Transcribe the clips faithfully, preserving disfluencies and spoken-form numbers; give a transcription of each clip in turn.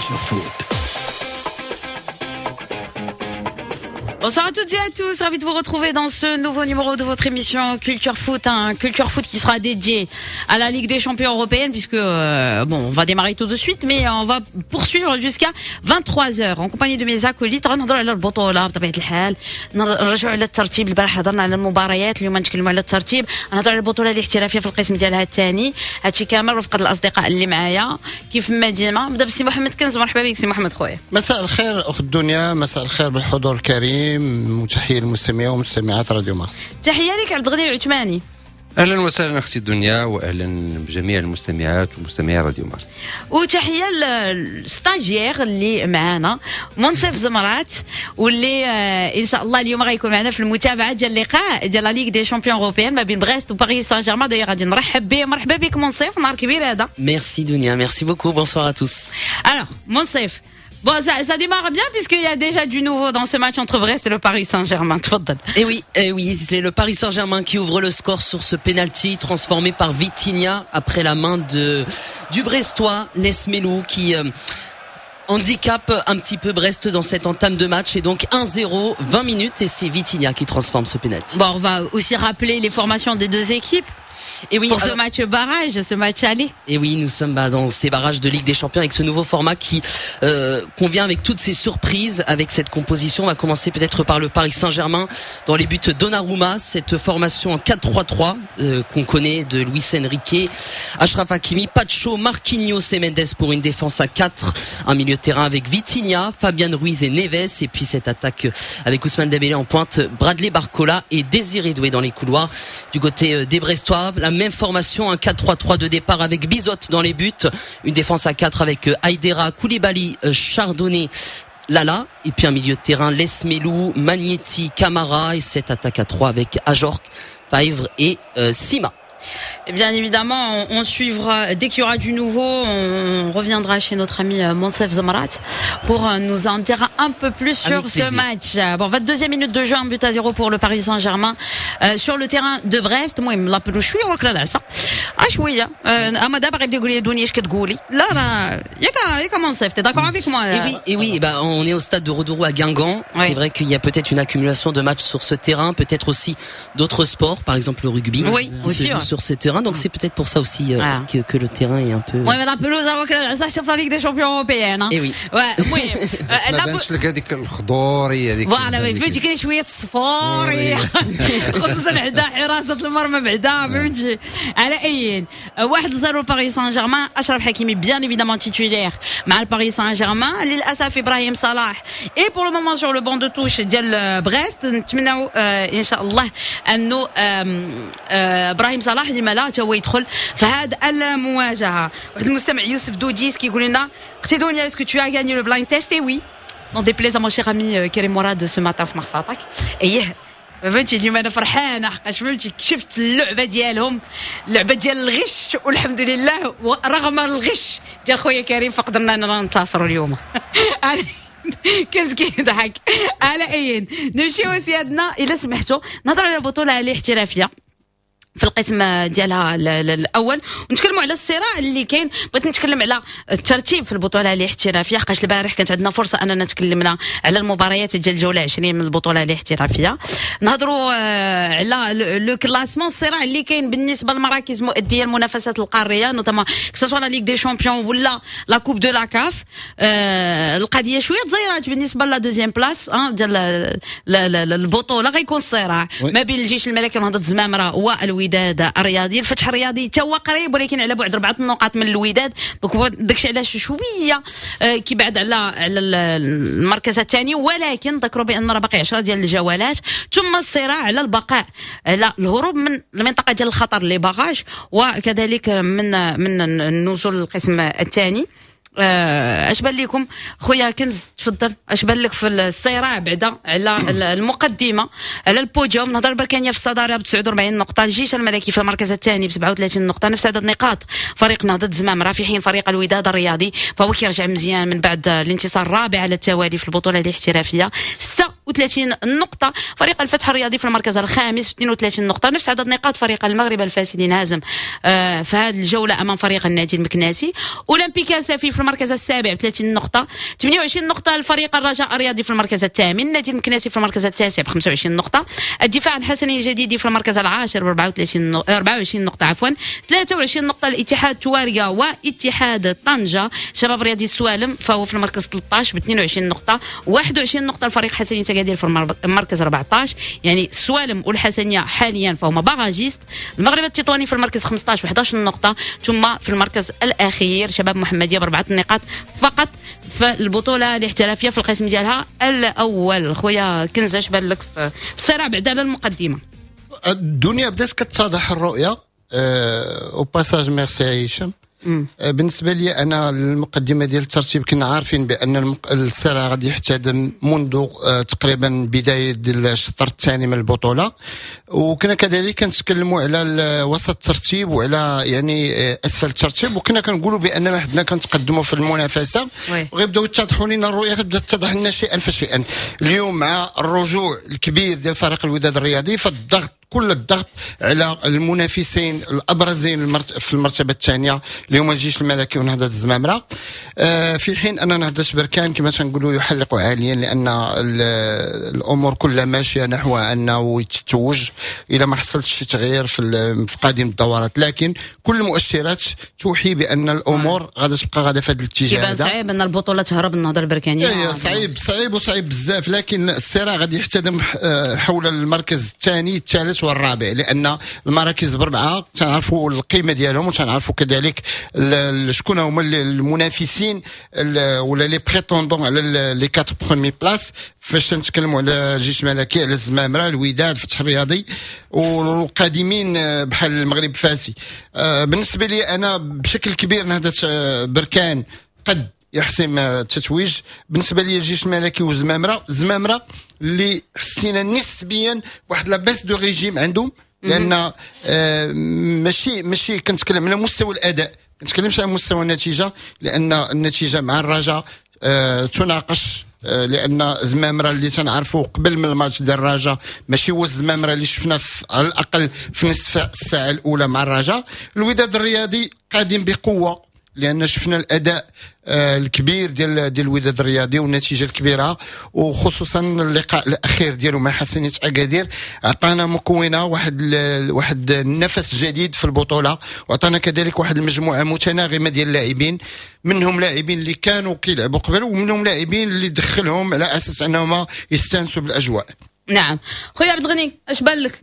Culture Foot. Bonsoir à toutes et à tous, ravi de vous retrouver dans ce nouveau numéro de votre émission Culture Foot, un Culture Foot qui sera dédié à la Ligue des Champions européenne puisque euh, bon, on va démarrer tout de suite mais on va poursuivre jusqu'à vingt-trois heures en compagnie de mes acolytes. غنهضروا على البطولة بطبيعة الحال، نرجعوا على الترتيب. البارح هضرنا على المباريات، اليوم نتكلموا على الترتيب، نهضروا على البطولة الاحترافية في القسم ديالها الثاني. هادشي كامل رفقة الأصدقاء اللي معايا كيف ما ديما. نبدا بسي محمد كنز، مرحبا بك سي محمد خويا. مساء الخير أخت دنيا، مساء الخير بالحضور الكريم، وتحية للمستمعين ومستمعات راديو مارس. تحية لك عبد الغني العثماني. اهلا وسهلا اختي دنيا، واهلا بجميع المستمعات ومستمعي راديو مارس. وتحية لل stagiaire اللي معانا منصف زمرات، واللي ان شاء الله اليوم غيكون معنا في المتابعة ديال اللقاء ديال la Ligue des Champions européenne ما بين بريست وباريس سان جيرمان. داير غادي نرحب به. مرحبا بك منصف، نهار كبير هذا. Merci دنيا، merci beaucoup, bonsoir à tous. Alors منصف، bon, ça, ça démarre bien puisqu'il y a déjà du nouveau dans ce match entre Brest et le Paris Saint-Germain. تفضل. Et oui, et oui, c'est le Paris Saint-Germain qui ouvre le score sur ce penalty transformé par Vitinha après la main de du Brestois Lees-Melou qui euh, handicape un petit peu Brest dans cette entame de match, et donc un zéro, vingt minutes, et c'est Vitinha qui transforme ce penalty. Bon, on va aussi rappeler les formations des deux équipes. Et oui, pour ce alors, match barrage, ce match aller. Et oui, nous sommes bah, dans ces barrages de Ligue des Champions avec ce nouveau format qui euh, convient avec toutes ces surprises, avec cette composition. On va commencer peut-être par le Paris Saint-Germain. Dans les buts, Donnarumma, cette formation en quatre trois trois euh, qu'on connaît de Luis Enrique, Achraf Hakimi, Pacho, Marquinhos et Mendes pour une défense à quatre, un milieu de terrain avec Vitinha, Fabian Ruiz et Neves, et puis cette attaque avec Ousmane Dembélé en pointe, Bradley Barcola et Désiré Doué dans les couloirs. Du côté des Brestois, la même formation, un quatre trois trois de départ avec Bizot dans les buts, une défense à quatre avec Aïdera, Koulibaly, Chardonnay, Lala, et puis un milieu de terrain Lees-Melou, Magnetti, Camara, et cette attaque à trois avec Ajorque, Faivre et euh, Sima. Et bien évidemment, on, on suivra, dès qu'il y aura du nouveau, on reviendra chez notre ami Monsef Zamrat pour nous en dire un peu plus sur Avec ce plaisir. match. Bon, vingt-deuxième minute de jeu, un but à zéro pour le Paris Saint-Germain euh, sur le terrain de Brest. المهم la pelouse شوية واكله العصا شوية. اما دابا غيبدا يقول لي دنيا اش كتقولي؟ لا لا ياك ياك منصف، t'es d'accord avec moi? Et oui, et oui, bah on est au stade de Roudourou à Guingamp. Ouais. C'est vrai qu'il y a peut-être une accumulation de matchs sur ce terrain, peut-être aussi d'autres sports, par exemple le rugby, Oui, qui aussi, se joue ouais. sur ces terrains. Donc c'est peut-être pour ça aussi euh, Voilà. que, que le terrain est un peu. Ouais, mais la pelouse ça sur la Ligue des Champions européenne. Hein. Et oui. Ouais, المهم ما بانش لك هذيك الخضوريه هذيك؟ Voilà, فهمتي، كاين شوية الصفوريه خصوصا بعدا حراسة المرمى بعدا، فهمتي. على اي، واحد صفر باريس سان جيرمان. اشرف حكيمي bien évidemment titulaire مع الباريس سان جيرمان. للاسف ابراهيم صلاح est pour le moment sur le banc de touche ديال بريست. نتمناو ان شاء الله انه ابراهيم صلاح لما لا حتى هو يدخل في هذه المواجهة. واحد المستمع يوسف دوديس كيقول لنا: اختي دنيا، est-ce que tu as gagné le blind test؟ Et oui, n'en déplaise à mon cher ami كريم مراد ce matin في Mars Attack. ايه فهمتي، اليوم انا فرحانة حقاش فهمتي شفت اللعبة ديالهم، اللعبة ديال الغش، والحمد لله رغم الغش ديال خويا كريم فقدرنا اننا ننتصروا اليوم. كنز كيضحك. على اي، نمشيو سيادنا الا سمحتوا نهضروا على البطولة الاحترافية في القسم ديالها الاول ونتكلموا على الصراع اللي كاين. بغيت نتكلم على الترتيب في البطولة الاحترافية حقاش البارح كانت عندنا فرصة اننا تكلمنا على المباريات ديال الجولة عشرين من البطولة الاحترافية. نهضروا على le classement، الصراع اللي كاين بالنسبة للمراكز المؤدية المنافسات القارية، notamment que ce soit la Ligue des Champions ولا la Coupe de la CAF. القضية شوية تزيرات بالنسبة la deuxième place ديال البطوله، غيكون الصراع ما بين الجيش الملكي ونهضه الزمامره والوداد الرياضي. الفتح الرياضي تا هو قريب ولكن على بعد اربعة النقاط من الوداد، donc داكشي علاش شوية كيبعد على على المركز الثاني، ولكن ذكروا بان راه باقي عشرة ديال الجولات. ثم الصراع على البقاء، على الهروب من المنطقة ديال الخطر، les barrages، وكذلك من من النزول للقسم الثاني. اش بان لكم خويا كنز؟ تفضل، اش بان لك في الصراع بعدا على المقدمه، على البوديوم؟ نهضة البركانيه في الصدارة ب تسعة وأربعين نقطه، الجيش الملكي في المركز الثاني ب سبعة وثلاثين نقطه، نفس عدد نقاط فريق نهضة الزمامره، في حين فريق الوداد الرياضي فهو كيرجع مزيان من بعد الانتصار الرابع على التوالي في البطولة الاحترافيه، ستة وثلاثين وثلاثين نقطه. فريق الفتح الرياضي في المركز الخامس ب اثنين وثلاثين نقطه، نفس عدد نقاط فريق المغرب الفاسي اللي انهزم آه، في هذه الجولة امام فريق النادي المكناسي. اولمبيك اسفي في المركز السابع ب ثلاثين نقطه، ثمانية وعشرين نقطة لفريق الرجاء الرياضي في المركز الثامن، النادي المكناسي في المركز التاسع ب خمسة وعشرين نقطه، الدفاع الحسني الجديدي في المركز العاشر ب أربعة وثلاثين نق-، أربعة وعشرين نقطة عفوا، ثلاثة وعشرين نقطة الاتحاد تواريا واتحاد طنجه. شباب رياضي السوالم فهو في المركز ثلاثة عشر ب اثنين وعشرين نقطه، واحد وعشرين نقطة الفريق حسنيه اكادير في المر-، المركز أربعة عشر. يعني السوالم والحسنيه حاليا فهما barragistes. المغرب التطواني في المركز خمسة عشر ب إحدى عشر نقطه، ثم في المركز الاخير شباب محمديه باربعة نقاط فقط في البطولة الاحترافية في القسم ديالها الاول. خويا كنزه، اش بان لك في الصراع بعد على المقدمة؟ الدنيا بدات كتتضح الرؤية. أه، au passage merci هشام. مم. أه، بالنسبة لي انا المقدمة ديال الترتيب كنا عارفين بان المق-، الصراع غادي يحتدم منذ، أه، تقريبا بداية ديال الشطر الثاني من البطوله، وكنا كذلك كنتكلموا على ال-، وسط الترتيب وعلى يعني، أه، اسفل الترتيب، وكنا كنقولوا بان ما حدنا كنتقدموا في المنافسة oui. وغيبداو يتضحوا لنا الرؤية، غتبدا تتضح لنا شيئا فشيئا. اليوم مع الرجوع الكبير ديال فريق الوداد الرياضي، فالضغط كل الضغط على المنافسين الابرزين المرت-، في المرتبة الثانية اللي هما الجيش الملكي ونهضه الزمامره، آه، في حين ان نهضة بركان كما تنقولوا يحلق عاليا، لان ال-، الامور كلها ماشية نحو انه يتتوج الى ما حصلش شي تغيير في ال-، في قادم الدورات، لكن كل المؤشرات توحي بان الامور غادا تبقى غادا في هذا الاتجاه كيبان هذا. صعيب ان البطولة تهرب النهضة البركانيه. إيه، صعيب، صعيب وصعيب بزاف، لكن الصراع غادي يحتدم، آه، حول المركز الثاني الثالث والرابع، لان المراكز بربعه تنعرفوا القيمة ديالهم وتنعرفوا كذلك ال-، ال-، شكون هما ال-، المنافسين ال-، ولا les prétendants على ال-، les quatre premières places. فاش تنتكلموا على الجيش الملكي، على الزمامره، الوداد، الفتح الرياضي والقادمين بحال المغرب فاسي. آه، بالنسبة لي انا بشكل كبير نهضة، آه، بركان قد يحسم التتويج. بالنسبة لي الجيش الملكي والزمامره، الزمامره اللي حسينا نسبيا واحد la baisse de régime عندهم، لان، آه، ماشي، ماشي كنتكلم على مستوى الاداء، كنتكلمش على مستوى النتيجة، لان النتيجة مع الرجاء، آه، تناقش، آه، لان زمامرة اللي تنعرفوه قبل من الماتش ديال الرجاء ماشي هو الزمامره اللي شفنا في، على الاقل في نصف الساعة الاولى مع الرجاء. الوداد الرياضي قادم بقوة، لان شفنا الاداء، آه، الكبير ديال، ديال الوداد الرياضي والنتيجة الكبيرة، وخصوصا اللقاء الاخير ديالو مع حسنيه اكادير عطانا مكونة واحد ال-، واحد النفس جديد في البطولة، وعطانا كذلك واحد المجموعة متناغمه ديال اللاعبين، منهم لاعبين اللي كانوا كيلعبوا قبل ومنهم لاعبين اللي دخلهم على اساس انهم يستانسوا بالاجواء. نعم خويا عبد الغني، اش بان لك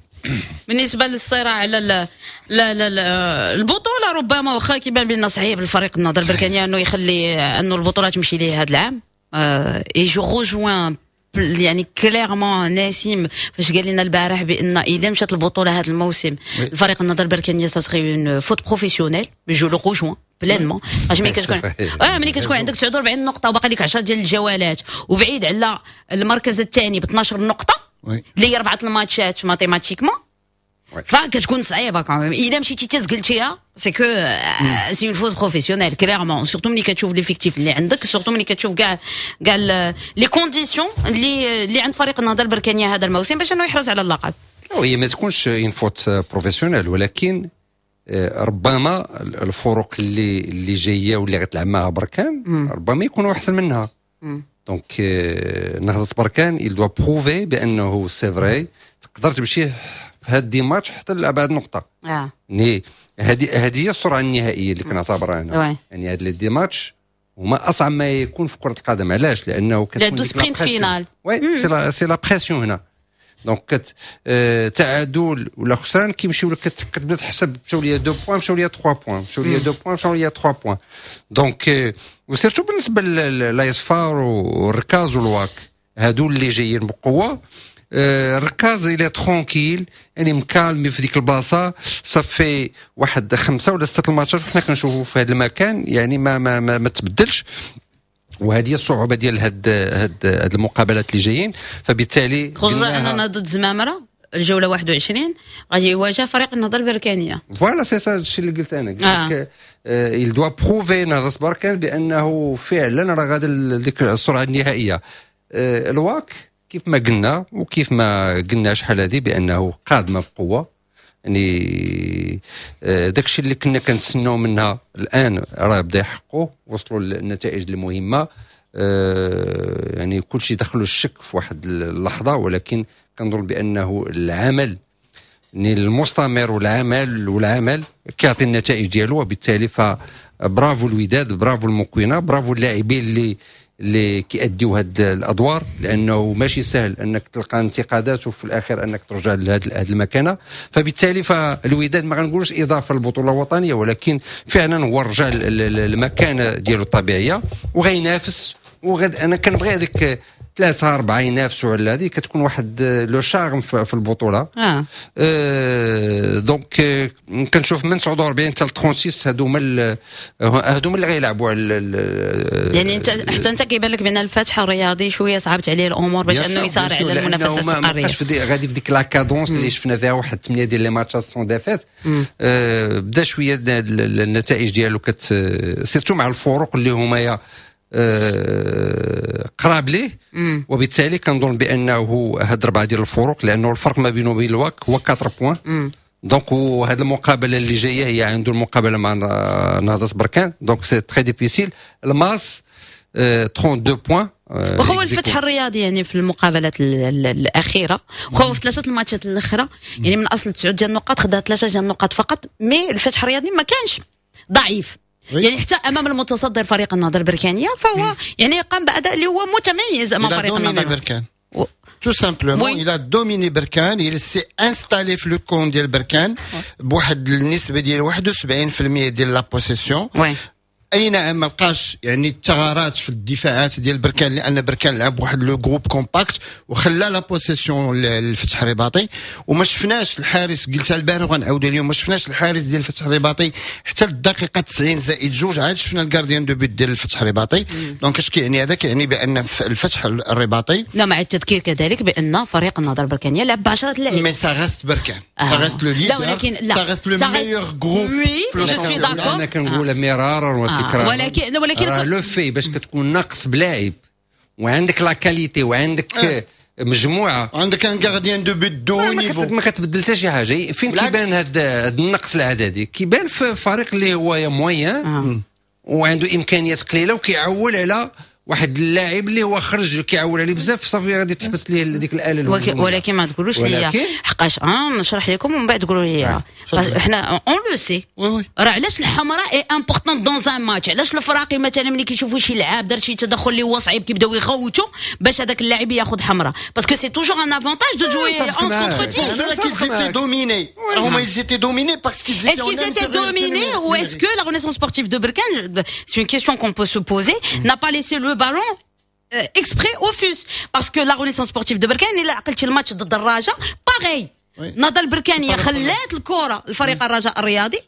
بالنسبة للصراع على ال-، لا، لا، لا، البطولة؟ ربما واخا كيبان بان صعيب الفريق النهضة البركانيه انه يخلي انه البطولة تمشي ليه هذا العام. آه، et je rejoins يعني clairement نسيم فاش قال لنا البارح بان اذا مشات البطولة هذا الموسم oui. الفريق النهضة البركانيه ça serait une faute professionnelle، je le rejoins pleinement. باش ملي كتكون صحيح. آه، ملي كتكون عندك تسعة وأربعين نقطة وباقي لك عشرة ديال الجولات وبعيد على المركز الثاني ب اثناش نقطة oui. اللي هي اربعة الماتشات mathématiquement، oui. فكتكون صعيبة quand même. الا مشيتي تزقلتيها c'est que c'est une faute professionnelle clairement، surtout ملي كتشوف l'effectif اللي عندك، surtout ملي كتشوف كاع، كاع les conditions اللي، اللي عند فريق النهضة البركانيه هذا الموسم باش انه يحرز على اللقب. هي ما تكونش une faute professionnelle، ولكن، آه، ربما الفرق اللي، اللي جاية واللي غتلعب معها بركان مم. ربما يكونوا احسن منها. مم. donc، آه، نهضة بركان il doit prouver بانه c'est vrai تقدر تمشي في هاد dix matchs حتى لابعد نقطة. اه يعني هذه، هذه هي السرعة النهائية اللي كنعتبرها انا. oui. يعني هاد les dix matchs هما اصعب ما يكون في كره القدم. علاش؟ لانه كتكون لا، ديك la deux sprints pression. finales. oui، c'est la c'est la pression هنا. donc كت آه تعادل ولا خسران كيمشيو لك، كت- كتبدا تحسب مشاو ليا deux points، مشاو ليا ثلاثة points، مشاو ليا deux points، مشاو ليا ثلاثة points. donc آه و surtout بالنسبة لايس فار والركاز والواك، هادو اللي جايين بقوة. آه، الركاز il est tranquille، يعني مكالمي في ديك البلاصة، صافي واحد خمسة ولا ستة الماتشات وحنا كنشوفوا في هذا المكان، يعني ما ما ما, ما تبدلش. وهذه هي الصعوبة ديال هاد هاد هاد المقابلات اللي جايين، فبالتالي خصوصا قلناها- اننا ضد زمامرة الجولة واحد وعشرين غادي يواجه فريق النهضة البركانيه. voilà، c'est ça الشيء اللي قلت انا، قلت آه. لك il doit prouver نهضة بركان بانه فعلا راه غادي ديك السرعة النهائية. آه، الواك كيف ما قلنا وكيف ما قلنا شحال هذه بانه قادمة بقوه، يعني آه، داكشي اللي كنا كنتسناو منها الان راه بدا يحققوا، وصلوا للنتائج المهمه، آه، يعني كل شيء دخلوا الشك في واحد اللحظه، ولكن كنظن بانه العمل يعني المستمر والعمل والعمل كيعطي النتائج ديالو، وبالتالي فبرافو الوداد، برافو المكوينه، برافو اللاعبين اللي اللي كيأديو هاد الادوار، لانه ماشي سهل انك تلقى انتقادات وفي الاخير انك ترجع لهذه المكانه. فبالتالي فالوداد ما غنقولوش اضافه للبطولة الوطنيه، ولكن فعلا هو رجع المكانة ديالو الطبيعية وغينافس. وغد انا كنبغي هذيك ثلاثة اربعة ينافسوا على هذه، كتكون واحد le charme في البطوله. اه, آه donc آه، كنشوف من تسعة وأربعين حتى ستة وثلاثين هادو هما هادو هما اللي غيلعبوا على يعني انت حتى انت كيبان لك بان الفتح الرياضي شوية صعبت عليه الامور باش انه يسارع على المنافسات القاريه. ما غادي في ديك la cadence اللي شفنا فيها واحد ثمانية ديال les matchs sans défaite. آه بدا شوية النتائج ديالو كت surtout مع الفروق اللي هما آه، قراب ليه، وبالتالي كنظن بانه هاد اربعة ديال الفروق، لانه الفرق ما بينه وبين الواك هو أربعة points. donc وهذه المقابلة اللي جاية هي عنده المقابلة مع نهضة بركان، donc c'est très difficile. الماس اثنين وثلاثين points. وهو الفتح الرياضي يعني في المقابلات الاخيره، وهو في ثلاثة الماتشات الاخرى، يعني من اصل تسعة ديال النقاط خدا ثلاثة ديال النقاط فقط، mais الفتح الرياضي ما كانش ضعيف، يعني حتى امام المتصدر فريق النهضة البركانيه فهو يعني قام باداء اللي هو متميز امام فريق النهضه. بركان tout simplement oui. il a dominé بركان، il s'est installé في le camp ديال بركان بواحد النسبة ديال واحد وسبعين في المية ديال la possession. oui. اي نعم، ما لقاش يعني الثغرات في الدفاعات ديال بركان، لان بركان لعب واحد le groupe compact وخلى la possession للفتح الرباطي. وما شفناش الحارس، قلتها البارح وغنعاودها اليوم، ما شفناش الحارس ديال الفتح الرباطي حتى الدقيقة تسعين زائد جوج، عاد شفنا ال gardien de but ديال الفتح الرباطي. donc اش كيعني هذا؟ كيعني بان الفتح الرباطي لا، مع التذكير كذلك بان فريق النهضة البركانيه لعب ب عشرة لاعبين. mais ça reste بركان، ça reste le leader، لا ولكن لا ça reste le meilleur groupe. oui، je suis d'accord. انا كنقول مرارا وتكرارا. ولكن ولكن le fait باش كتكون ناقص بلاعب وعندك la qualité وعندك آه. مجموعه عندك un gardien de but de niveau. ما كتبدل حتى شي حاجه. فين كيبان هذا النقص العددي؟ كيبان في فريق اللي هو moyen آه. وعنده امكانيات قليله وكيعول على واحد اللاعب اللي هو خرج، كيعول عليه بزاف، صافي غادي تحبس ليه ديك الاله. ولكن, ولكن ما تقولوش لي حقاش اه نشرح لكم ومن بعد تقولوا لي حنا on le sait راه علاش الحمراء est importante dans un match، علاش الفراقي مثلا ملي كيشوفوا شي لعاب دار شي تدخل اللي هو صعيب كيبداو يغوتوا باش هذاك اللاعب ياخذ حمراء، parce que c'est toujours un avantage de jouer onze contre dix. qu'ils étaient dominés. هما ils étaient dominés parce qu'ils étaient Est-ce qu'ils étaient dominés ou est-ce que la Renaissance sportive de Berkane, c'est une question qu'on peut se poser, n'a pas laissé le ballon euh, exprès au FUS؟ parce que la Renaissance sportive de Berkane، الا عقلتي الماتش ضد الرجاء، pareil، النهضة البركانيه خلات الكره لفريق الرجاء الرياضي،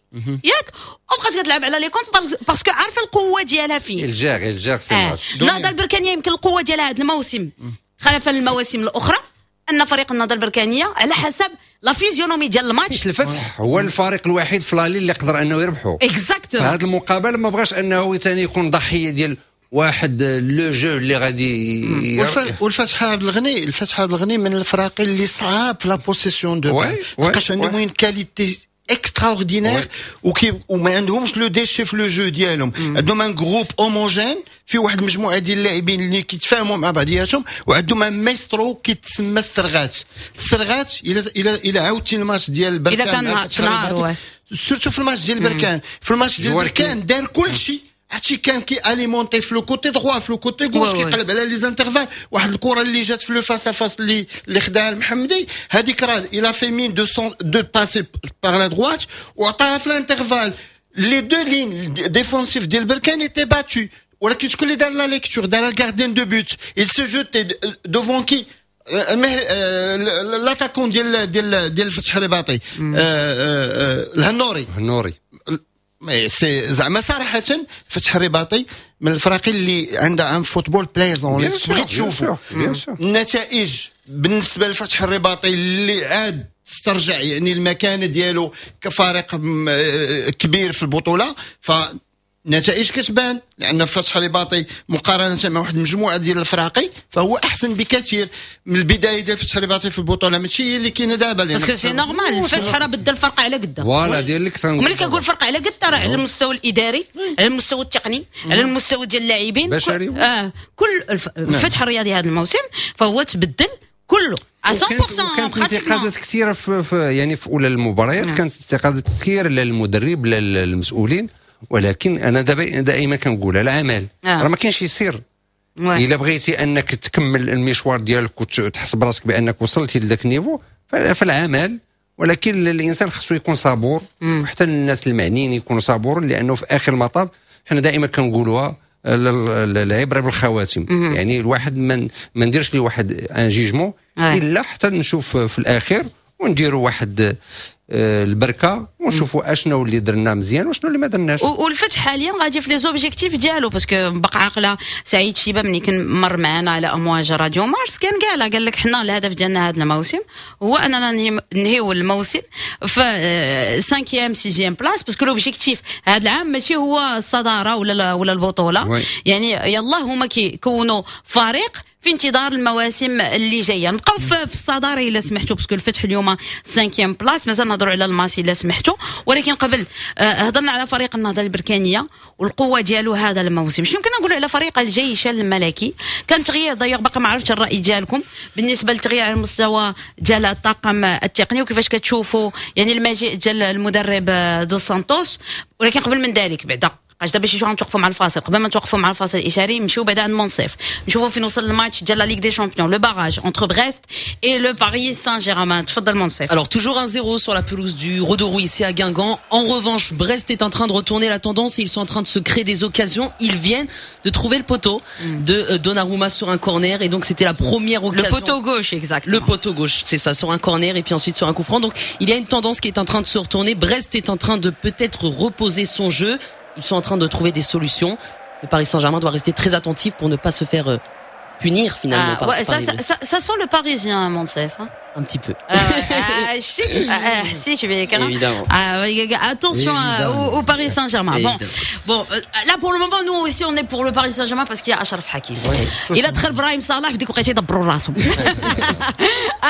ياك؟ وبقات كتلعب على les contres parce que عارفه القوة ديالها فين. elle gère elle gère ses matchs. النهضة البركانيه يمكن القوة ديالها هذا الموسم خلفا المواسم الاخرى ان فريق النهضة البركانيه على حسب la physionomie ديال الماتش. الفتح هو الفريق الوحيد في l'aller اللي قدر انه يربحو. exactement. هذه المقابلة ما بغاش انه ثاني يكون ضحية ديال واحد le jeu اللي غادي والفتح عبد الغني، الفتح عبد الغني من الفراقي اللي صعاب في la possession de balle، لحقاش عندهم une qualité extraordinaire وكي وما عندهمش le déchet في le jeu ديالهم. عندهم un groupe homogène في واحد المجموعة ديال اللاعبين اللي كيتفاهموا مع بعضياتهم، وعندهم un maestro كيتسمى السرغات. السرغات الى الى الى عاودتي الماتش ديال بركان، الى كان surtout في الماتش ديال بركان، في الماتش ديال بركان دار كل شيء. هادشي كان كي alimenter في le côté droit، في le côté gauche، كيقلب على les intervalles. واحد الكره اللي جات في le face à face اللي اللي خداها المحمدي، هذيك راه il a fait mine de son de passer par la droite وعطاها في l'intervalle. les deux lignes défensives ديال بركان étaient battues، ولكن شكون اللي دار la lecture؟ دار ال gardien de but. il se jetait devant qui؟ l'attaquant ديال ديال ديال الفتح الرباطي، الهنوري. الهنوري. mais c'est زعما صراحة فتح الرباطي من الفرق اللي عندها un football plaisant اللي تبغي تشوفوا. النتائج بالنسبة للفتح الرباطي اللي عاد استرجع يعني المكانة ديالو كفريق كبير في البطوله، ف النتائج كتبان، لان الفتح الرباطي مقارنة مع واحد المجموعة ديال الفراقي فهو احسن بكثير من البداية ديال الفتح الرباطي في البطولة، ماشي هي اللي كاينه دابا. parce que c'est normal، الفتح راه بدل الفرقة على قدا. voilà ديال لك، ملي كنقول فرقه على قدا راه على المستوى الاداري، على المستوى التقني، على المستوى ديال اللاعبين. بشري. اه كل الفتح الرياضي هذا الموسم فهو تبدل كله مية بالمية. كانت انتقادات كثيرة في, في يعني في اولى المباريات كانت انتقادات كثيرة لا للمدرب لا للمسؤولين، ولكن انا دابا دائما كنقول العمل آه. راه ما كاينش يصير. الا بغيتي انك تكمل المشوار ديالك وتحس براسك بانك وصلتي لذاك ال niveau فالعمل، ولكن الانسان خصو يكون صبور، وحتى الناس المعنيين يكونوا صبور، لانه في اخر المطاف حنا دائما كنقولوها العبرة بالخواتم. مم. يعني الواحد من ما نديرش ليه واحد un jugement الا حتى نشوف في الاخير ونديروا واحد البركة ونشوفوا اشنو اللي درنا مزيان وشنو اللي ما درناش. والفتح حاليا غادي في les objectifs ديالو، parce que بقى عاقلة سعيد شيبة ملي كان مر معنا على امواج راديو مارس كان قال قال لك حنا الهدف ديالنا هذا الموسم هو اننا ننهيو الموسم في cinquième sixième place، parce que l'objectif هذا العام ماشي هو الصدارة ولا ولا البطولة. oui. يعني يلا هما كيكونوا فريق في انتظار المواسم اللي جاية. نبقاو في الصدارة الا سمحتوا، parce que الفتح اليوم cinquième place، مازال نهضروا على الماسي الا سمحتوا، ولكن قبل هضرنا على فريق النهضة البركانيه والقوه ديالو هذا الموسم. شنو يمكن نقولوا على فريق الجيش الملكي؟ كان تغيير ضيق، باقي ما عرفتش الراي ديالكم بالنسبة للتغيير على المستوى ديال الطاقم التقني وكيفاش كتشوفوا يعني المجيء ديال المدرب دو سانتوس. ولكن قبل من ذلك بعدا علاش دابا شي شوية نتوقفوا مع الفاصل، قبل ما نتوقفوا مع الفاصل الاشاري نمشيو بعدا عند منصف نشوفوا فين وصل الماتش ديال la Ligue des Champions، le barrage entre Brest et le Paris Saint-Germain. تفضل منصف. Alors toujours un zéro sur la pelouse du Rodourou ici à Guingamp. En revanche, Brest est en train de retourner la tendance et ils sont en train de se créer des occasions. Ils viennent de trouver le poteau de Donnarumma sur un corner et donc c'était la première occasion. Le poteau gauche, exactement. Le poteau gauche, c'est ça, sur un corner et puis ensuite sur un coup franc. Donc il y a une tendance qui est en train de se retourner. Brest est en train de peut-être reposer son jeu. Ils sont en train de trouver des solutions. Le Paris Saint-Germain doit rester très attentif pour ne pas se faire punir finalement. Ah, par, ouais, par ça, ça, ça, ça sent le Parisien, Monsef. Hein. Un petit peu. Ah, ah, si, ah, si, tu vais évidemment. Ah, attention au, au Paris Saint-Germain. Bon, bon, là pour le moment, nous aussi, on est pour le Paris Saint-Germain parce qu'il y a Achraf Hakimi. Ouais. Il a دخل براهيم صلاح في ديك الوقيته يدبروا راسهم.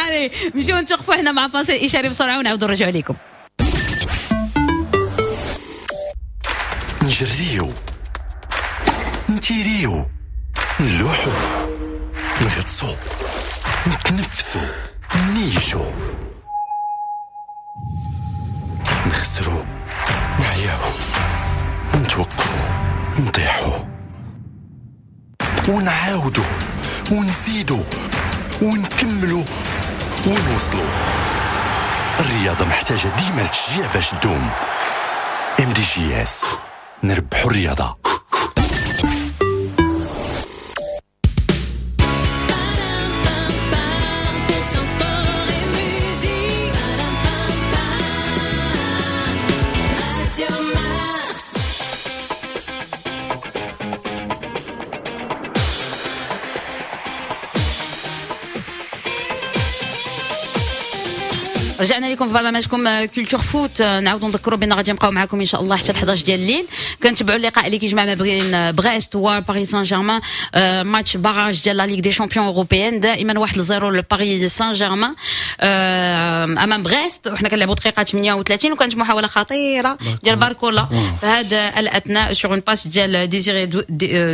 Allez, نمشيو نتوقفوا هنا مع فاصل إشاري بسرعة ونعاودوا نرجعوا لكم. نجريو، نتيريو، نلوحو، نغطسو، نتنفسو، نيشو، نخسرو، نعياو، نتوقفو، نطيحو، ونعاودو، ونزيدو، ونكملو، ونوصلو. الرياضة محتاجة ديما لتشجيع باش تدوم. ام دي جي اس، نربحوا الرياضة. رجعنا لكم في برنامجكم Culture Foot. نعاودوا نذكروا بان غادي نبقاو معكم ان شاء الله حتى احداش ديال الليل. كنتبعوا اللقاء اللي كيجمع ما بين بريست وباريس سان جيرمان، match barrage ديال la Ligue des Champions européenne. دائما واحد لزيرو لباريس سان جيرمان امام بريست، وحنا كنلعبوا دقيقة ثمانية وثلاثين، وكانت محاولة خطيرة ديال باركولا في هذا الاثناء sur une passe ديال ديزيري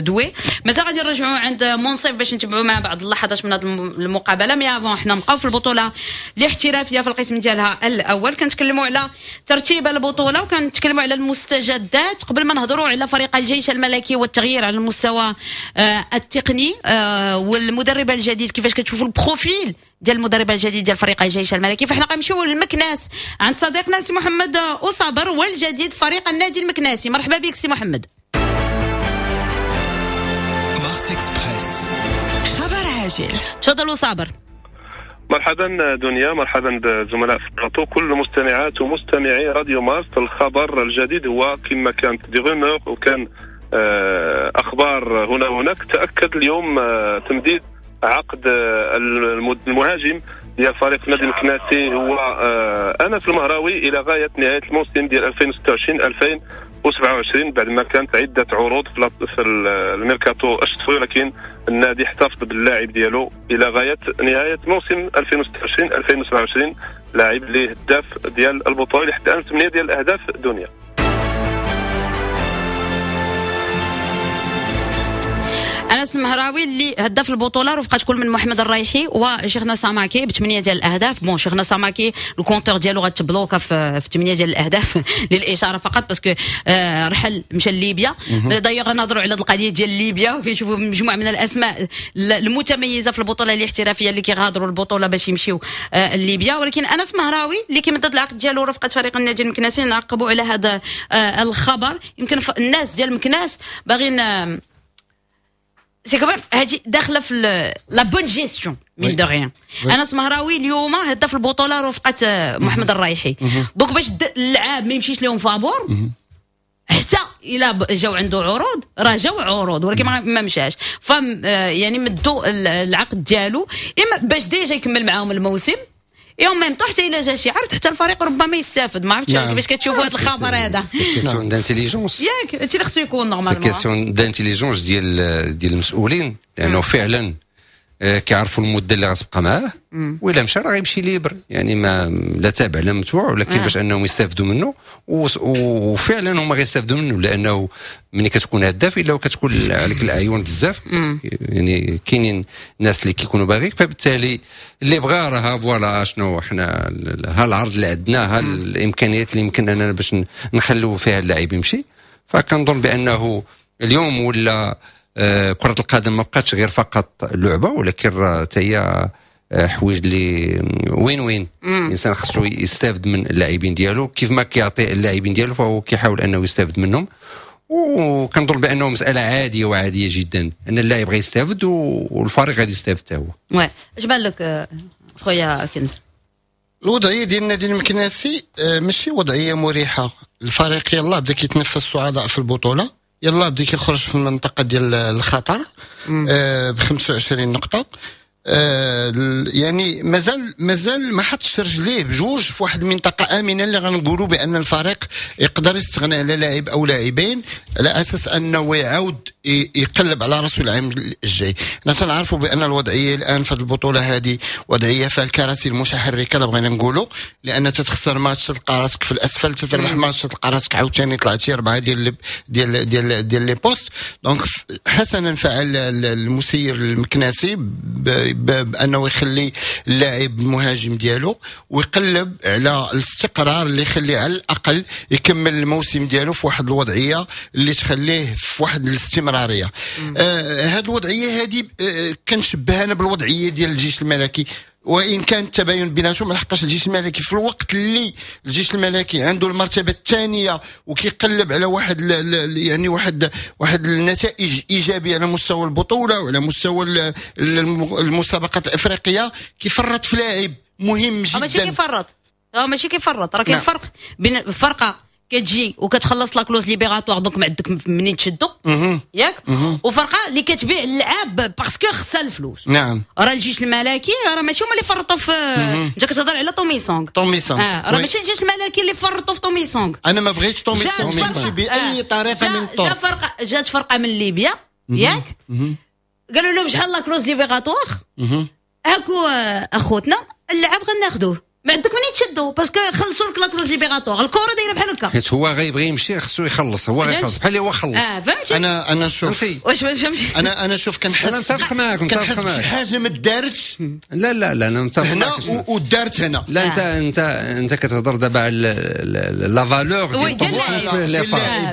دوي. مازال غادي نرجعوا عند منصف باش نتبعوا مع بعض اللحظات من هذه المقابلة. mais avant حنا نبقاو في البطولة الاحترافية في القسم ديالها الاول. كنتكلموا على ترتيب البطولة وكنتكلموا على المستجدات قبل ما نهضروا على فريق الجيش الملكي والتغيير على المستوى التقني والمدرب الجديد، كيفاش كتشوفوا ال profil ديال المدرب الجديد ديال فريق الجيش الملكي. فاحنا غنمشيو للمكناس عند صديقنا سي محمد أصابر والجديد فريق النادي المكناسي. مرحبا بك سي محمد. مارس اكسبريس، خبر عاجل. تفضلوا صابر. مرحبا دنيا، مرحبا بالزملاء في البلاطو، كل المستمعات ومستمعي راديو مارس. الخبر الجديد هو كما كانت des rumeurs وكان اخبار هنا وهناك، تاكد اليوم تمديد عقد المهاجم ديال فريق النادي المكناسي هو انس المهراوي الى غاية نهاية الموسم ديال ألفين وستة وعشرين ألفين وسبعة وعشرين، بعد ما كانت عده عروض في الميركاتو الشتوي، ولكن النادي احتفظ باللاعب ديالو الى غاية نهاية موسم ألفين وستة وعشرين ألفين وسبعة وعشرين، لاعب اللي هداف ديال البطولة لحد الان ثمانية ديال الاهداف دنيا. انس المهراوي اللي هداف البطولة رفقه كل من محمد الرايحي وشيخنا ساماكي بثمانية ديال الاهداف. bon شيخنا ساماكي ال compteur ديالو غتبلوكا في ثمانية ديال الاهداف للاشارة فقط، parce que آه رحل مشى لليبيا. d'ailleurs غنهضروا على القضية ديال ليبيا وكنشوفوا مجموعة من الاسماء المتميزة في البطولة الاحترافية اللي كيغادروا البطولة باش يمشيو آه لليبيا. ولكن انس مهراوي اللي كيمدد العقد ديالو رفقه فريق النادي المكناسي، نعقبوا على هذا آه الخبر. يمكن الناس ديال المكناس باغيين آه c'est quand même هادي داخله في la bonne gestion mine de rien. انس مهراوي اليوم هداف البطولة رفقه محمد الرايحي، donc باش اللعاب ما يمشيش لهم فابور حتى الا جاو عنده عروض، راه جاو عروض ولكن ما مشاش، ف يعني مدوا العقد ديالو اما باش déjà يكمل معاهم الموسم يوم même حتى الا جا شي عرض حتى الفريق ربما يستافد. ما عرفتش كيفاش كتشوفوا هذا الخبر هذا. c'est question d'intelligence ياك، هادشي اللي خصو يكون normalement، c'est question d'intelligence ديال ديال المسؤولين، لانه فعلا كيعرفوا المدة اللي غتبقى معاه، والا مشى راه غيمشي libre، يعني ما لا تابع لا متبوع، ولكن باش انهم يستافدوا منه، وفعلا هما غيستافدوا منه، لانه ملي كتكون هداف الا وكتكون عليك الاعين بزاف، يعني كاينين ناس اللي كيكونوا باغيك، فبالتالي اللي بغى راه voilà شنو حنا ها العرض اللي عندنا، ها الامكانيات اللي يمكن اننا باش نخلو فيها اللاعب يمشي. فكنظن بانه اليوم ولا كرة القدم ما بقاتش غير فقط لعبة، ولكن راه حتى هي حوايج اللي وين وين الانسان خصو يستافد من اللاعبين ديالو، كيف ما كيعطي اللاعبين ديالو فهو كيحاول انه يستافد منهم. وكنظن بانه مسالة عادية وعاديه جدا ان اللاعب غيستافد والفريق غادي يستافد حتى هو. oui اش بان لك خويا كنز؟ الوضعية ديال النادي المكناسي ماشي وضعية مريحه، الفريق يلاه بدا كيتنفس الصعداء في البطولة، يلا بدا كيخرج في المنطقة ديال الخطر آه ب خمسة وعشرين نقطة، آه يعني مازال مازال ما حطش رجليه بجوج في واحد المنطقة امنه اللي غنقولوا بان الفريق يقدر يستغنى على لاعب او لاعبين على اساس انه يعاود يقلب على راسه العام الجاي. حنا تنعرفوا بان الوضعية الان في البطولة هذه وضعية فيها الكراسي المتحركة لا بغينا نقولوا، لان تتخسر ماتش تلقى راسك في الاسفل، تتربح ماتش تلقى راسك عاوتاني طلعتي اربعة ديال ديال ديال ديال les postes. donc حسنا فعل المسير المكناسي بانه يخلي اللاعب المهاجم ديالو ويقلب على الاستقرار اللي يخليه على الاقل يكمل الموسم ديالو في واحد الوضعية اللي تخليه في واحد الاستمرارية. آه هذه الوضعية هذه آه كنشبهها انا بالوضعيه ديال الجيش الملكي، وان كان التباين بيناتهم، لحقاش الجيش الملكي في الوقت اللي الجيش الملكي عنده المرتبة الثانية وكيقلب على واحد يعني واحد واحد النتائج ايجابية على مستوى البطولة وعلى مستوى المسابقات الافريقية، كيفرط في لاعب مهم جدا. ماشي كيفرط، ماشي كيفرط، راه كاين فرق بين فرقه كتجي وكتخلص la clause libératoire donc ما عندك منين تشدو ياك، وفرقه اللي كتبيع اللعاب parce que خصها الفلوس. نعم راه الجيش الملكي راه ماشي هما اللي فرطوا في، انت كتهضر على تومي سونغ، تومي سونغ آه راه ماشي الجيش الملكي اللي فرطوا في تومي سونغ. انا ما بغيتش تومي سونغ يمشي باي طريقه من الطرق. جا فرقه، جات فرقه من ليبيا ياك، قالوا لهم شحال la clause libératoire هاكو اخوتنا اللعاب غناخذوه، ما عندك منين تشدو parce que خلصوا لك la clause libératoire. الكره دايرة بحال هكا، حيت هو غيبغي يمشي خصو يخلص، هو غيخلص بحال اللي هو خلص. اه فهمتي. انا انا شوف واش ما فهمتش، انا انا شوف كنحس، انا متفق معاك، متفق معاك، شي حاجة ما دارتش. لا لا لا انا متفق هنا ودارت هنا. لا انت انت انت كتهضر دابا على la valeur ديال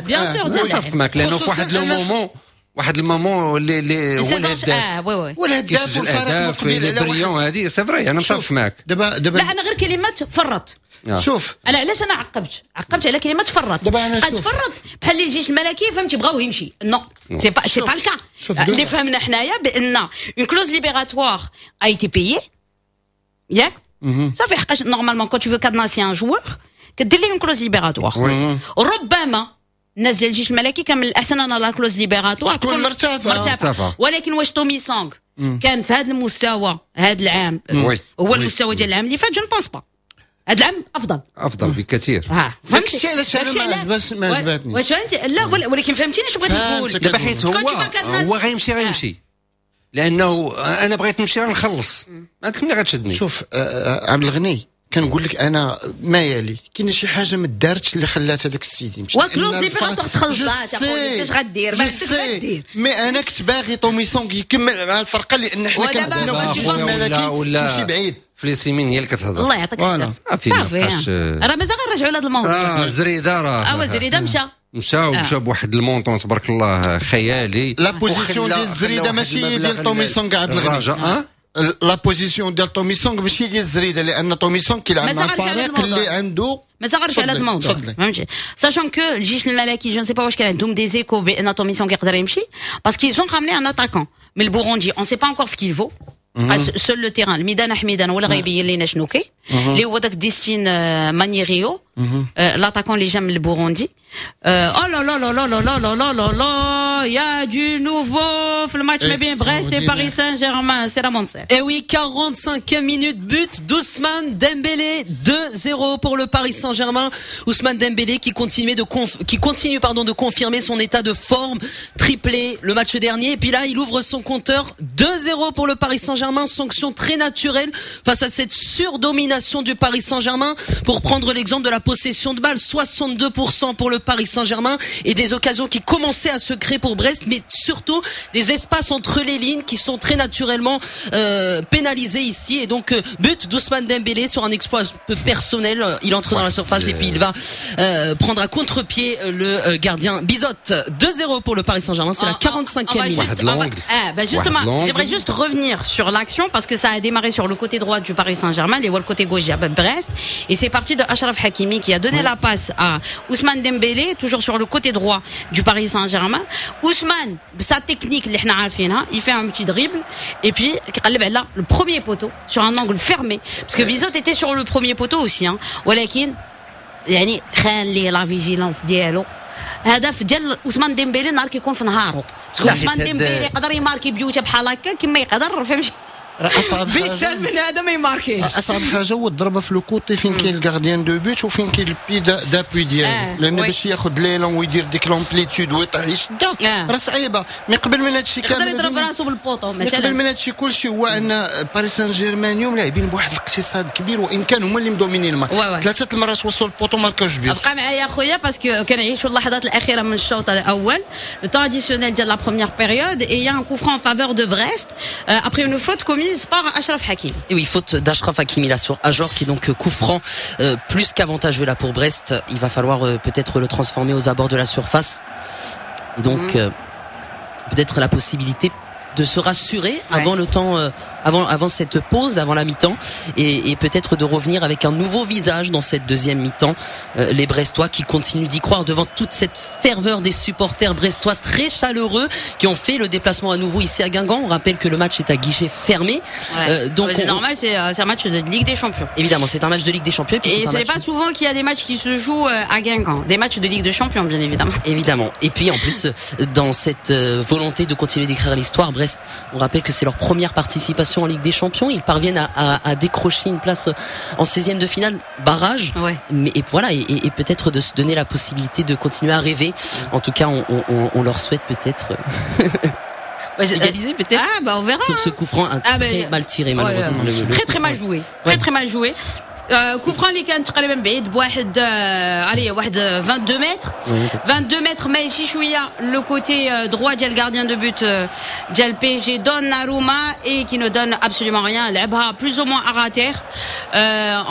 bien sûr، متفق معاك، لانه في واحد le moment، واحد ال moment اللي اللي هو الهداف، اه oui oui هو الهداف والفريق المقبل على brillant، هذه c'est vrai انا متفق معاك. دابا دابا لا انا غير كلمة فرط. آه. شوف انا علاش انا عقبت عقبت على كلمة فرط. دابا انا قد فرط بحال اللي الجيش الملكي فهمتي بغاو يمشي، non c'est pas c'est pas le cas. اللي فهمنا حنايا بان une clause libératoire a été payée ياك صافي، حقاش normalement quand tu veux cadenasser un joueur كدير ليه une clause libératoire. ربما الناس ديال الجيش الملكي كان من الاحسن ان la clause libératoire تكون مرتفعة مرتفعة، ولكن واش تومي سونغ كان في هذا المستوى هذا العام هو المستوى ديال العام اللي فات؟ je pense pas. هذا العام افضل. افضل بكثير. ها فهمتي داكشي علاش انا ما عجباش ما عجبتنيش. واش فهمتي؟ لا ولكن فهمتيني شنو بغيت نقول. دابا حيت هو هو غيمشي غيمشي لانه انا بغيت نمشي غنخلص، ما عندك ملي غتشدني. شوف عبد الغني كنقول لك انا ما يالي كاين شي حاجة ما دارتش اللي خلات هذاك السيد يمشي. و clause libératoire تخلصات اخويا، كيفاش غدير؟ ما عندك غدير. mais انا كنت باغي توميسون يكمل مع الفرقة لان حنا كنتسناو في الجيش الملكي تمشي بعيد. فليسيمين هي اللي كتهضر. الله يعطيك الصحة. صافي راه مازال غنرجعوا لهذا الموضوع. اه زريده راه اه زريده مشى مشى ومشى بواحد ال montant تبارك الله خيالي. la position ديال زريده ماشي ديال توميسون كاع الغني. la position ديال توميسون ماشي ديال الزريده، لان توميسون كيلعب مع الفريق اللي عنده. مازال غنرجع على هذا الموضوع فهمتي. sachant que الجيش الملكي je sais pas واش كان عندهم des échos بان توميسون كيقدر يمشي parce qu'ils ont ramené un attaquant من البوروندي، on sait pas encore ce qu'il vaut. seul le terrain الميدان حميدان ولا غيبين لينا شنو كاين اللي هو داك ديستين مانيريو l'attaquant اللي جا من البوروندي. oh là là là là là là là là là, y a du nouveau في الماتش ما بين بريست et باريس سان جيرمان. سي رامونسير. Et oui, quarante-cinquième minute, but d'Ousmane Dembélé, deux zéro pour le Paris Saint-Germain. Ousmane Dembélé qui continue de conf... qui continue pardon de confirmer son état de forme, triplé le match dernier et puis là il ouvre son compteur, deux zéro pour le Paris Saint-Germain, sanction très naturelle face à cette surdomination du Paris Saint-Germain. Pour prendre l'exemple de la possession de balle, soixante-deux pour cent pour le Paris Saint-Germain et des occasions qui commençaient à se créer pour Brest, mais surtout des espaces entre les lignes qui sont très naturellement euh, pénalisés ici. Et donc euh, but d'Ousmane Dembélé sur un exploit peu personnel, il entre dans la surface et puis il va euh, prendre à contre-pied le euh, gardien Bizot. deux zéro pour le Paris Saint-Germain, c'est la quarante-cinquième minute. Va, ah, bah justement, j'aimerais juste revenir sur l'action parce que ça a démarré sur le côté droit du Paris Saint-Germain et le côté gauche à Brest, et c'est parti de Achraf Hakimi qui a donné la passe à Ousmane Dembélé, toujours sur le côté droit du Paris Saint-Germain. Ousmane, sa technique, il fait un petit dribble et puis là, le premier poteau sur un angle fermé parce que Bizot était sur le premier poteau aussi hein. ولكن يعني خان ليه la vigilance ديالو. هدف ديال عثمان ديمبélé نهار كيكون في نهارو، parce que عثمان ديمبélé يقدر يماركي بيوته بحال هكا كما يقدر فهمتي. اصعب بيسال من هذا ما يماركيش. اصعب حاجة هو الضربة في le côté فين كاين ال gardien de but وفين كاين ال pied d'appui ديالو، لان باش ياخذ l'élan ويدير ديك l'amplitude ويطيح يشدها راه صعيبة. mais قبل من هادشي كامل يقدر يضرب راسو بال poteau مثلا. قبل من هادشي كلشي هو ان باريس سان جيرمان اليوم لاعبين بواحد الاقتصاد كبير، وان كان هما اللي مدومينين الماتش. ثلاثة المرات وصلوا ال poteau ماركاوش but. بقى معايا خويا parce que كنعيشوا اللحظات الاخيرة من الشوط الاول، le temps additionnel ديال la première période, et y a un coup franc en faveur de Brest après une faute commise par Achraf Hakimi. Et oui, faute d'Achraf Hakimi là sur Ajor qui est donc coup franc euh, plus qu'avantageux là pour Brest. Il va falloir euh, peut-être le transformer aux abords de la surface. Et donc mmh. euh, peut-être la possibilité de se rassurer ouais. avant le temps, euh, avant avant cette pause, avant la mi-temps, et, et peut-être de revenir avec un nouveau visage dans cette deuxième mi-temps. Euh, les Brestois qui continuent d'y croire devant toute cette ferveur des supporters brestois très chaleureux qui ont fait le déplacement à nouveau ici à Guingamp. On rappelle que le match est à guichet fermé. Ouais. Euh, donc c'est on... normal, c'est, c'est un match de Ligue des Champions. Évidemment, c'est un match de Ligue des Champions. Et, puis et ce n'est pas souvent qu'il y a des matchs qui se jouent à Guingamp, des matchs de Ligue des Champions, bien évidemment. Évidemment. Et puis en plus, dans cette volonté de continuer d'écrire l'histoire, Brest, on rappelle que c'est leur première participation en Ligue des Champions. Ils parviennent à, à, à décrocher une place en seizième de finale, barrage. Ouais. Mais et voilà, et, et peut-être de se donner la possibilité de continuer à rêver. En tout cas, on, on, on leur souhaite peut-être égaliser, peut-être. Ah bah on verra. Sur ce coup franc, un ah, très bah, mal tiré malheureusement. Ouais, le, le très très mal joué. Très ouais. très mal joué. coup franc اللي كان تقريبا بعيد بواحد allez واحد vingt-deux mètres, vingt-deux mètres ماشي شوية le côté droit ديال gardien de but ديال P S G Donnarumma et qui ne donne absolument rien. لعبها plus ou moins à ras terre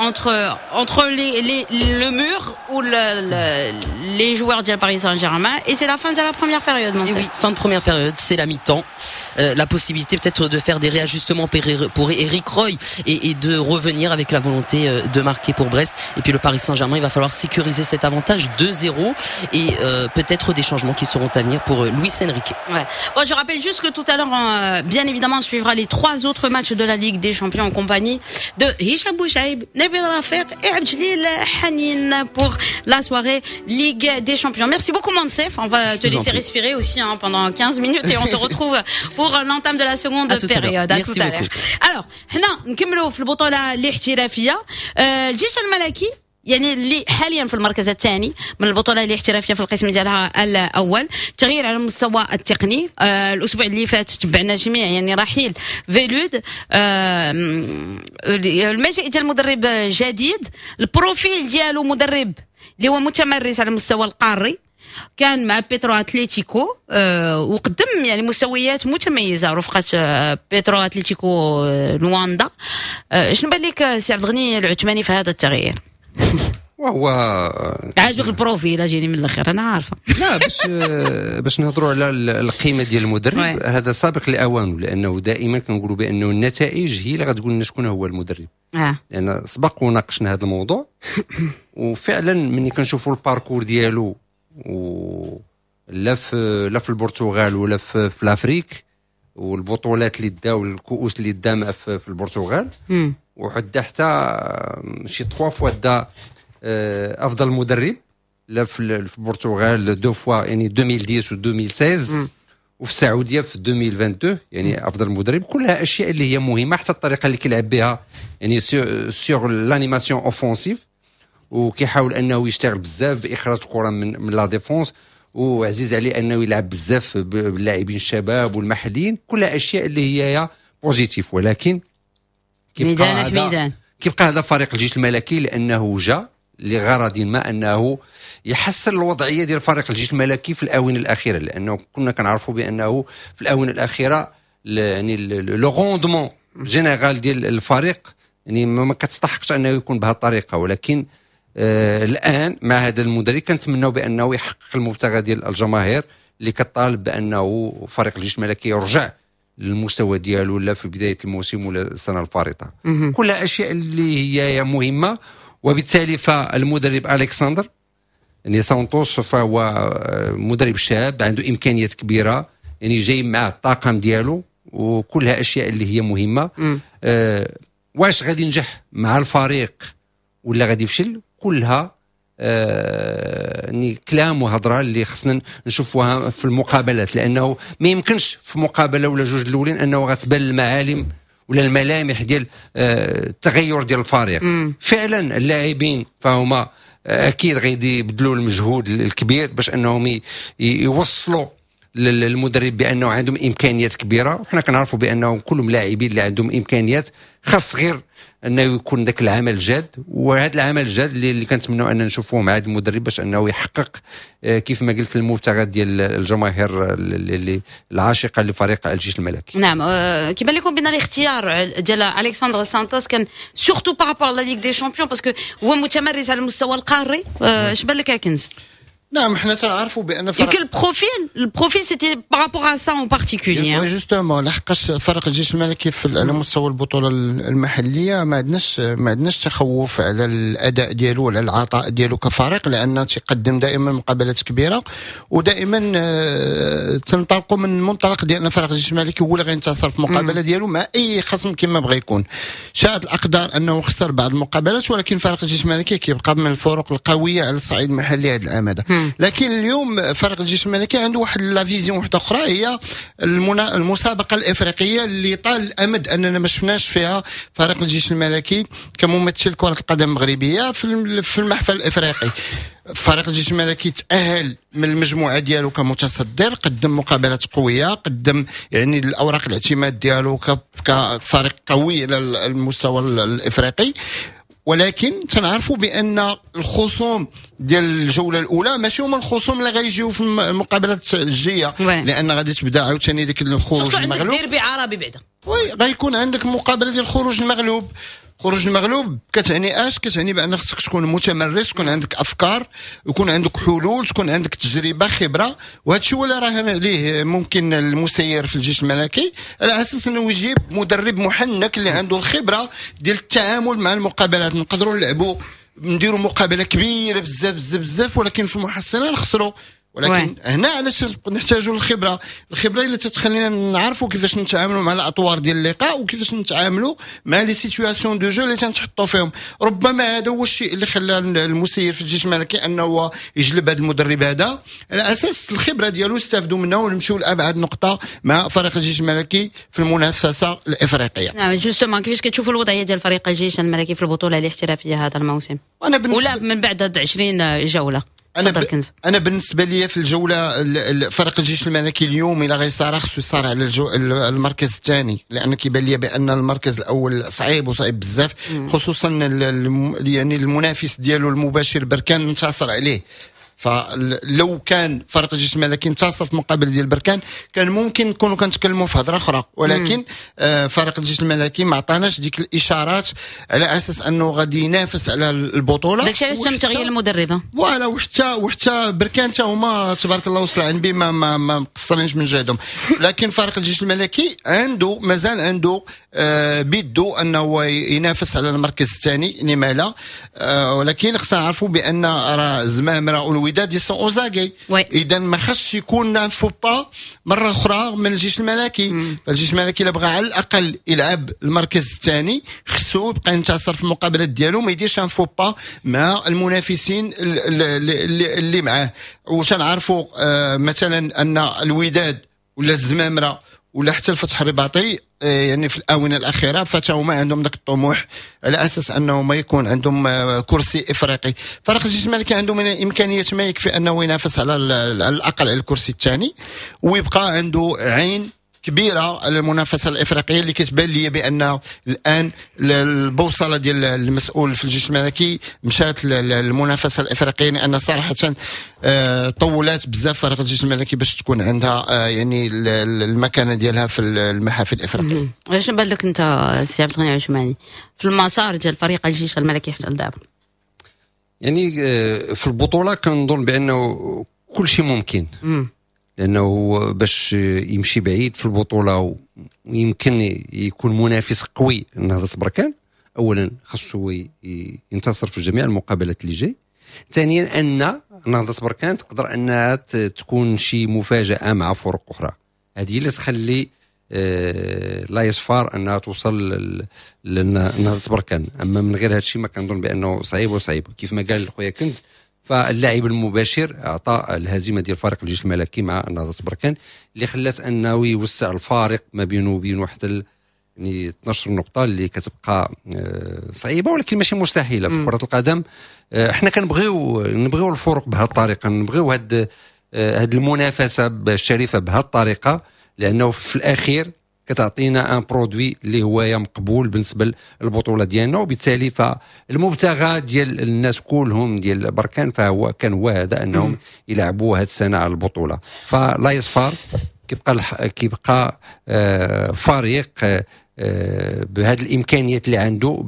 entre entre les les le mur ou le, le, les joueurs ديال Paris Saint-Germain, et c'est la fin de la première période. Et oui, fin de première période, c'est la mi-temps. Euh, la possibilité peut-être de faire des réajustements pour Eric Roy et, et de revenir avec la volonté de marquer pour Brest. Et puis le Paris Saint-Germain, il va falloir sécuriser cet avantage deux zéro et euh, peut-être des changements qui seront à venir pour Luis Enrique. Ouais. Bon, je rappelle juste que tout à l'heure, euh, bien évidemment, on suivra les trois autres matchs de la Ligue des Champions en compagnie de Hicham Bouchaib, Nabil Rafik et Abdeljalil Hanine pour la soirée Ligue des Champions. Merci beaucoup Mansef, on va te laisser respirer aussi hein, pendant quinze minutes et on te retrouve pour pour l'entame de la seconde période. À tout à l'heure. Alors حنا نكملوا في البطولة الاحترافيه. الجيش الملكي يعني اللي حاليا في المركز الثاني من البطولة الاحترافية في القسم ديالها الاول، تغيير على المستوى التقني. آه الاسبوع اللي فات تبعنا جميع يعني رحيل فيلود، آه المجيء ديال المدرب جديد، ال profil ديالو مدرب اللي هو متمرس على المستوى القاري، كان مع بيترو اتليتيكو آه وقدم يعني مستويات متميزة رفقه آه بيترو اتليتيكو آه لواندا. آه شنو بان لك سي عبد الغني العثماني في هذا التغيير؟ وهو عاجبك ال profil؟ اجيني من الاخر، انا عارفه. لا، باش باش نهضروا على القيمة ديال المدرب، هذا سابق لاوانه، لانه دائما كنقولوا بانه النتائج هي اللي غتقول لنا شكون هو المدرب. آه. لان سبق وناقشنا هذا الموضوع، وفعلا ملي كنشوفوا ال parcours ديالو و لا في لا في البرتغال ولا في, في l'Afrique، والبطولات اللي دا والكؤوس اللي دا في, في البرتغال، وحتى حتى شي trois fois دا آه، افضل مدرب، لا في البرتغال deux fois، يعني ألفين وعشرة و ألفين وستة عشر، وفي السعودية في ألفين واثنين وعشرين، يعني افضل مدرب. كلها اشياء اللي هي مهمه، حتى الطريقة اللي كيلعب بها، يعني sur l'animation offensive، وكيحاول انه يشتغل بزاف باخراج كره من من la défense، وعزيز عليه انه يلعب بزاف باللاعبين الشباب والمحليين. كلها اشياء اللي هي positif، ولكن كيبقى هذا كيبقى هذا فريق الجيش الملكي، لانه جاء لغرض ما انه يحسن الوضعية ديال فريق الجيش الملكي في الاونة الاخيره، لانه كنا كنعرفوا بانه في الاونة الاخيرة يعني le rendement général ديال الفريق يعني ما كتستحقش انه يكون بهذه الطريقه. ولكن آه الان مع هذا المدرب كنتمناو بانه يحقق المبتغى ديال الجماهير اللي كطالب بانه فريق الجيش الملكي يرجع للمستوى ديالو، لا في بداية الموسم ولا السنة الفارطه. كلها اشياء اللي هي مهمه، وبالتالي فالمدرب الكسندر يعني سانتوس فهو مدرب شاب عنده امكانيات كبيره، يعني جاي مع الطاقم ديالو، وكلها اشياء اللي هي مهمه. أه واش غادي ينجح مع الفريق ولا غادي يفشل؟ كلها آه يعني كلام وهضره اللي خصنا نشوفوها في المقابلات، لانه ما يمكنش في مقابله ولا جوج الاولين انه غتبان المعالم ولا الملامح ديال آه، التغير ديال الفريق. مم. فعلا اللاعبين فهما اكيد غادي يبذلوا المجهود الكبير باش انهم يوصلوا للمدرب بانه عندهم امكانيات كبيره، وحنا كنعرفوا بانه كلهم لاعبين اللي عندهم امكانيات، خاص غير انه يكون ذاك العمل الجاد، وهذا العمل الجاد اللي, اللي كنتمنوا ان نشوفوه مع هذا المدرب باش انه يحقق آه، كيف ما قلت المبتغى ديال الجماهير اللي العاشقه لفريق الجيش الملكي. نعم، آه، كيبان لكم بان الاختيار ديال الكسندر سانتوس كان surtout par rapport la Ligue des Champions، parce que هو متمرس على المستوى القاري؟ اش بان لك كنز؟ نعم، حنا تنعرفوا بان فرق يمكن ال profil ال profil c'était par rapport à ça en particulier. justement، لحقاش فرق الجيش الملكي في على مستوى البطولة المحلية ما عندناش ما عندناش تخوف على الاداء ديالو ولا العطاء ديالو كفريق، لان تيقدم دائما مقابلات كبيره، ودائما آه، تنطلقوا من منطلق ديال ان فريق الجيش الملكي هو اللي غينتصر في المقابلة ديالو مع اي خصم كما بغى يكون. شاءت الاقدار انه خسر بعض المقابلات، ولكن فريق الجيش الملكي كيبقى من الفرق القوية على الصعيد المحلي هذا العام هذا. لكن اليوم فريق الجيش الملكي عنده واحد la vision واحدة اخرى، هي المنا... المسابقة الافريقية اللي طال الامد اننا ما شفناش فيها فريق الجيش الملكي كممثل كره القدم المغربية في في المحفل الافريقي. فريق الجيش الملكي تاهل من المجموعة ديالو كمتصدر، قدم مقابلات قويه، قدم يعني الاوراق الاعتماد ديالو كفريق قوي على المستوى الافريقي، ولكن تنعرفوا بان الخصوم ديال الجولة الاولى ماشي هما الخصوم اللي غيجيو في المقابلات الجايه، لان غادي تبدا عاوتاني ديك الخروج المغلوب. ديربي عربي بعدا. oui، غيكون عندك مقابله ديال الخروج المغلوب. خروج المغلوب كتعني اش؟ كتعني بان خصك تكون متمرس، تكون عندك افكار، يكون عندك حلول، تكون عندك تجربه، خبره، وهذا الشيء هو اللي راهن عليه ممكن المسير في الجيش الملكي، على اساس انه يجيب مدرب محنك اللي عنده الخبرة ديال التعامل مع المقابلات. نقدروا نلعبوا، نديروا مقابله كبيرة بزاف بزاف بزاف، ولكن في المحصلة نخسروا. ولكن هنا علاش نحتاجوا الخبره؟ الخبرة اللي تتخلينا نعرفوا كيفاش نتعاملوا مع الاطوار ديال اللقاء وكيفاش نتعاملوا مع les situations de jeu اللي تنتحطوا فيهم. ربما هذا هو الشيء اللي خلى المسير في الجيش الملكي انه يجلب هذا المدرب هذا على اساس الخبرة ديالو، استافدوا منه ونمشيو لابعد نقطة مع فريق الجيش الملكي في المنافسة الافريقيه. نعم، justement، كيفاش كتشوفوا الوضعية ديال فريق الجيش الملكي في البطولة الاحترافية هذا الموسم؟ انا بالنسبة ولا من بعد عشرين جوله؟ انا ب... انا بالنسبة لي في الجوله، فريق الجيش الملكي اليوم الى غيصارع خصو يصارع على الجو... المركز الثاني، لان كيبان لي بان المركز الاول صعيب وصعيب بزاف، خصوصا يعني المنافس ديالو المباشر بركان انتصر عليه. فلو كان فريق الجيش الملكي انتصر في مقابل ديال بركان كان ممكن نكونوا كنتكلموا في هضره اخرى، ولكن آه فريق الجيش الملكي ما عطاناش ديك الاشارات على اساس انه غادي ينافس على البطوله. داكشي علاش تم تغيير المدرب. voilà، وحتى وحتى بركان حتى هما تبارك الله وصل عن ما ما ما مقصرينش من جهدهم، لكن فريق الجيش الملكي عنده مازال عنده آه بيدو انه ينافس على المركز الثاني، لما لا؟ آه ولكن خصنا نعرفوا بان راه الزمامره والوداد sont aux aguets، اذا ما خصش يكون faux pas مرة اخرى من الجيش الملكي. فالجيش الملكي الا بغى على الاقل يلعب المركز الثاني خصو يبقى ينتصر في المقابلات ديالو، ما يديرش un faux pas مع المنافسين اللي, اللي معاه. وتنعرفوا آه مثلا ان الوداد ولا الزمامره ولا حتى الفتح الرباطي آه، يعني في الاونة الاخيرة فتا عندهم ذاك الطموح على اساس انه ما يكون عندهم آه، كرسي افريقي. فريق الجيش الملكي عنده من الامكانيات ما يكفي انه ينافس على الاقل على الكرسي الثاني ويبقى عنده عين كبيرة على المنافسة الافريقيه، اللي كتبان لي بان الان البوصلة ديال المسؤول في الجيش الملكي مشات للمنافسة الافريقيه، لان صراحة آه، طولات بزاف فريق الجيش الملكي باش تكون عندها آه، يعني المكانة ديالها في المحافل الافريقيه. واش بان لك انت سي عبد الغني عثماني في المسار ديال فريق الجيش الملكي حتى لدابا؟ يعني آه، في البطولة كنظن بانه كل شيء ممكن، لانه باش يمشي بعيد في البطولة ويمكن يكون منافس قوي لنهضه بركان، اولا خاصو ينتصر في جميع المقابلات اللي جاي، ثانيا ان نهضة بركان تقدر انها تكون شي مفاجاة مع فرق اخرى. هذه اللي تخلي آه، l'AS FAR انها توصل لنهضه بركان. اما من غير هذا الشيء ما كنظن بانه صعيب وصعيب. كيف ما قال خويا كنز، فاللاعب المباشر اعطى الهزيمة ديال فريق الجيش الملكي مع نهضة بركان اللي خلات انه يوسع الفارق ما بينه وبين حتى يعني اثنا عشر نقطه، اللي كتبقى آه، صعيبة ولكن ماشي مستحيلة في كره القدم. آه، احنا كنبغيو نبغيو الفرق بهذه الطريقه، نبغيو هاد هاد المنافسة الشريفة بهذه الطريقه، لانه في الاخير كتعطينا un produit اللي هو مقبول بالنسبة للبطولة ديالنا. وبالتالي فالمبتغى ديال الناس كلهم ديال بركان فهو كان هو هذا، انهم يلعبوا هذه السنة على البطوله. ف l'AS FAR كيبقى كيبقى آه، فريق آه، بهذه الامكانيات اللي عنده،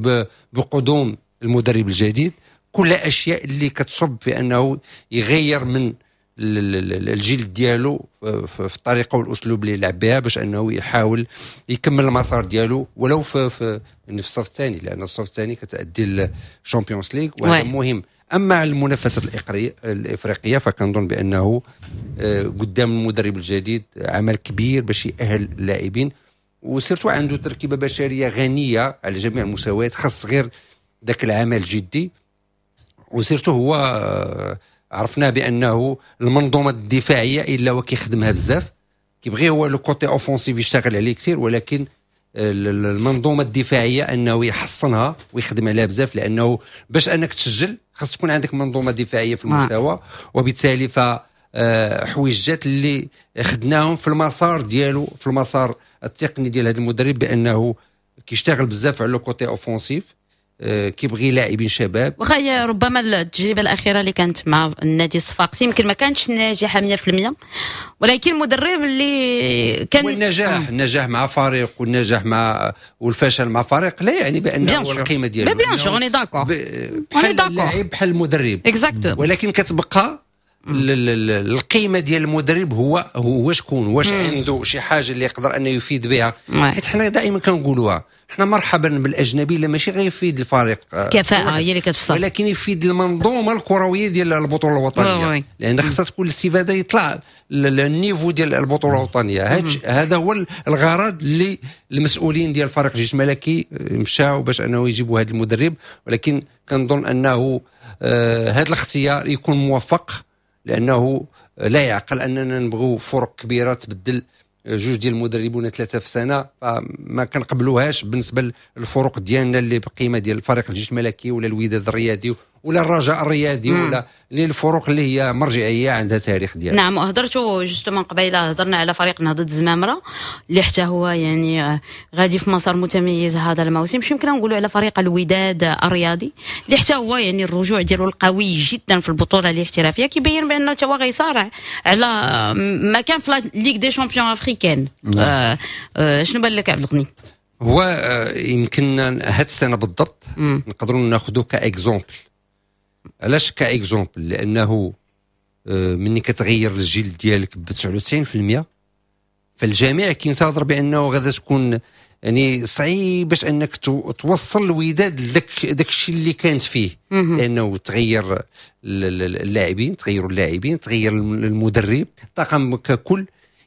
بقدوم المدرب الجديد، كل اشياء اللي كتصب في انه يغير من الجيل ديالو في الطريقة والاسلوب اللي يلعب بها باش انه يحاول يكمل المسار ديالو ولو في في, في الصف الثاني، لان الصف الثاني كتادي ال Champions League وهذا مهم. اما على المنافسة الافريقية فكنظن بانه آه، قدام المدرب الجديد عمل كبير باش يأهل اللاعبين، و surtout عنده تركيبه بشرية غنية على جميع المستويات، خاص غير ذاك العمل الجدي. و surtout هو آه، عرفنا بانه المنظومة الدفاعية الا وكيخدمها بزاف، كيبغي هو le côté offensif يشتغل عليه كثير، ولكن المنظومة الدفاعية انه يحصنها ويخدم عليها بزاف، لانه باش انك تسجل خاص تكون عندك منظومة دفاعية في المستوى. وبالتالي ف آه، حويجات اللي خدناهم في المسار ديالو، في المسار التقني ديال هذا المدرب، بانه كيشتغل بزاف على le côté offensif، آه، كيبغي لاعبين شباب. واخا هي ربما التجربة الاخيرة اللي كانت مع النادي الصفاقسي يمكن ما كانتش ناجحة مية في المية، ولكن المدرب اللي كان والنجاح آه. النجاح مع فريق والنجاح مع والفشل مع فريق لا يعني بانه هو القيمة ديالو. bien sûr، on est d'accord. بحال اللاعب بحال المدرب. exactement. ولكن كتبقى القيمة ديال المدرب هو هو شكون، واش عنده شي حاجة اللي يقدر انه يفيد بها. حيت حنا دائما كنقولوها، حنا مرحبا بالاجنبي لا ماشي غيفيد الفريق، كفاءة هي اللي كتفصل، ولكن يفيد المنظومة الكروية ديال البطولة الوطنية، لان خصها تكون الاستفادة، يطلع ال niveau ديال البطولة الوطنية. هذا هو الغرض اللي المسؤولين ديال فريق الجيش الملكي مشاو باش انه يجيبوا هذا المدرب. ولكن كنظن انه آه هذا الاختيار يكون موفق، لانه لا يعقل اننا نبغوا فرق كبيرة تبدل جوج ديال المدربون ثلاثة في سنة، فما كنقبلوهاش بالنسبة للفرق ديالنا اللي بقيمة ديال فريق الجيش الملكي ولا الوداد الرياضي ولا الرجاء الرياضي ولا للفرق اللي هي مرجعية عندها تاريخ ديالها. نعم، وهضرتوا justement قبيلة، هضرنا على فريق نهضة الزمامره اللي حتى هو يعني غادي في مسار متميز هذا الموسم. شو يمكن نقولوا على فريق الوداد الرياضي اللي حتى هو يعني الرجوع ديالو القوي جدا في البطولة الاحترافية كيبين بانه حتى هو غيصارع على مكان في Ligue des champions africaine. آه آه شنو بان لك عبد الغني؟ هو يمكن هاد السنة بالضبط نقدروا ناخذوه ك exemple. علاش ك exemple؟ لانه مني كتغير الجيل ديالك ب تسعة وتسعين بالمية فالجميع كينتظر بانه غادا تكون يعني صعيب باش انك توصل الوداد لذاك داك الشيء اللي كانت فيه، لانه تغير اللاعبين، تغيروا اللاعبين، تغير المدرب، الطاقم ككل،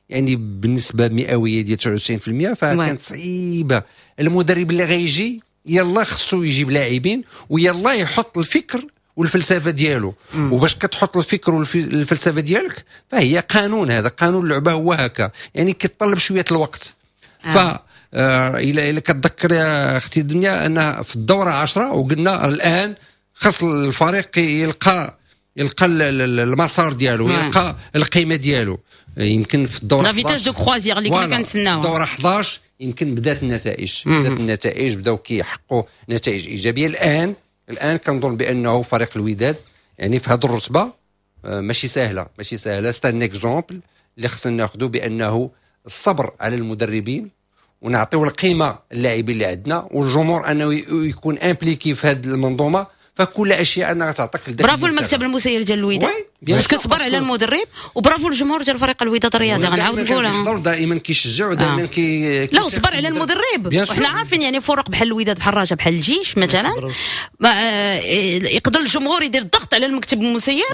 يعني بالنسبة مئوية ديال تسعة وتسعين بالمية فكانت صعيبة. المدرب اللي غيجي يلا خصو يجيب لاعبين ويلا يحط الفكر والفلسفة ديالو. وباش كتحط الفكر والفلسفة ديالك فهي قانون، هذا قانون اللعبة هو هكا، يعني كيتطلب شوية الوقت. آه. ف الى الى كتذكر يا اختي دنيا ان في الدورة عشرة وقلنا الان خاص الفريق يلقى يلقى المسار ديالو، يلقى القيمة ديالو. يمكن في الدورة la vitesse de croisière اللي كنا كنتسناوها الدورة حداش يمكن بدات النتائج، بدات النتائج، بداو كيحققوا نتائج ايجابية. الان الان كنظن بانه فريق الوداد يعني في هذه الرتبة ماشي سهلة، ماشي سهلة. c'est un exemple اللي خصنا ناخذه بانه الصبر على المدربين ونعطيو القيمة للاعبين اللي عندنا والجمهور انه يكون impliqué في هذه المنظومة، فكل اشياء انها تعطيك. برافو المكتب المسير ديال الوداد parce que صبر على المدرب، وبرافو الجمهور ديال فريق الوداد الرياضي، غنعاود نقولها دائما كيشجع ودائما كي لا صبر على المدرب. وحنا عارفين يعني فرق بحال الوداد بحال الرجاء بحال الجيش مثلا ما يقدر الجمهور يدير الضغط على المكتب المسير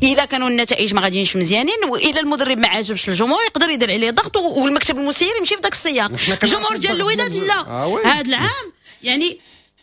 الا كانوا النتائج ما غاديينش مزيانين، واذا المدرب ما عاجبش الجمهور يقدر يدير عليه ضغط والمكتب المسير يمشي في ذاك السياق. الجمهور ديال الوداد لا، هذا العام يعني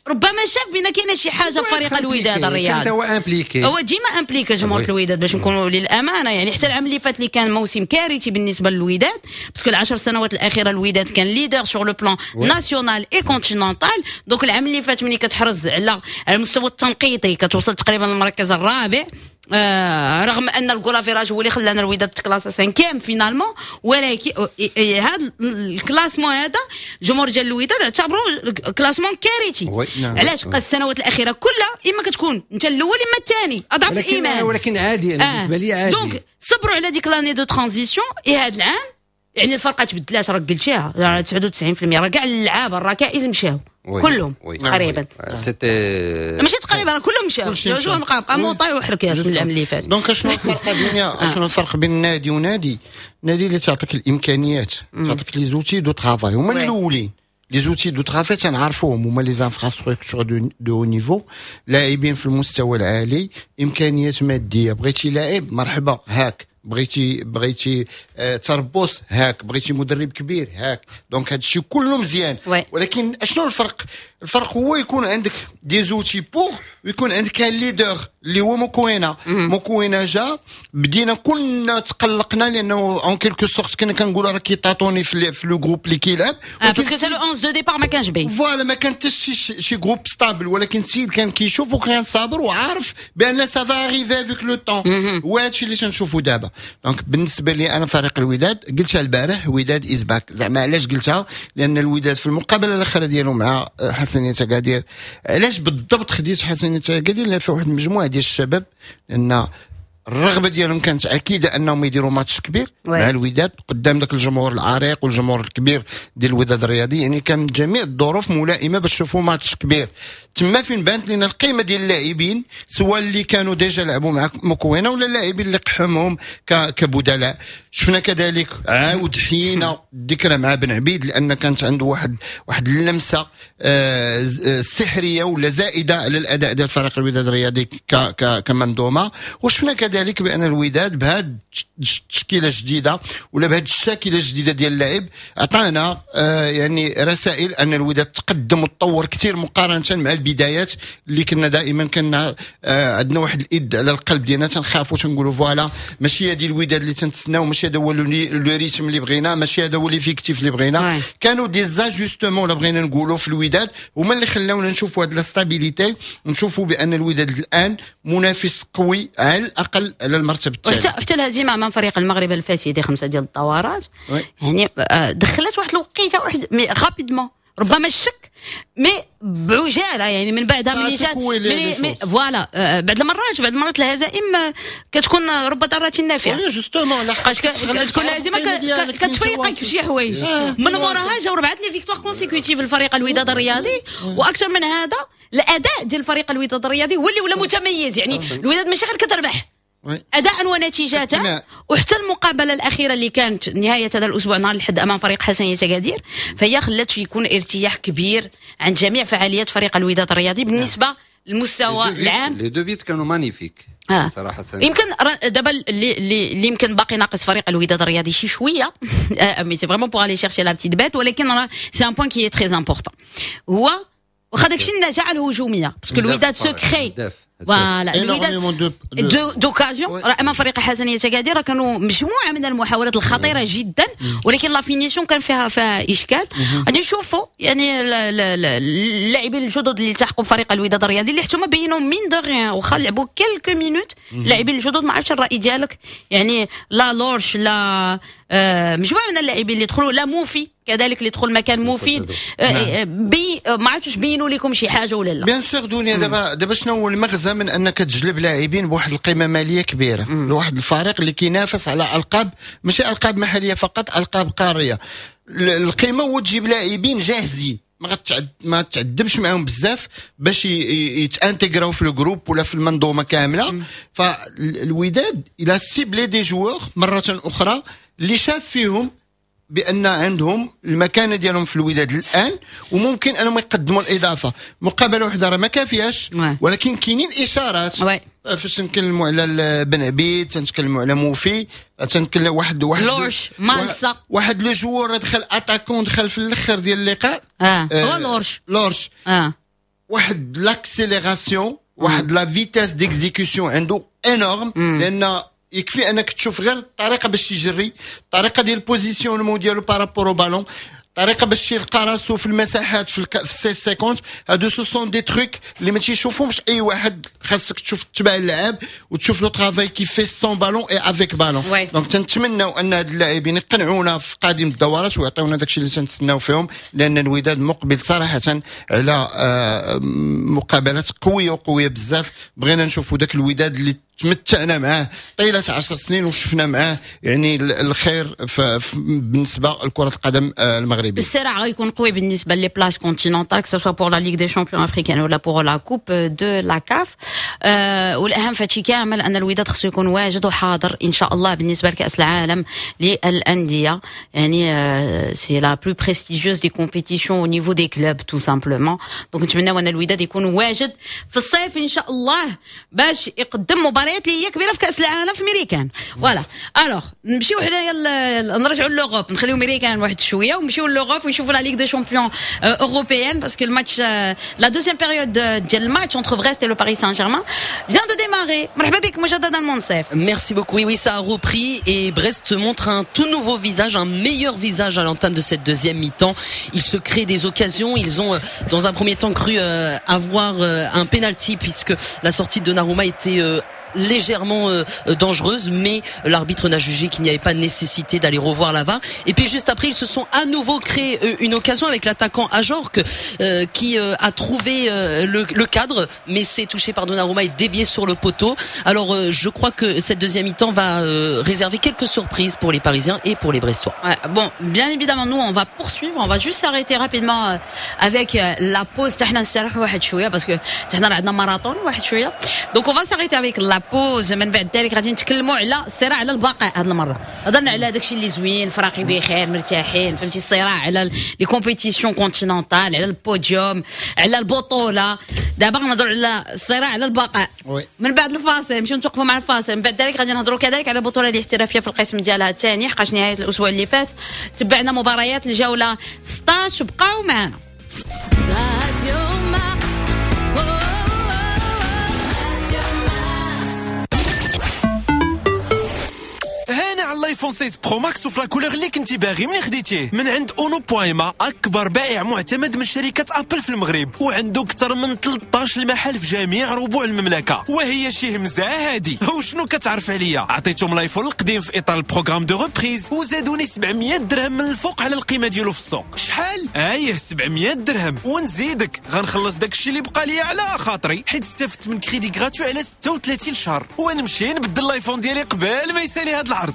ربما شاف بان كاينه شي حاجة في فريق الوداد الرياضي، هو impliqué، هو ديما impliqué جمهور الوداد باش نكونوا للامانة. يعني حتى العام اللي فات اللي كان موسم كارثي بالنسبة للوداد، parce que العشر سنوات الاخيرة الوداد كان leader sur le plan national et continental. donc العام اللي فات ملي كتحرز على على المستوى التنقيطي كتوصل تقريبا للمركز الرابع، آه رغم ان ال goal average هو اللي خلانا الوداد تكلاسا cinquième finalement، ولكن هذا ال classement هذا جمهور ديال الوداد اعتبروه classement كارثي. نعم. علاش؟ السنوات الاخيرة كلها اما كتكون انت الاول اما الثاني، اضعف الايمان. ولكن عادي، انا بالنسبة لي عادي. donc صبروا على ديك l'année de transition. et هذا العام يعني الفرقة تبدلات، راك قلتيها تسعة وتسعين بالمية راه كاع اللعابه الركائز مشاو كلهم تقريبا، c'était ماشي تقريبا كلهم مشاو، جو بقى بقى موطاي وحركات من العام اللي فات. donc شنو الفرق دنيا؟ شنو الفرق بين نادي ونادي؟ نادي اللي تعطيك الامكانيات، تعطيك les outils de travail هما الاولين. les outils de travail تنعرفوهم هما les infrastructures de haut niveau، لاعبين في المستوى العالي، امكانيات مادية. بغيتي لاعب مرحبا هاك، بغيتي بغيتي آه تربص هاك، بغيتي مدرب كبير هاك. donc هذا الشيء كله مزيان، ولكن اشنو الفرق؟ الفرق هو يكون عندك des outils pour ويكون عندك un leader اللي هو موكوينا. موكوينا جا بدينا كلنا تقلقنا لانه en quelque sorte كنا كنقولوا راه كي tâtonner في في le groupe اللي كيلعب، parce que le onze de départ ما كانش باين، voilà ما كان حتى شي شي groupe stable، ولكن السيد كان كيشوف وكان صابر وعارف بان ça va arriver avec le temps، وهذا الشيء اللي تنشوفوا دابا. donc بالنسبة لي انا فريق الوداد قلتها البارح، وداد is back. زعما علاش قلتها؟ لان الوداد في المقابلة الاخيرة ديالو مع حسنيه اكادير، علاش بالضبط خديت حسنيه اكادير؟ لان فيها واحد المجموعة ديال الشباب، لان الرغبة ديالهم كانت اكيدة انهم يديروا ماتش كبير oui. مع الوداد قدام ذاك الجمهور العريق والجمهور الكبير ديال الوداد الرياضي. يعني كان جميع الظروف ملائمه باش نشوفوا ماتش كبير. تما فين بانت لنا القيمة ديال اللاعبين، سواء اللي كانوا déjà لعبوا مع مكوينه ولا اللاعبين اللي قحمهم كبدلاء. شفنا كذلك عاود حينا الذكرى مع بن عبيد، لان كانت عنده واحد واحد اللمسة آه، سحريه ولا زائدة على الاداء ديال فريق الوداد الرياضي كمنظومة. وشفنا كذلك بان الوداد بهذه التشكيلة الجديدة ولا بهذه الشاكلة الجديدة ديال اللعب عطانا آه، يعني رسائل ان الوداد تقدم وتطور كثير مقارنة مع البدايات اللي كنا دائما كنا آه، عندنا واحد الايد على القلب ديالنا، تنخافوا تنقولوا voilà ماشي هذه الوداد اللي تنتسناو، ماشي هذا هو le rythme اللي بغينا، ماشي هذا هو l'effectif اللي بغينا. كانوا des ajustements ولا بغينا نقولوا في الوداد هما اللي خلاونا نشوفوا هذه la stabilité، نشوفوا بان الوداد الان منافس قوي على الاقل على المرتبة الثانية. وحتى الهزيمة امام فريق المغرب الفاسي دي خمسة ديال الدورات يعني آه، دخلت واحد الوقيته واحد mais rapidement ربما الشك mais بعجاله، يعني من بعدها ملي جات voilà آه، بعد المرات بعد المرات الهزائم آه، كتكون رب ضارة نافعة. justement كتكون الهزيمة كتفيقك في شي حوايج. من موراها جاو ربعه les victoires consécutives للفريق الوداد الرياضي، واكثر من هذا الاداء ديال الفريق الوداد الرياضي هو اللي ولا متميز. يعني الوداد ماشي غير كتربح اداء ونتيجة، وحتى المقابلة الاخيرة اللي كانت نهاية هذا الاسبوع نهار الاحد امام فريق حسنيه اكادير فهي خلات يكون ارتياح كبير عند جميع فعاليات فريق الوداد الرياضي بالنسبة للمستوى العام. les deux buts كانوا magnifiques. آه. صراحة يمكن دابا اللي اللي يمكن باقي ناقص فريق الوداد الرياضي شي شوية، mais c'est vraiment pour aller chercher la petite bête، ولكن c'est un point qui est très important هو واخا داكشي النجاعه الهجومية، parce que الوداد se crée voilà الوداد d'occasions. راه امام فريق حسنيه اكادير كانوا مجموعة من المحاولات الخطيرة جدا، ولكن la finition كان فيها فيها اشكال. غادي نشوفوا يعني اللاعبين الجدد اللي التحقوا بفريق الوداد الرياضي اللي حتى هما بينوا mine de rien واخا لعبوا quelques minutes. اللاعبين الجدد ما عرفتش الراي ديالك، يعني لا لورش لا آه، مجموعة من اللاعبين اللي دخلوا، لا موفي كذلك اللي دخل مكان مفيد آه، آه، بي ما عرفتش بينوا لكم شي حاجة ولا لا؟ bien sûr دنيا. دابا دابا شنو هو المغزى من انك تجلب لاعبين بواحد القيمة ماليه كبيرة لواحد الفريق اللي كينافس على القاب، ماشي القاب محليه فقط، القاب قاريه؟ القيمة هو تجيب لاعبين جاهزين ما غتعد ما تعذبش معاهم بزاف باش يتانتيغراو في ال groupe ولا في المنظومة كاملة. فالوداد il a ciblé des joueurs مرة اخرى اللي شاف فيهم بان عندهم المكانة ديالهم في الوداد الان وممكن انهم يقدموا الاضافة. مقابله واحدة راه ما كافياش، ولكن كاينين اشارات. فاش نتكلموا على بن عبيد، تنتكلموا على موفي، تنتكلم واحد واحد لورش مالسا. واحد le joueur دخل attaquant دخل في الاخر ديال اللقاء. اه هو لورش. لورش اه واحد l'accélération، واحد la vitesse d'exécution عنده énorme، لان يكفي انك تشوف غير الطريقة باش يجري، الطريقة ديال ال positionnement ديالو par rapport au ballon، الطريقة باش يلقى راسو في المساحات في الك... في seize cinquante. هادو ce sont des trucs اللي ما تيشوفهمش اي واحد، خاصك تشوف تبع اللاعب وتشوف le travail qu'il fait sans ballon et avec ballon. donc تنتمناو ان هاد اللاعبين يقنعونا في قادم الدورات ويعطيونا داكشي اللي تنتسناو فيهم، لان الوداد مقبل صراحة على آه، مقابلات قوية وقويه بزاف. بغينا نشوفوا داك الوداد اللي تمتعنا معاه طيلة عشر سنين وشفنا معاه يعني الخير بالنسبة لكرة القدم آه، المغربية. الصراع غيكون قوي بالنسبة les places continentales، que ce soit pour la Ligue des champions africaine ولا pour la Coupe de la CAF. والاهم فهادشي كامل ان الوداد خصو يكون واجد وحاضر ان شاء الله بالنسبة لكاس العالم للانديه، يعني c'est la plus prestigieuse des compétitions au niveau des clubs tout simplement. donc نتمناو ان الوداد يكون واجد في الصيف ان شاء الله باش يقدم مباريات اللي هي كبيرة في كاس العالم في ميريكان. voilà alors نمشيو حنايا نرجعوا l'Europe، نخليو ميريكان واحد شوية ونمشيو l'Europe ونشوفوا la Ligue des champions européenne، parce que الماتش la deuxième période ديال الماتش entre Brest et le Paris Saint-Germain vient de démarrer. مرحبا بك مجددا منصف. Merci beaucoup. Oui, oui, ça a repris et Brest montre un tout nouveau visage, un meilleur visage à l'entame de cette deuxième mi-temps. Ils se créent des occasions. Ils ont, dans un premier temps, cru avoir un penalty puisque la sortie de Donnarumma était légèrement euh, dangereuse, mais l'arbitre n'a jugé qu'il n'y avait pas nécessité d'aller revoir la V A R. Et puis juste après, ils se sont à nouveau créé une occasion avec l'attaquant Ajorque euh, qui euh, a trouvé euh, le, le cadre, mais s'est touché par Donnarumma et dévié sur le poteau. Alors euh, je crois que cette deuxième mi-temps va euh, réserver quelques surprises pour les Parisiens et pour les Brestois. Ouais, bon, bien évidemment, nous on va poursuivre, on va juste s'arrêter rapidement euh, avec euh, la pause. Parce que marathon. Donc on va s'arrêter avec la pause. من بعد ذلك غادي نتكلموا على الصراع على البقاء هذه المرة. هضرنا على داكشي اللي زوين، فراقي بخير مرتاحين، فهمتي، الصراع على les compétitions continentales، على البوديوم، على البطولة. دابا غنهضروا على الصراع على البقاء. من بعد الفاصل نمشيو نتوقفوا مع الفاصل، من بعد ذلك غادي نهضروا كذلك على البطولة الاحترافية في القسم ديالها الثاني، حقاش نهاية الاسبوع اللي فات تبعنا مباريات الجولة ستة عشر. بقاو معنا. الايفون ستة Pro Max وفي la couleur اللي كنتي باغي منين خديتيه من عند اونو بويما، اكبر بائع معتمد من شركة ابل في المغرب، وعنده اكثر من ثلاثة عشر محل في جميع ربوع المملكة. وهي شي همزه هادي. وشنو كتعرف عليا؟ عطيتهم الايفون القديم في اطار ال programme de reprise وزادوني سبعمية درهم من الفوق على القيمة ديالو في السوق. شحال؟ ايه سبعمية درهم. ونزيدك غنخلص داكشي اللي بقى ليا على خاطري، حيت استفدت من crédit gratuit على ستة وثلاثين شهر، ونمشي نبدل الايفون ديالي قبل ما يسالي هاد العرض.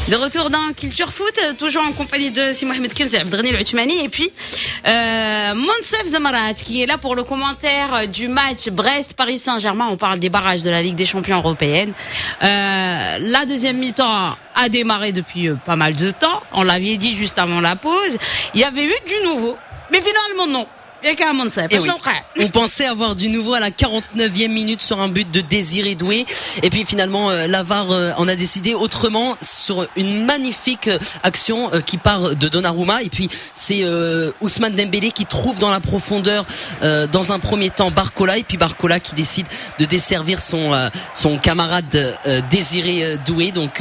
De retour dans Culture Foot, toujours en compagnie de Si Mohamed Kenzi, Abdelghani El Othmani, et puis euh, Monsef Zamarat qui est là pour le commentaire du match Brest-Paris Saint-Germain. On parle des barrages de la Ligue des Champions européenne. Euh, la deuxième mi-temps a démarré depuis pas mal de temps. On l'avait dit juste avant la pause. Il y avait eu du nouveau, mais finalement non. Et oui. On pensait avoir du nouveau à la quarante-neuvième minute sur un but de Désiré Doué, et puis finalement la V A R en a décidé autrement sur une magnifique action qui part de Donnarumma, et puis c'est Ousmane Dembélé qui trouve dans la profondeur dans un premier temps Barcola, et puis Barcola qui décide de desservir son son camarade Désiré Doué. Donc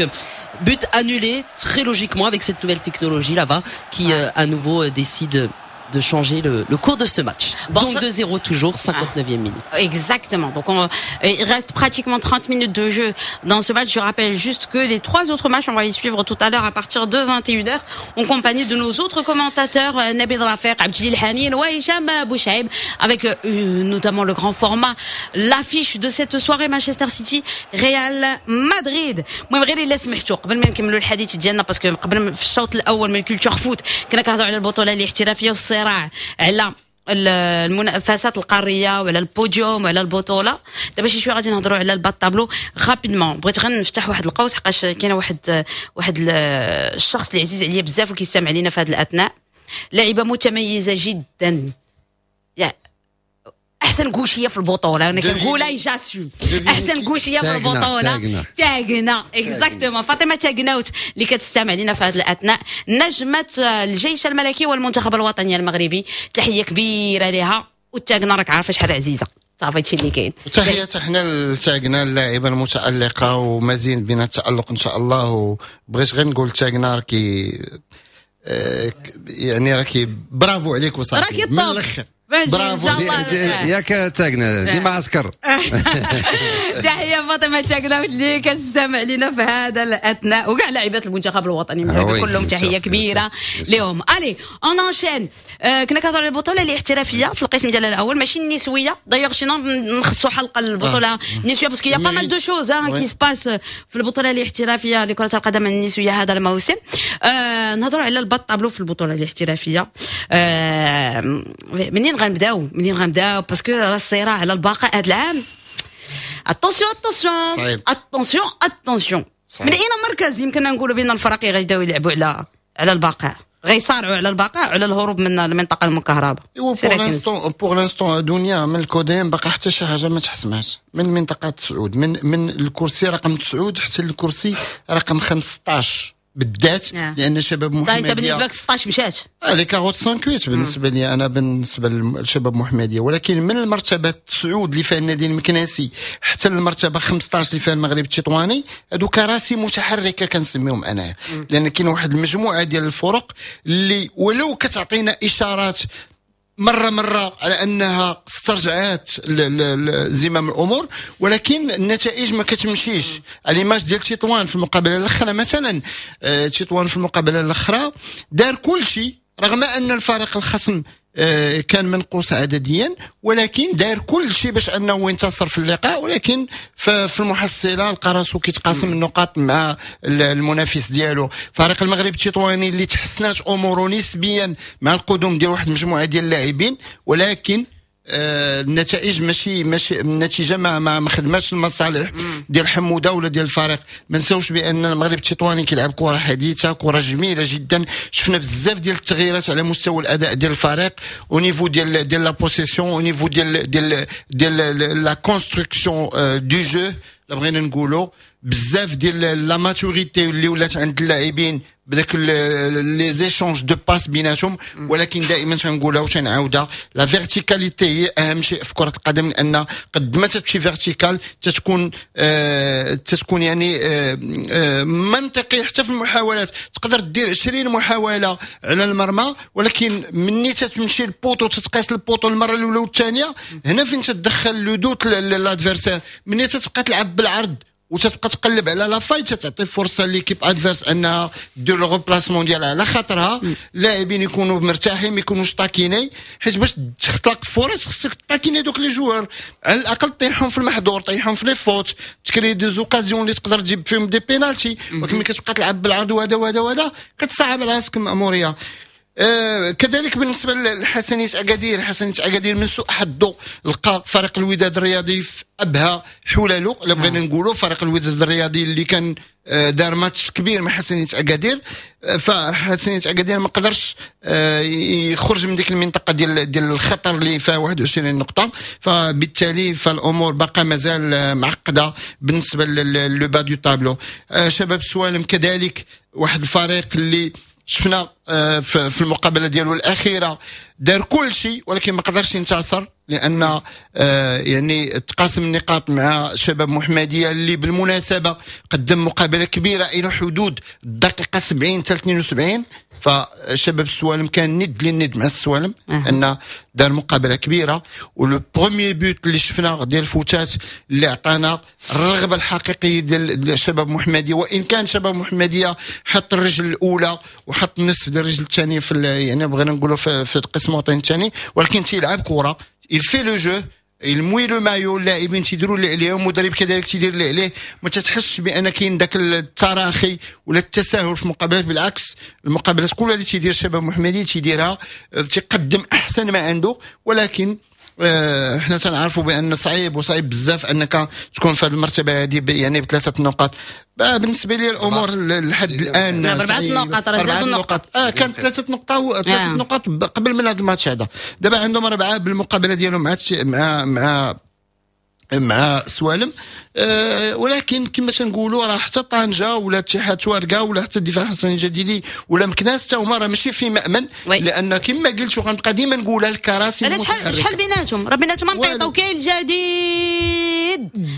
but annulé très logiquement avec cette nouvelle technologie, la V A R qui à nouveau décide de changer le, le cours de ce match. Bon, donc deux zéro toujours, cinquante-neuvième minute. Exactement. Donc on, il reste pratiquement trente minutes de jeu dans ce match. Je rappelle juste que les trois autres matchs, on va les suivre tout à l'heure à partir de vingt et une heures en compagnie de nos autres commentateurs Nabil Rafer, Abdjelil Hanin ou Hicham Bouchaib, avec euh, notamment le grand format, l'affiche de cette soirée Manchester City Real Madrid. المهم غير الا سمحتوا قبل ما نكملوا الحديث ديالنا، parce que قبل في الشوط الاول من Culture Foot كنا كنهضروا على البطولة الاحترافية والصراع على المنافسات القارية وعلى البوديوم وعلى البطولة. دابا شي شوية غادي نهضروا على ال bas de tableau rapidement. بغيت غير نفتح واحد القوس حقاش كاينه واحد واحد الشخص اللي عزيز عليا بزاف وكيستمع علينا في هذه الاثناء، لاعبه متميزة جدا، يعني احسن gaucher في البطولة، انا كنقولها j'assume، احسن gaucher في البطولة تاغنا، exactement فاطمة تاغناوت اللي كتستمع لنا في هذه الاثناء، نجمه الجيش الملكي والمنتخب الوطني المغربي، تحية كبيرة لها. وتاغنا راك عارفه شحال عزيزه، صافي هادشي اللي كاين. تحية حنا لتاغنا اللاعبه المتالقه ومزيد من التالق ان شاء الله. وبغيت غير نقول تاغنا راكي يعني راكي برافو عليك وصافي من الاخر، برافو ياك تاغنا ديما عسكر. تحية فاطمة تاغنا اللي كتستمع لنا في هذا الاثناء، وكاع لاعبات المنتخب الوطني المغربي كلهم تحية كبيرة لهم. Allez on enchaîne. كنا كنهضروا على البطولة الاحترافية في القسم ديالها الاول، ماشي النسوية، d'ailleurs sinon نخصوا حلقة للبطولة النسوية parce qu'il y a pas mal de choses qui se passent في البطولة الاحترافية لكرة القدم النسوية هذا الموسم. نهضروا على ال bas de tableau في البطولة الاحترافية. منين غنبداو منين غنبداو parce que راه الصراع على البقاء هذا العام. attention attention attention attention، من اين مركز يمكننا نقولوا بان الفرق غيبداو يلعبوا على على البقاء، غيصارعوا على البقاء وعلى الهروب من المنطقة المكهربه؟ ايوا pour l'instant pour l'instant دنيا من الكوديم باقي حتى شي حاجة ما تحسمهاش من منطقة تسعود، من من الكرسي رقم تسعود حتى الكرسي رقم خمسطاش بالذات، لان شباب محمديه. انت بالنسبة لك ستطاش مشات les quarante-cinq بالنسبة لي انا، بالنسبة للشباب محمديه، ولكن من المرتبة تسعود اللي فيها النادي المكناسي حتى المرتبة خمسطاش اللي فيها المغرب التطواني، هادو كراسي متحركة كنسميهم انايا، لان كاين واحد المجموعة ديال الفرق اللي ولو كتعطينا اشارات مرة مرة على انها استرجعت زمام الامور، ولكن النتائج ما كتمشيش. l'image ديال تطوان في المقابلة الاخرى مثلا، تطوان في المقابلة الاخرى دار كل شيء رغم ان الفريق الخصم كان منقوص عدديا، ولكن دار كل شيء باش انه ينتصر في اللقاء، ولكن في المحصلة لقى راسو كيتقاسم النقاط مع المنافس ديالو. فريق المغرب التطواني اللي تحسنات اموره نسبيا مع القدوم ديال واحد المجموعة ديال اللاعبين، ولكن آه النتائج ماشي ماشي النتيجة ما ما خدماتش المصالح ديال حموده ولا ديال الفريق. ما نساوش بان المغرب التطواني كيلعب كره حديثه، كره جميلة جدا، شفنا بزاف ديال التغييرات على مستوى الاداء ديال الفريق، au niveau ديال ديال la possession، au niveau ديال ديال ديال la construction du jeu، لا بغينا نقولوا بزاف ديال la maturité اللي ولات عند اللاعبين بداك les échanges de passes بيناتهم. ولكن دائما تنقولها وتنعاودها، la verticalité هي اهم شيء في كره القدم، لان قد ما تمشي vertical تتكون آه تتكون يعني آه آه منطقي حتى في المحاولات. تقدر دير عشرين محاولة على المرمى، ولكن مني تتمشي ال poteau تتقيس ال poteau المرة الاولى والثانية، هنا فين تدخل le doute l'adversaire. مني تتبقى تلعب بالعرض وتتبقى تقلب على la faille، تعطي فرصة l'équipe adverse انها دير le replacement ديالها على خاطرها، اللاعبين يكونوا مرتاحين، ما يكونوش taquinés، حيت باش تخلق فرص خصك taquiner دوك les joueurs، على الاقل طيحهم في المحظور، طيحهم في les fautes، تكري des occasions اللي تقدر تجيب فيهم des pénaltys. ولكن ملي كتبقى تلعب بالعرض وهذا وهذا وهذا كتصعب على راسك المأموريه. آه كذلك بالنسبة لحسنيه اكادير، حسنيه اكادير من سوء حظه لقى فريق الوداد الرياضي في ابهى حلالو، الا بغينا نقولوا فريق الوداد الرياضي اللي كان آه دار ماتش كبير مع حسنيه اكادير، آه فحسنيه اكادير ما قدرش آه يخرج من ديك المنطقة ديال ديال الخطر اللي فيها واحد وعشرين نقطة، فبالتالي فالامور باقا مازال معقدة بالنسبة le bas du tableau. آه شباب السوالم كذلك واحد الفريق اللي شفنا في المقابلة ديالو الاخيرة دار كل شيء ولكن ما قدرش ينتصر، لان يعني تقاسم النقاط مع شباب محمديه اللي بالمناسبة قدم مقابله كبيرة الى حدود الدقيقة سبعين حتى اثنين وسبعين. فشباب السوالم كان ند للند مع السوالم، ان دار مقابله كبيرة، و le premier but اللي شفنا ديال الفوتات اللي عطانا الرغبة الحقيقية ديال شباب محمديه، وان كان شباب محمديه حط الرجل الاولى وحط النصف ديال الرجل الثانية في يعني بغينا نقولوا في, في القسم الوطني الثاني، ولكن تيلعب كره، il fait le jeu، il mouille le maillot، اللاعبين تيديروا اللي عليهم، المدرب كذلك تيدير اللي عليه، ما تتحسش بان كاين ذاك التراخي ولا التساهل في المقابلات، بالعكس المقابلات كلها اللي تيدير شباب محمدي تيديرها تيقدم احسن ما عنده. ولكن اه حنا تنعرفوا بان صعيب وصعيب بزاف انك تكون في هذه المرتبة هذه يعني بثلاثة نقاط. بالنسبة لي الامور لحد الان اربعة نقاط، راه زادوا نقاط، اه كانت ثلاثة نقاط، ثلاثة آه. نقاط قبل من هذا الماتش هذا، دابا عندهم اربعة بالمقابلة ديالهم مع مع مع مع سوالم. أه ولكن كما تنقولوا راه حتى طنجه ولا اتحاد تواركا ولا حتى الدفاع الحسني الجديدي ولا مكناس حتى هما راه ماشي في مأمن، لان كما قلت وغنبقى ديما نقولها الكراسي المتحركة. شحال بيناتهم؟ راه بيناتهم نقيطه وكاين الجديد.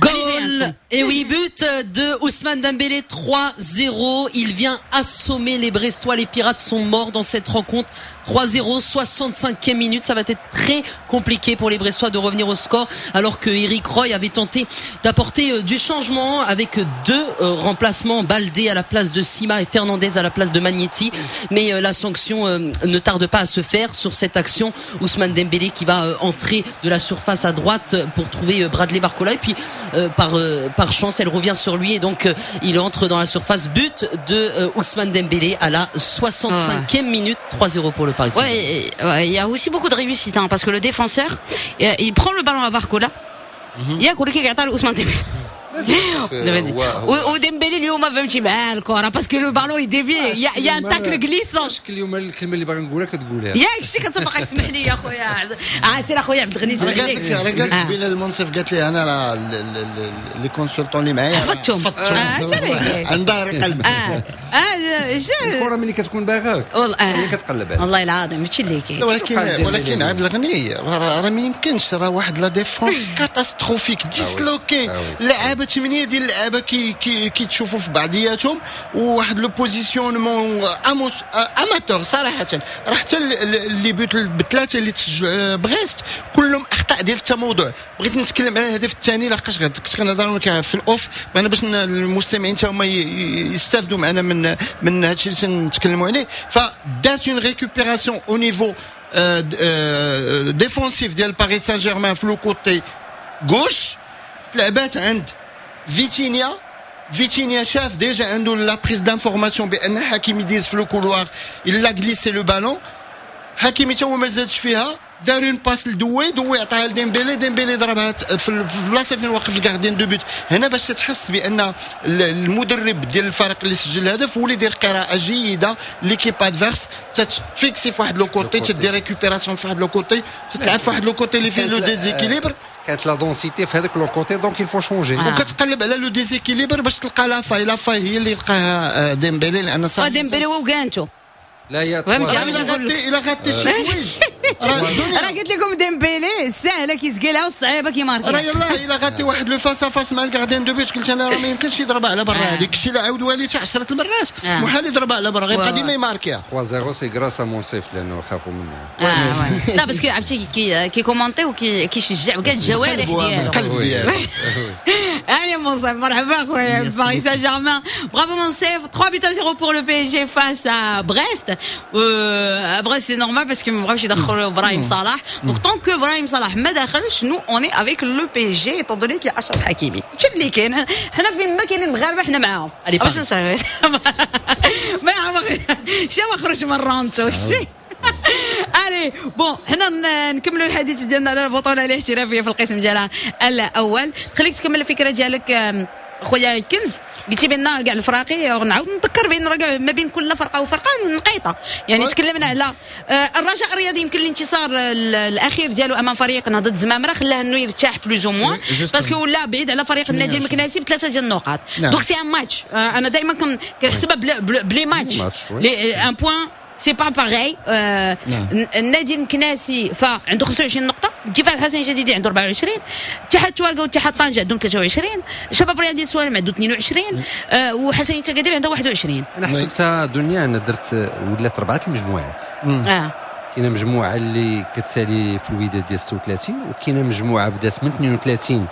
Goal et oui, but de Ousmane Dembélé, trois zéro. Il vient assommer les Brestois. Les Pirates sont morts dans cette rencontre. trois zéro, soixante-cinquième minute. Ça va être très compliqué pour les Brestois de revenir au score, alors que Eric Roy avait tenté d'apporter du changement avec deux remplacements, Baldé à la place de Sima et Fernandez à la place de Magnetti. Mais la sanction ne tarde pas à se faire sur cette action. Ousmane Dembélé qui va entrer de la surface à droite pour trouver Bradley Barcola. Et puis par, par chance, elle revient sur lui et donc il entre dans la surface. But de Ousmane Dembélé à la soixante-cinquième minute, trois zéro pour le Paris Saint-Germain. Ouais, ouais, il y a aussi beaucoup de réussite, hein, parce que le défenseur, il prend le ballon à Barcola. ياك ولكن كيعطيها لعثمان ديمبلي وديمبلي اليوم فهمتي مع الكره parce que le ballon il dévie، il y a un tacle glissant. اليوم الكلمة اللي باغي نقولها كتقولها ياك شتي كتبقى تسمح لي يا خويا عاسر اخويا عبد الغني سمح لك. راه قالت بلال المنصف قالت لي انا راه les consultants اللي معايا حفظتهم عن ظهر قلب. اه الكره ملي كتكون باغاك هي كتقلب عليها والله العظيم هادشي اللي كاين. ولكن ولكن عبد الغني راه ما يمكنش، راه واحد la défense catastrophique disloquée، لعابه ثمانية ديال اللعابه كي كي كيتشوفوا في بعضياتهم، وواحد le positionnement amateur صراحة. راه حتى les buts بثلاثة اللي تسجلوا بريست كلهم اخطاء ديال التموضع. بغيت نتكلم على الهدف الثاني لحقاش كنت كنهضر في ال off، بغينا باش المستمعين حتى هما يستافدوا معنا من من هادشي اللي تنتكلموا عليه. فدات une récupération au niveau défensif ديال باريس سان جيرمان في le côté gauche، تلعبات عند فيتينيا. فيتينيا شاف déjà عنده la prise d'information بان حكيمي ديز في le couloir، il a glissé le ballon، حكيمي تا هو ما زادش فيها، دار une passe لدوي، دوي عطاها لديمبيلي، ديمبيلي ضربها في البلاصة فين واقف ال gardien de but. هنا باش تحس بان المدرب ديال الفريق اللي سجل الهدف هو اللي دير قراءة جيدة l'équipe adverse، تتفيكسي في واحد le côté، تدير récupération في واحد le côté، تتلعب في واحد le côté اللي فيه le déséquilibre. كانت la densité في هذاك le côté، donc il faut changer. وكتقلب على le déséquilibre باش تلقى la faille. la faille هي اللي لقاها ديمبيلي، لان صافي ديمبيلي وكانتو لا يا الا غطي الا غطي شي حوايج راه قلت لكم ديمبيلي السهلة كيسقلها والصعيبه كيماركي. راه يلاه الا غطي واحد le face à face مع ال gardien de but، قلت انا راه ما يمكنش يضربها على برا، هذيك الشيء اللي عاود والي حتى عشرة المرات محال يضربها على برا، غيبقى ديما يماركيها. ثلاثة صفر c'est grâce à منصف لانه خافوا منه. لا parce que عرفتي كي كي commenter وكي كيشجع وكاع الجوارح ديالو القلب ديالو. Allez منصف، مرحبا خويا. Paris Saint-Germain. Bravo منصف، trois buts à zéro pour le P S G face à Brest. Euh, à Brest c'est normal parce que ما بغاوش يدخلوا ابراهيم صلاح. Donc tant que ابراهيم صلاح ما دخلش، nous on est avec le P S G étant donné qu'il y a اشرف حكيمي. شو اللي كاين؟ حنا فين ما كاينين المغاربة حنا معاهم. Allez, باش نشرح ما شي ما خرج من رانتو شي. Allez bon، حنا نكملوا الحديث ديالنا على البطولة الاحترافية في القسم ديالها الاول. خليك تكمل الفكرة ديالك خويا كنز. قلتي بان كاع الفراقي، نعاود نذكر بان راه ما بين كل فرقه وفرقه نقيطه، يعني تكلمنا على الرجاء الرياضي، يمكن الانتصار الاخير ديالو امام فريق نهضة زمامرة خلاه انه يرتاح plus ou moins parce que ولا بعيد على فريق النادي المكناسي بثلاثة ديال النقاط. donc c'est un match، انا دائما كنحسبها ب les matchs، un point c'est pas pareil. النادي المكناسي فعنده خمسة وعشرين نقطه، الدفاع الحسني الجديدي عنده أربعة وعشرين، اتحاد تواركه واتحاد طنجه عندهم ثلاثة وعشرين، شباب رياضي السوالم عنده اثنين وعشرين، آه وحسنية اكادير عنده واحد وعشرين. انا حسبتها دنيا، انا درت ولات اربعة المجموعات. اه كاينه مجموعة اللي كتسالي في الوداد ديال ستة وثلاثين، وكاينه مجموعة بدات من اثنين وثلاثين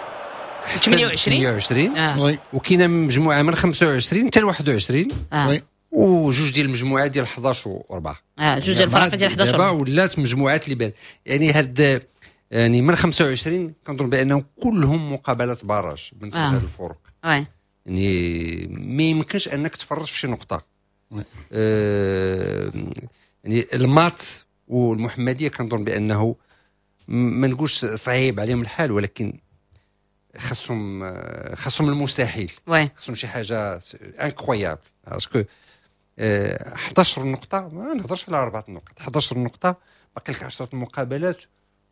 حتى ثمانية وعشرين. ثمانية وعشرين. آه. وكاينه مجموعة من خمسة وعشرين حتى ل واحد وعشرين. آه. وجوج ديال المجموعات ديال حداش وأربعة. اه جوج ديال الفرق ديال حداش. دابا ولات مجموعات اللي بان يعني هاد يعني من خمسة وعشرين كنظن بانهم كلهم مقابلات barrage بالنسبة آه. لهاد الفرق. oui يعني ما يمكنش انك تفرج في شي نقطه. آه يعني المات والمحمديه كنظن بانه ما نقولش صعيب عليهم الحال، ولكن خاصهم خاصهم المستحيل. oui خاصهم شي حاجة incroyable parce que حداش نقطه، ما نهضرش على اربعة نقاط، حداش نقطه، باقي لك عشرة المقابلات،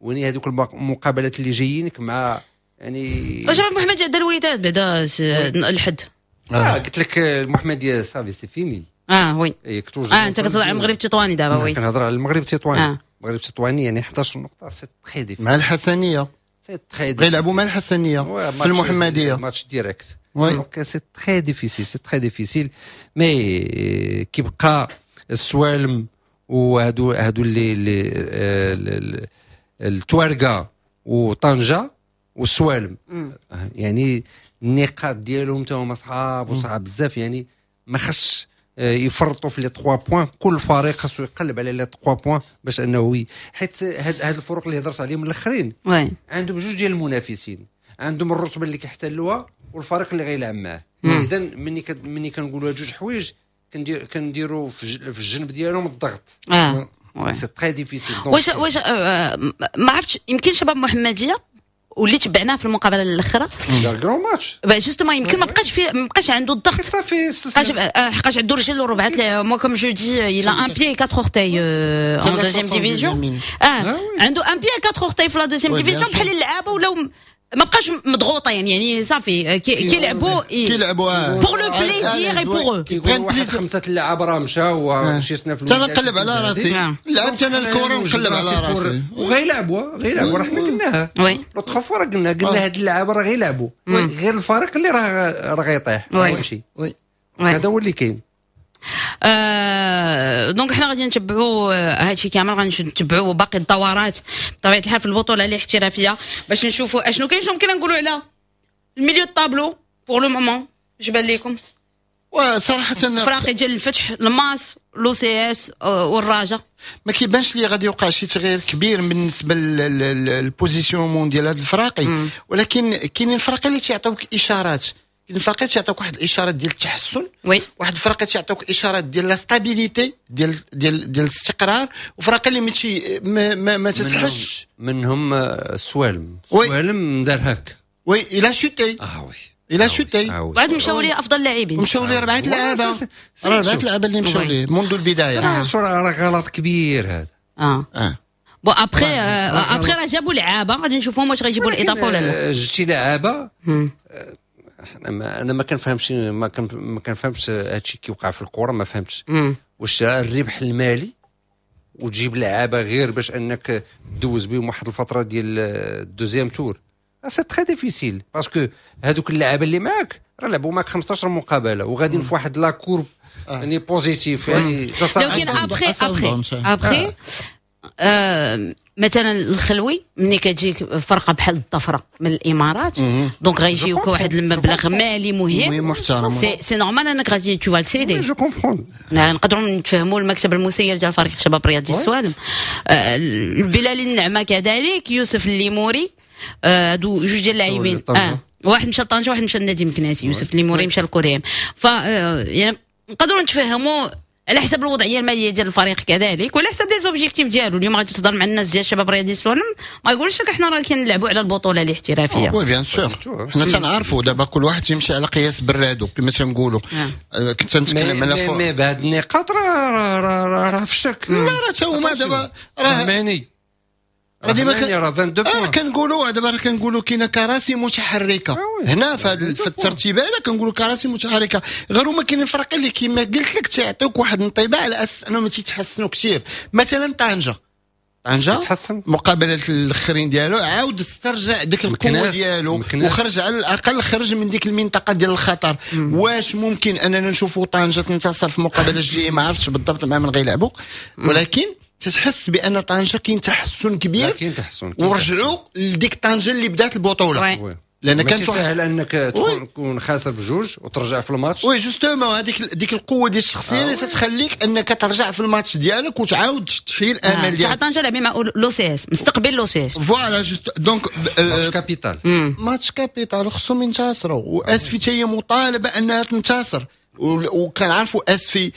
ويني هذوك المقابلات اللي جايينك مع يعني واش محمد دار الوداد بعدا الحد؟ آه قلت لك المحمدية صافي c'est fini. اه oui. إيه اه انت كتهضر على المغرب التطواني دابا، oui. كنهضر على المغرب التطواني. آه. المغرب التطواني يعني حداش نقطه، c'est très difficile. مع الحسنيه. c'est très غيلعبوا مع الحسنيه في المحمديه. match direct، donc c'est très difficile، c'est très difficile، mais كيبقى السوالم وهادو هادو اللي اللي التوارقه وطنجه والسوالم، يعني النقاط ديالهم تا هما صعاب وصعاب بزاف، يعني ما خصش يفرطوا في les trois points. كل فريق خاصو يقلب على les trois points باش انه، حيت هاد هاد الفرق اللي هضرت عليهم الاخرين عندهم جوج ديال المنافسين، عندهم الرتبة اللي كيحتلوها والفريق اللي غيلعب معاه. اذا ملي ملي كنقولوا هاد جوج حوايج كندير كنديروا في الجنب ديالهم الضغط. اه c'est très difficile. واش واش ما عرفتش، يمكن شباب محمديه واللي تبعناه في المقابلة الاخرى دار grand match. justement يمكن ما بقاش في ما بقاش عنده الضغط. صافي. حقاش عنده رجل وربعه. moi comme je dis، il a un pied quatre orteils en deuxième division. اه عنده un pied quatre orteils في la deuxième division، بحال اللعابه ولاو ما بقاش مضغوطين، يعني صافي كيلعبوا كيلعبوا pour le plaisir et pour eux. واحد خمسة اللعابه راه مشاو شي سنة في انا نقلب على راسي، لعبت انا الكره ونقلب على راسي. وغيلعبوا غيلعبوا، راه حنا قلناها oui l'autre fois، راه قلنا قلنا هاد اللعابه راه غيلعبوا، غير الفريق اللي راه راه غيطيح غيمشي. هذا هو اللي كاين. آه donc حنا غادي نتبعوا هادشي كامل، غادي نتبعوا باقي الدورات بطبيعة الحال في البطولة الاحترافية باش نشوفوا اشنو كاين. شنو ممكن نقولوا على ال milieu tableau pour le moment؟ اش بان لكم؟ وصراحة فراقي ديال الفتح، الماس، l'OCS والرجاء. ما كيبانش لي غادي يوقع شي تغيير كبير بالنسبة لل positionnement ديال هاد الفراقي، ولكن كاينين الفراقي اللي تيعطيوك اشارات، كاين الفرق تيعطيوك واحد الاشارات ديال التحسن، oui واحد الفرق تيعطيوك اشارات ديال la stabilité، ديال ديال ديال الاستقرار، وفرق اللي ماشي ما, ما, ما تتحش. منهم السوالم. oui. السوالم دار هاك. oui، il a chuté. اه oui. il a chuté. بعد مشاو ليه افضل لاعبين. مشاو ليه اربعة لعابه، اربعة لعابه اللي مشاو ليه منذ البدايه. شو راه غلط كبير هذا. اه اه bon après après راه جابوا لعابه، غادي نشوفهم واش غيجيبوا الاضافة ولا لا. جبتي لعابه، انا انا ما كنفهمش، ما ما كنفهمش هادشي كيوقع في الكره، ما فهمتش واش الربح المالي وتجيب لعابه غير باش انك دوز بهم واحد الفترة ديال ال deuxième tour. c'est très difficile parce que هادوك اللعابه اللي معاك راه لعبوا معاك خمسطاش مقابله وغاديين في واحد la courbe يعني positive، يعني لكن après après après مثلا الخلوي ملي كتجيك فرقه بحال الظفره من الامارات، donc غيجيوك واحد المبلغ مالي مهم محترم، c'est c'est normal انك غادي tu vas céder. je comprends. نقدروا نتفهموا المكتب المسير ديال فريق شباب رياضي السوالم، البلالي النعمة كذلك، يوسف الليموري، هادو جوج ديال اللاعبين، اه واحد مشى لطنجه واحد مشى للنادي المكناسي، يوسف الليموري مشى لكوديم. ف يعني نقدروا نتفهموا على حسب الوضعية المالية ديال الفريق كذلك وعلى حسب les objectifs ديالو. اليوم غادي تهضر مع الناس ديال الشباب الرياضي السوالم ما يقولش لك احنا راه كنلعبوا على البطولة الاحترافيه. oui bien sûr، حنا تنعرفوا دابا كل واحد تيمشي على قياس برادو كما تنقولوا. كنت نتكلم على mais بهاد النقاط راه راه راه راه في الشك. لا راه تا هما دابا راه راه ديما كان كنقولوا دابا كنقولوا كاينه كراسي متحركة هنا في الترتيب هذا، كنقولوا كراسي متحركة، غير هما كاينين فرق اللي كما قلت لك تيعطيوك واحد الانطباع على اساس انهم تيتحسنوا كثير. مثلا طنجه طنجه مقابله الاخرين ديالو عاود استرجع ديك القوة ديالو وخرج على الاقل خرج من ديك المنطقة ديال الخطر. واش ممكن اننا نشوفوا طنجه تنتصر في المقابلة الجاية؟ ما عرفتش بالضبط مع من غيلعبوا، ولكن تتحس بان طنجه كاين تحسن كبير، كاين تحسن ورجعوا لديك طنجه اللي بدات البطولة. لان كان سهل انك تكون خاسر بجوج وترجع في الماتش. oui justement هذيك ديك القوة ديال الشخصية اللي تتخليك انك ترجع في الماتش ديالك وتعاود تحيي الامل ديالك. طنجه لعب مع l'OCS، مستقبل l'OCS. voilà juste donc match capital، match capital خصهم ينتصروا، واسفي حتى هي مطالبه انها تنتصر. وكنعرفوا اسفي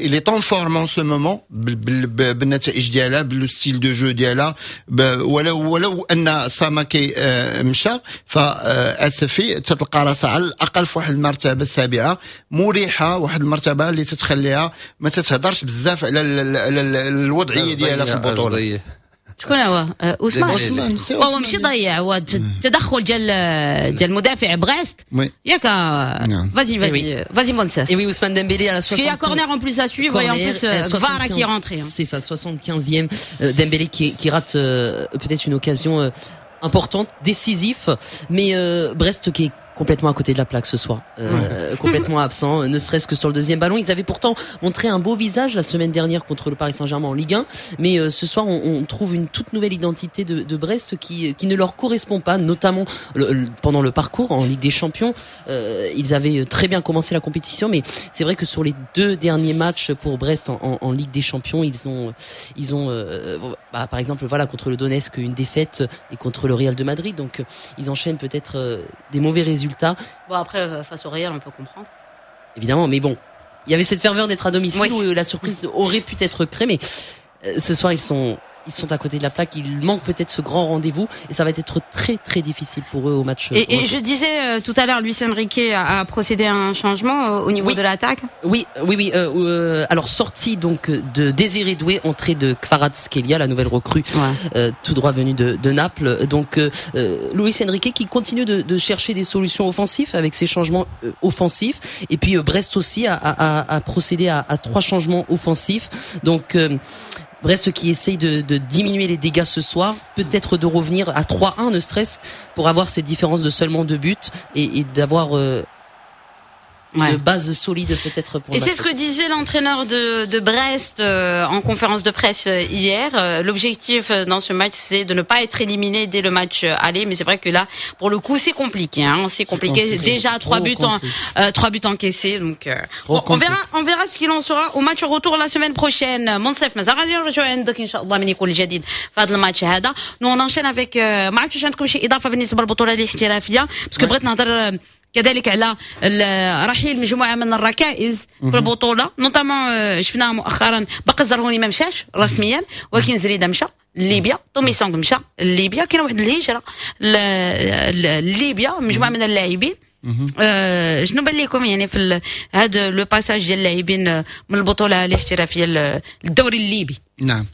il est en forme en ce moment بالنتائج ديالها، ب le style de jeu ديالها، ولو ولو ان ساماكي مشى، فاسفي تتلقى راسها على الاقل في واحد المرتبة السابعة مريحه، واحد المرتبة اللي تتخليها ما تتهضرش بزاف على الوضعية ديالها في البطولة. شكون هو؟ عثمان. هو ماشي ضيع، هو التدخل ديال ديال المدافع بريست. ياك؟ Vas-y vas-y vas-y Monsef. Et oui, Ousmane Dembélé à la soixante. Il y a corner en plus à suivre et en plus Kvara qui est rentré. C'est ça, soixante-quinzième. Dembélé qui qui rate peut-être une occasion importante, décisif, mais Brest qui est complètement à côté de la plaque ce soir, euh, complètement absent, ne serait-ce que sur le deuxième ballon. Ils avaient pourtant montré un beau visage la semaine dernière contre le Paris Saint-Germain en Ligue un, mais euh, ce soir on, on trouve une toute nouvelle identité de, de Brest qui, qui ne leur correspond pas, notamment le, le, pendant le parcours en Ligue des Champions. Euh, ils avaient très bien commencé la compétition, mais c'est vrai que sur les deux derniers matchs pour Brest en, en, en Ligue des Champions, ils ont, ils ont, euh, bah, par exemple, voilà, contre le Donetsk une défaite et contre le Real de Madrid, donc ils enchaînent peut-être euh, des mauvais résultats. Bon, après, face au Real, on peut comprendre. Évidemment, mais bon, il y avait cette ferveur d'être à domicile, oui, où la surprise aurait pu être créée, mais ce soir, ils sont, ils sont à côté de la plaque. Il manque peut-être ce grand rendez-vous et ça va être très très difficile pour eux au match. Et, et je disais euh, tout à l'heure, Luis Enrique a, a procédé à un changement euh, au niveau oui. de l'attaque. Oui, oui, oui. Euh, euh, alors sortie donc de Désiré Doué, entrée de Kvaratskhelia, la nouvelle recrue, ouais. euh, tout droit venue de, de Naples. Donc euh, Luis Enrique qui continue de, de chercher des solutions offensives avec ses changements euh, offensifs. Et puis euh, Brest aussi a, a, a procédé à, à trois changements offensifs. Donc euh, Brest qui essaye de, de diminuer les dégâts ce soir, peut-être de revenir à trois un ne serait-ce pour avoir cette différence de seulement deux buts et, et d'avoir euh, une ouais. base solide peut-être pour. Et c'est ce que disait l'entraîneur de, de Brest euh, en conférence de presse hier. Euh, l'objectif dans ce match, c'est de ne pas être éliminé dès le match aller. Mais c'est vrai que là, pour le coup, c'est compliqué. Hein, c'est compliqué. compliqué. Déjà trois buts, en, euh, trois buts encaissés. Donc euh, bon, on verra, on verra ce qu'il en sera au match retour la semaine prochaine. منصف مازال غادي نرجعوا عندك ان شاء الله من يكون الجديد في هذا الماتش هذا. Nous on enchaîne avec ما عرفتش عندكم شي اضافه بالنسبة للبطولة الاحترافية، parce que بغيت نهضر كذلك على رحيل مجموعة من الركائز في البطولة، notamment شفناها مؤخرا باقي الزرهوني ما مشاش رسميا، ولكن زريده مشى لليبيا، تومي سونغ مشى لليبيا، كاين واحد الهجرة لليبيا مجموعة من اللاعبين. آه شنو بان لكم يعني في هذا le passage ديال اللاعبين من البطولة الاحترافية للدوري الليبي؟ نعم،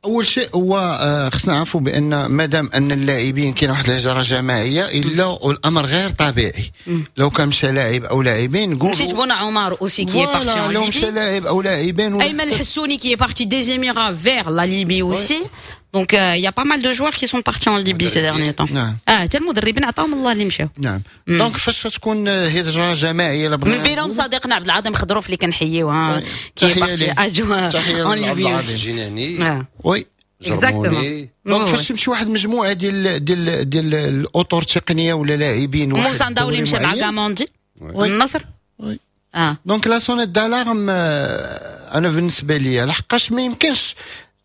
اول شيء هو خصنا نعرفوا بان مادام ان اللاعبين كاين واحد الهجرة جماعية الا الامر غير طبيعي. لو كان مشى لاعب او لاعبين نقولوا مشيت بونا عمر aussi qui est parti، لو مشى لاعب او لاعبين، ايمن الحسوني qui est parti des Émirats vers la Libye aussi. Donc il y a pas mal de joueurs qui sont partis en Libye ces derniers temps. اه حتى المدربين عطاهم الله اللي مشاو. نعم، donc فاش تكون هجره جماعية من بينهم صديقنا عبد العظيم خضروف اللي كنحييوه qui est parti en Libye. الجناني oui exactement. donc فاش تمشي واحد المجموعة ديال ديال ديال الاطر التقنية ولا لاعبين، موسى نداو اللي مشى مع كاموندي النصر. oui اه donc la sonnette d'alarme انا بالنسبة لي، لحقاش ما يمكنش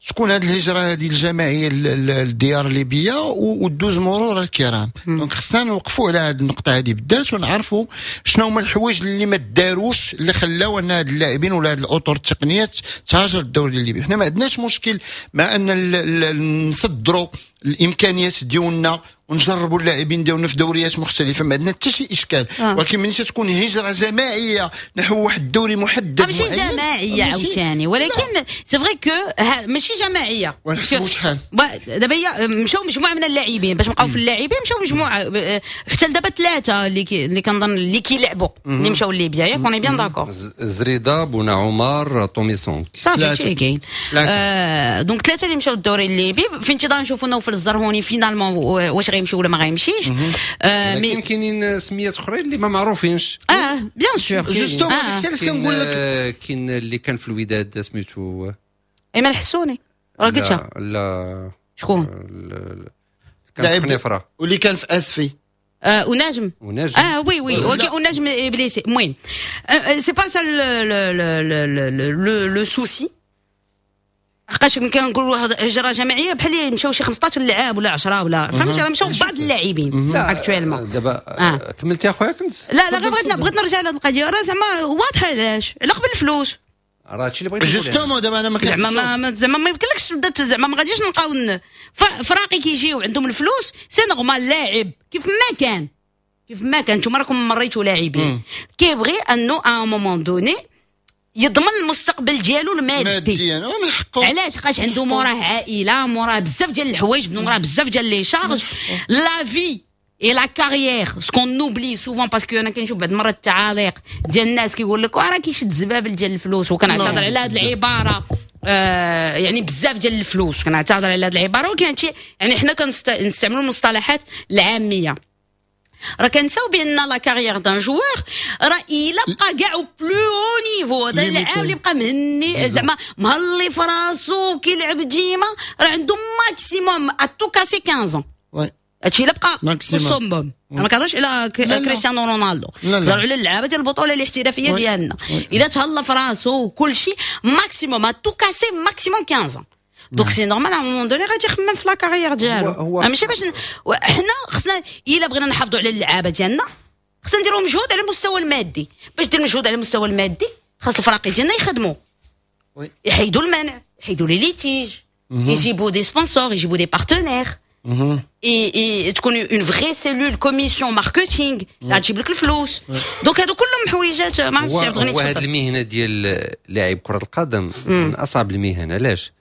تكون هذه الهجرة هذه الجماعية للديار الليبية ودوز مرور الكرام. donc خصنا نوقفوا على هذه النقطة هذه بالذات ونعرفوا شنو هما الحوايج اللي ما داروش اللي خلاو ان هاد اللاعبين ولا هاد الاطر التقنية تهاجر الدوري الليبي. حنا ما عندناش مشكل مع ان نصدروا الامكانيات ديالنا ونجربوا اللاعبين ديالنا في دوريات مختلفه، ما عندنا حتى شي اشكال آه. ولكن ملي تكون هجره جماعية نحو واحد الدوري محدد، ماشي جماعية عاوتاني، ولكن c'est vrai que ماشي جماعيه. ونحسبوا شحال؟ دابا هي مشاو مجموعة من اللاعبين، باش نبقاو في اللاعبين، مشاو مجموعة حتى لدابا ثلاثة اللي كي اللي كنظن اللي كيلعبوا اللي مشاو لليبيا، ياك؟ on est bien d'accord؟ زريده، بونا عمر، توميسون. صافي، هادشي كاين. آه donc ثلاثة اللي مشاو الدوري الليبي، في انتظار نشوفوا نوفل الزرهوني finalement واش غيمشي ولا ما غيمشيش. آه mais كاينين سميات اخرين اللي ما معروفينش. اه bien sûr. justement، داكشي علاش كنقول لك. كاين اللي كان في الوداد سميتو ايمن الحسوني، راه قلتها. لا. شكون؟ كان في خنيفره. واللي كان في اسفي. آه ونجم. ونجم. اه oui oui، ولكن ونجم blessé. المهم c'est pas ça le le souci، حقاش كنقولوا هجره جماعية بحال اللي مشاو شي خمسطاش لعاب ولا عشرة ولا، فهمتي؟ راه مشاو بعض اللاعبين actuellement. دابا آه. كملتي اخويا كنت؟ لا لا، غير بغيت بغيت نرجع لهذه القضيه، راه زعما واضحة علاش، على قبل الفلوس. راه هادشي اللي بغيت. justement دابا انا ما زعما ما زعما ما يمكنلكش تبدا، زعما ما غاديش نلقاو فراقي كيجيو عندهم الفلوس، c'est normal. لاعب كيف ما كان، كيف ما كان، نتوما راكم مريتوا لاعبين، كيبغي انه à un moment donné يضمن المستقبل ديالو المادي. ماديا من حقه. علاش؟ حقاش عنده موراه عائله، موراه بزاف ديال الحوايج، موراه بزاف ديال les charges، la vie et la carrière، ce qu'on oublie souvent، parce que انا كنشوف بعض المرات التعاليق ديال الناس كيقول لك راه كيشد زبابل ديال الفلوس، وكنعتذر على هذه العباره، آه يعني بزاف ديال الفلوس، كنعتذر على هذه العباره، ولكن هادشي يعني حنا كنستعملوا المصطلحات العاميه. راه كنساو بان la carrière d'un joueur راه الا بقى كاع plus haut niveau، هذا اللاعب اللي بقى مهني زعما مهلي في راسو كيلعب ديما، راه عنده maximum à tout casser quinze. هادشي الا بقى في ال summum. انا ما كنهضرش على كريستيانو رونالدو، كنهضر على اللعابه ديال البطولة الاحترافية ديالنا. الا تهلا في راسو وكل شيء، maximum à tout casser maximum quinze. donc c'est normal، à un moment donné غادي يخمم في la carrière ديالو. ماشي باش حنا خصنا، الا بغينا نحافظوا على اللعابه ديالنا خصنا نديروا مجهود على المستوى المادي. باش دير مجهود على المستوى المادي خاص الفراقي ديالنا يخدموا، يحيدوا المنع، يحيدوا les litiges، يجيبوا des sponsors، يجيبوا des partenaires، et تكون une vraie cellule commission marketing تجيب لك الفلوس. donc هادو كلهم حويجات ما عرفتش. عبد الغني. هو هذه المهنة ديال لاعب كره القدم من اصعب المهن. علاش؟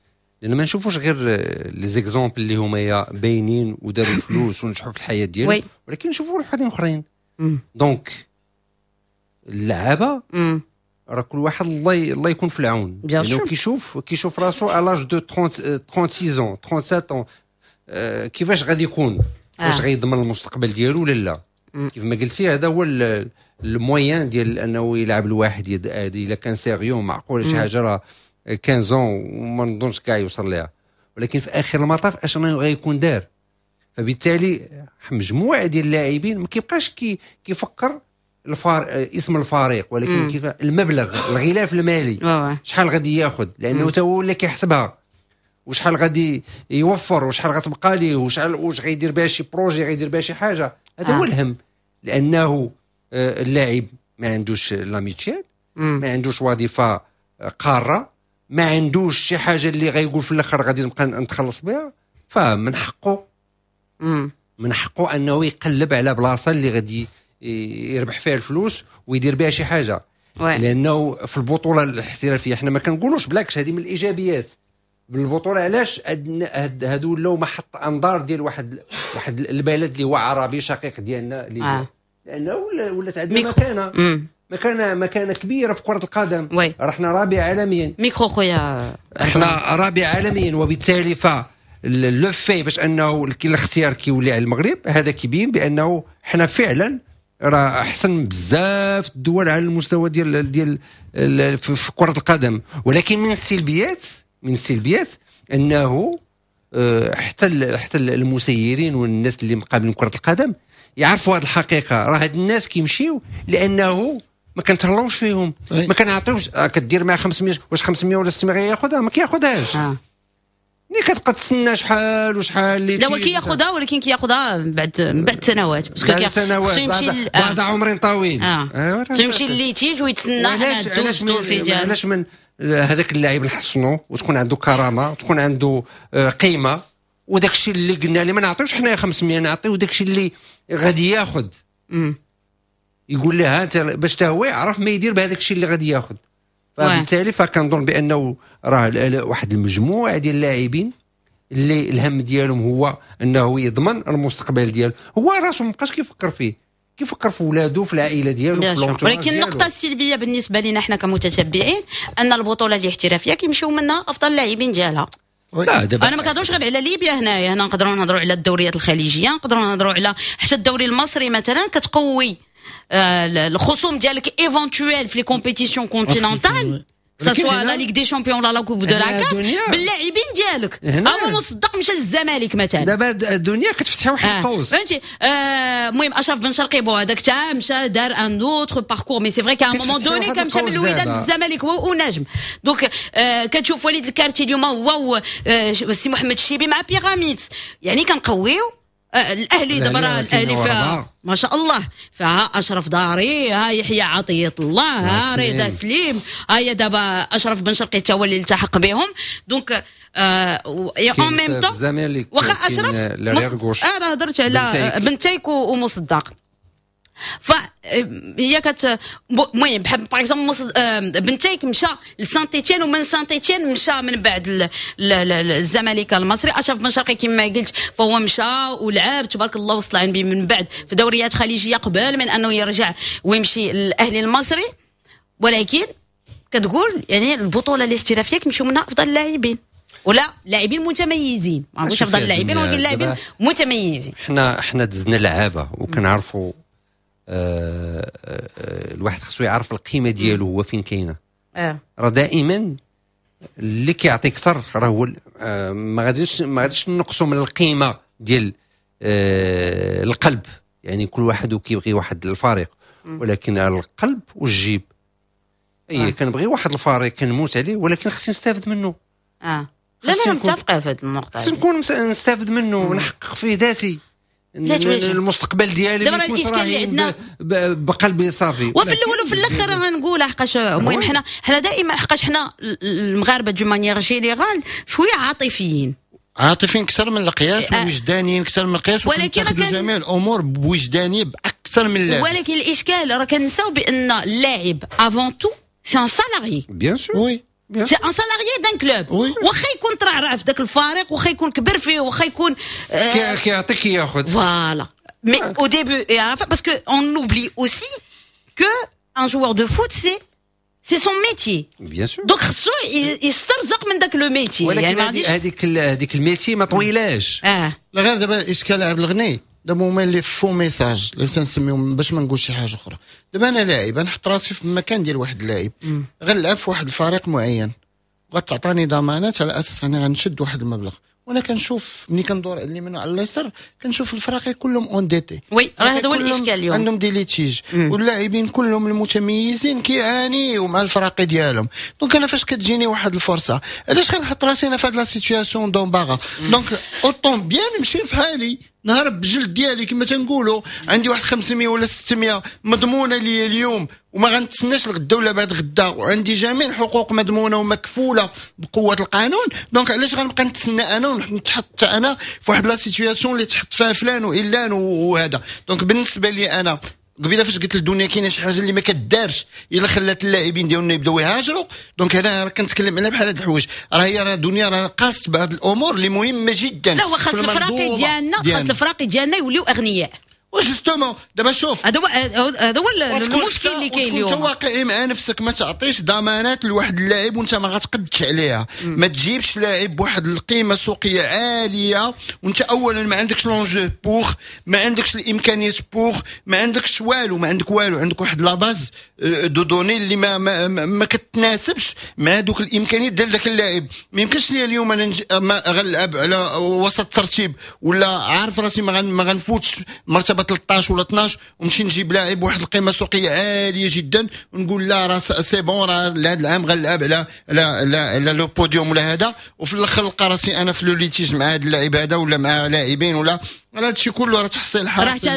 لان ما نشوفوش غير les exemples اللي هما باينين وداروا فلوس ونجحوا في الحياة ديالهم، ولكن نشوفوا وحدين اخرين. donc اللعابه راه كل واحد الله الله يكون في العون، لانه كيشوف كيشوف راسو à l'âge de trente-six ans، trente-sept ans، كيفاش غادي يكون، واش غيضمن المستقبل ديالو ولا لا. كيف ما قلتي، هذا هو ال moyen ديال انه يلعب الواحد الا كان sérieux معقول شي حاجة راه quinze ans وما نظنش كاع يوصل لها، ولكن في اخر المطاف اش غيكون دار؟ فبالتالي مجموعة ديال اللاعبين ما كيبقاش كي كيفكر الفار اسم الفريق، ولكن كيف المبلغ، الغلاف المالي، شحال غادي ياخذ، لانه تا هو اللي كيحسبها، وشحال غادي يوفر، وشحال غتبقى ليه، وشحال واش غيدير بها شي projet، غيدير بها شي حاجه. هذا آه. هو الهم، لانه آه، اللاعب ما عندوش la mutuelle، ما عندوش وظيفة قاره، ما عندوش شي حاجة اللي غيقول في الاخر غادي نبقى نتخلص بها. فمن حقه من حقه انه يقلب على بلاصة اللي غادي يربح فيها الفلوس ويدير بها شي حاجه، لانه في البطولة الاحترافية حنا ما كنقولوش، بالعكس هذه من الايجابيات بالبطوله. علاش هادو ولاو محط انظار ديال واحد واحد البلد اللي هو عربي شقيق ديالنا اللي آه. لانه ولات عندنا مكانه مكانه مكانه كبيرة في كره القدم. oui. راه حنا رابع عالميا. ميكرو خويا. احنا رابع عالميا، وبالتالي ف le fait باش انه الاختيار كيولي على المغرب، هذا كيبين بانه حنا فعلا راه احسن بزاف الدول على المستوى ديال ديال في كره القدم. ولكن من السلبيات من السلبيات انه حتى حتى المسيرين والناس اللي مقابلين كره القدم يعرفوا هذه الحقيقة. راه هاد الناس كيمشيو لانه ما كنتهلاوش فيهم، ما كنعطيوش. كدير مع خمسمية، واش خمسمية ولا ستمية ياخذها؟ ما كياخذهاش. آه. ملي كتبقى تسنى شحال وشحال اللي لا هو كياخذها، ولكن كياخذها بعد بعد سنوات، parce que بعد سنوات، بعد, بعد عمر طويل. اه, آه. يمشي litige ويتسنى. علاش علاش من علاش من هذاك اللاعب نحصنو وتكون عنده كرامة وتكون عنده قيمة، وداك الشيء اللي قلنا ليه ما نعطيوش حنايا خمسمية، نعطيو داك الشيء اللي غادي ياخذ. يقول لها انت باش حتى هو يعرف ما يدير بهذاك الشيء اللي غادي ياخذ. فبالتالي فكنظن بانه راه واحد المجموعة ديال اللاعبين اللي الهم ديالهم هو انه يضمن المستقبل ديالو، هو راسو ما بقاش كيفكر فيه، كيفكر في ولادو، في العائلة ديالو، في l'entourage. ولكن النقطة السلبية بالنسبة لنا حنا كمتتبعين ان البطولة الاحترافية كيمشيو منها افضل اللاعبين ديالها. لا دابا انا ما كنهضروش غير على ليبيا هنايا، هنا نقدروا نهضروا على الدوريات الخليجية، نقدروا نهضروا على حتى الدوري المصري مثلا، كتقوي آه، الخصوم ديالك éventuels في les compétitions continentales، soit la Ligue des champions ولا la Coupe de la CAF، باللاعبين ديالك. اما مصدق مشى للزمالك مثلا. دابا الدنيا كتفتح واحد القوس، فهمتي. المهم اشرف بن شرقي bon هذاك تا مشى دار un autre parcours، mais c'est vrai qu'à un moment donné كان مشى من الوداد للزمالك هو ونجم. donc كتشوف وليد الكارتي اليوم هو السي محمد الشيبي مع بيراميدز، يعني كنقويو الاهلي. دابا راه الاهلي فيها ما شاء الله، فيها اشرف داري، ها يحيى عطية الله، ها رضا سليم، ها هي دابا اشرف بن شرقي حتى هو اللي التحق بهم. donc en même temps واخا اشرف مص... اه راه هضرت على بنتيك ومصدق، فهي كت المهم بحال par exemple بنتيك مشى لسانت ايتيان، ومن سانت ايتيان مشى من بعد الزمالك المصري. اشرف بن شرقي كما قلت فهو مشى ولعب تبارك الله وصل عن من بعد في دوريات خليجية قبل من انه يرجع ويمشي للاهلي المصري. ولكن كتقول يعني البطولة الاحترافية كيمشيو منها افضل اللاعبين ولا لاعبين متميزين، ما نقولش افضل اللاعبين ولكن لاعبين متميزين. حنا حنا دزنا لعابه وكنعرفوا آه آه الواحد خصو يعرف القيمة ديالو هو فين كاينه. اه راه دائما اللي كيعطي اكثر راه هو آه ما غاديش ما غاديش نقصوا من القيمة ديال آه القلب، يعني كل واحد وكيبغي واحد الفريق، ولكن القلب والجيب. اي آه. كنبغي واحد الفريق كنموت عليه، ولكن خصني نستافد منه. اه لا لا متفقه في هذه النقطة، خصني نكون نستافد منه ونحقق فيه ذاتي، المستقبل ديالي. دابا الاشكال اللي عندنا بقلبي صافي. وفي الاول وفي الاخر غنقول حقاش المهم حنا حنا دائما حقاش حنا المغاربة d'une manière générale شوية عاطفيين، عاطفيين اكثر من القياس ووجدانيين اكثر من القياس، ولكن كان جميع الامور بوجدانيه باكثر من اللازم. ولكن الاشكال راه كنساو بان اللاعب avant tout c'est un salarié. bien sûr. oui. c'est un salarié d'un club، واخا يكون ترعرع في ذاك الفريق، واخا يكون كبر فيه، واخا يكون كيعطيك ياخذ. voilà، mais au début et à la fin، parce que on oublie aussi que un joueur de foot c'est c'est son métier. bien sûr. donc خصو يسترزق من ذاك le métier. ولكن هذيك هذيك ال métier ما طويلاش. اه لا غير دابا الاشكال عبد الغني، دابا هما les faux messages اللي تنسميهم باش ما نقولش شي حاجة اخرى. دابا انا لاعب، نحط راسي في مكان ديال واحد اللاعب غنلعب في واحد الفريق معين، غتعطاني ضمانات على اساس اني غنشد واحد المبلغ، وانا كنشوف ملي كندور على اليمين وعلى اليسار كنشوف الفراقي كلهم endettés. oui، راه هذا هو الاشكال اليوم. عندهم des litiges، واللاعبين كلهم المتميزين كيعانيوا مع الفراقي ديالهم. donc انا فاش كتجيني واحد الفرصه، علاش غنحط راسي انا في هاد la situation d'embarras؟ donc autant bien نمشي في حالي، نهرب بجلد ديالي كما تنقولوا. عندي واحد خمسمية ولا ستمية مضمونه لي اليوم وما غنتسناش الغدا ولا بعد غدا، وعندي جميع الحقوق مضمونه ومكفوله بقوة القانون. donc علاش غنبقى نتسنى انا ونتحط انا في واحد la situation اللي تحط فيها فلان وعلان وهذا؟ donc بالنسبة لي انا قبيلة فاش قلت للدنيا كاينه شي حاجة اللي ما كدارش الا خلات اللاعبين ديالنا يبداو يهاجروا، donc هنا راه كنتكلم على بحال هاد الحوايج. راه هي راه الدنيا راه قاست بعض الامور اللي مهمة جدا. لا هو خاص في الفراقي المنظومة ديالنا، خاص ديالنا. الفراقي ديالنا يوليو اغنياء. و justement دابا شوف، هذا هو هذا هو المشكل اللي كاين اليوم. تكون واقعي مع نفسك، ما تعطيش ضمانات لواحد اللاعب وانت ما غتقدش عليها. ما تجيبش لاعب بواحد القيمة السوقية عالية وانت اولا ما عندكش l'enjeu pour، ما عندكش الامكانيات pour، ما عندكش والو، ما عندك والو. عندك واحد la base de données اللي ما ما, ما, ما كتناسبش مع دوك الامكانيات ديال ذاك اللاعب. ما يمكنش ليا اليوم انا ما غنلعب على وسط الترتيب ولا عارف راسي ما ما غنفوتش مرتبه ثلاثة عشر ولا اثنا عشر ونمشي نجيب لاعب واحد القيمة السوقية عالية جدا ونقول لا، راه c'est bon، راه هذا العام غنلعب على على على, على le podium ولا هذا، وفي الاخر نلقى راسي انا في le litige مع هذا اللاعب هذا ولا مع لاعبين ولا. هذا الشيء كله راه تحصيل حاصل. راه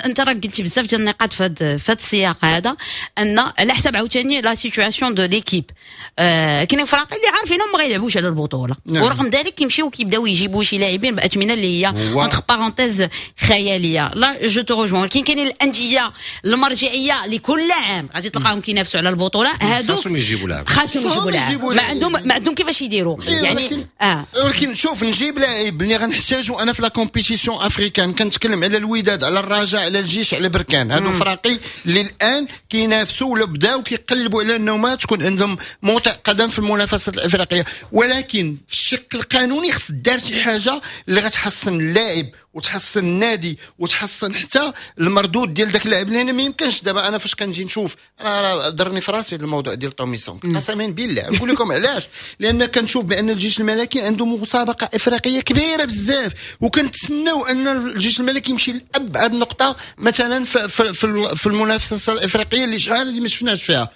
انت راك قلتي بزاف ديال النقاط في هذا في هذا السياق هذا، ان على حسب عاوتاني la situation de l'équipe، آه كاينين فراق اللي عارفينهم ما غيلعبوش على البطوله، نعم. ورغم ذلك كيمشيو كيبداو يجيبوا شي لاعبين باثمنه اللي هي entre parenthèses خياليه. là je te rejoins. ولكن كاينين الاندية المرجعية لكل عام غادي تلقاهم كينافسوا على البطوله، هادو خاصهم يجيبوا لاعب. خاصهم يجيبوا لاعب، ما عندهم ما عندهم كيفاش يديروا. إيه، يعني ولكن اه ولكن شوف، نجيب لاعب اللي غنحتاجو انا في la compétition africaine، كنتكلم على الوداد، على الرجاء، على الجيش، على بركان، هادو فراقي اللي الان كينافسوا ولا بداو كيقلبوا على انهم تكون عندهم موطئ قدم في المنافسات الافريقيه. ولكن في الشق القانوني خص دار شي حاجة اللي غتحسن اللاعب وتحسن النادي وتحسن حتى المردود ديال ذاك اللاعب، لان ما يمكنش دابا انا فاش كنجي نشوف، انا راه ضرني في راسي الموضوع ديال توميسون، قسما بالله. نقول لكم علاش؟ لان كنشوف بان الجيش الملكي عنده مسابقة افريقية كبيرة بزاف، وكنتسناو ان الجيش الملكي يمشي لابعد نقطة مثلا في, في, في المنافسة الافريقية اللي شحال اللي ما شفناش فيها.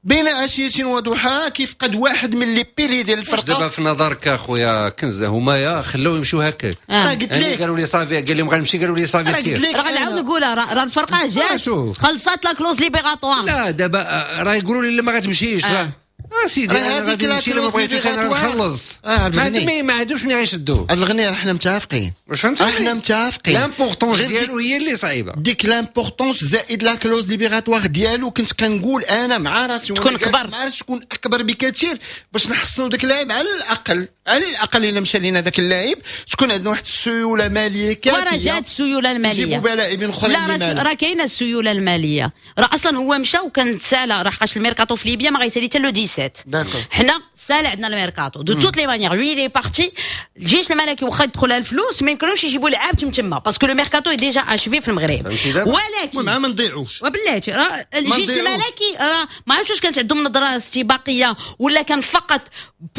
بين عشية وضحاها كيفقد واحد من les piliers ديال الفرقه. دابا في نظرك اخويا كنزه، هما يا خلاو يمشيو هكاك؟ آه. قلت يعني لك قالوا لي صافي، قال لهم غنمشي، قالوا لي صافي سير. راه غنعاود نقولها، راه الفرقة جات خلصات la clause libératoire. لا، دابا راه يقولوا لي لا، ما غتمشيش. راه اه سيدي، انا غادي نمشي، ما بغيتوش انا نخلص. اه ما ما عندوش ملي غيشدوه. الغني راه حنا متفقين. واش فهمتي؟ حنا متفقين. l'importance ديالو هي اللي صعيبه. ديك l'importance زائد la clause libératoire ديالو، كنت كنقول انا مع راسي تكون اكبر. مع راسي تكون اكبر بكثير باش نحصنوا داك اللاعب. على الاقل، على الاقل الا مشى لينا ذاك اللاعب تكون عندنا واحد السيولة ماليه كافيه. وراه جات السيولة الماليه. نجيبوا لاعبين اخرين. لا، راه كاينه السيولة الماليه. راه اصلا هو مشى وكان تسالى، راه حقاش الميركاتو في ليبيا ما غيسالي حتى le dix-sept. حنا سال عندنا الميركاتو. de toutes les manières، lui il est parti. الجيش الملكي واخا يدخل الفلوس ما يمكنلوش يجيبوا لعاب تم تما parce que le mercato est déjà achevé في المغرب. ولكن ما نضيعوش. وبلاتي، راه الجيش الملكي راه ما عرفتش واش كانت عندهم نظره استباقية ولا كان فقط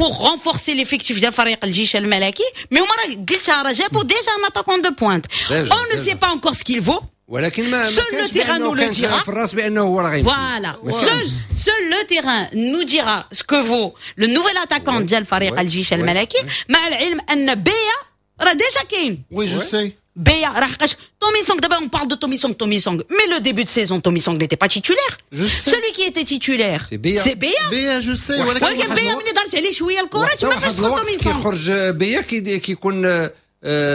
pour renforcer l'effectif ديال فريق الجيش الملكي، mais هما راه قلتها، راه جابوا déjà un attaquant de pointe. on ne sait pas encore ce qu'il vaut. ولكن ما seul le terrain nous le dira. في الراس بانه هو راه غيمشي. Voilà. Seul, seul le terrain nous dira ce que vaut le nouvel attaquant ديال فريق الجيش الملكي، مع العلم ان بيا راه déjà كاين. oui، je sais. بيا راه حقاش Tommy Song، d'abord on parle de Tommy Song, Tommy Song, mais le début de saison Tommy Song n'était pas titulaire. Je sais. Celui qui était titulaire، c'est Bia. C'est Bia. بيا، je sais. ولكن بيا ملي دارت عليه شوية الكره تما فاش دخل تومي سونغ. كيخرج بيا كيكون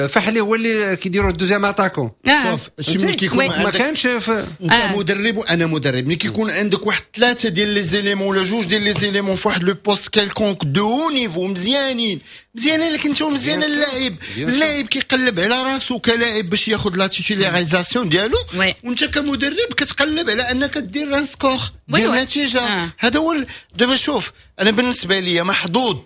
فحلي هو اللي كيديروا ال deuxième attaquant. شوف، شي ملي كيكون ما كانش في انت آه. مدرب وانا مدرب، ملي كيكون عندك واحد ثلاثة ديال les éléments ولا جوج ديال les éléments في واحد le poste quelconque de haut niveau، مزيانين مزيانين لك انت ومزيان اللاعب، اللاعب كيقلب على راسو كلاعب باش ياخذ la titularisation ديالو، وانت كمدرب كتقلب على انك دير un score، دير نتيجه. آه. هذا هو. دابا شوف، انا بالنسبة لي محظوظ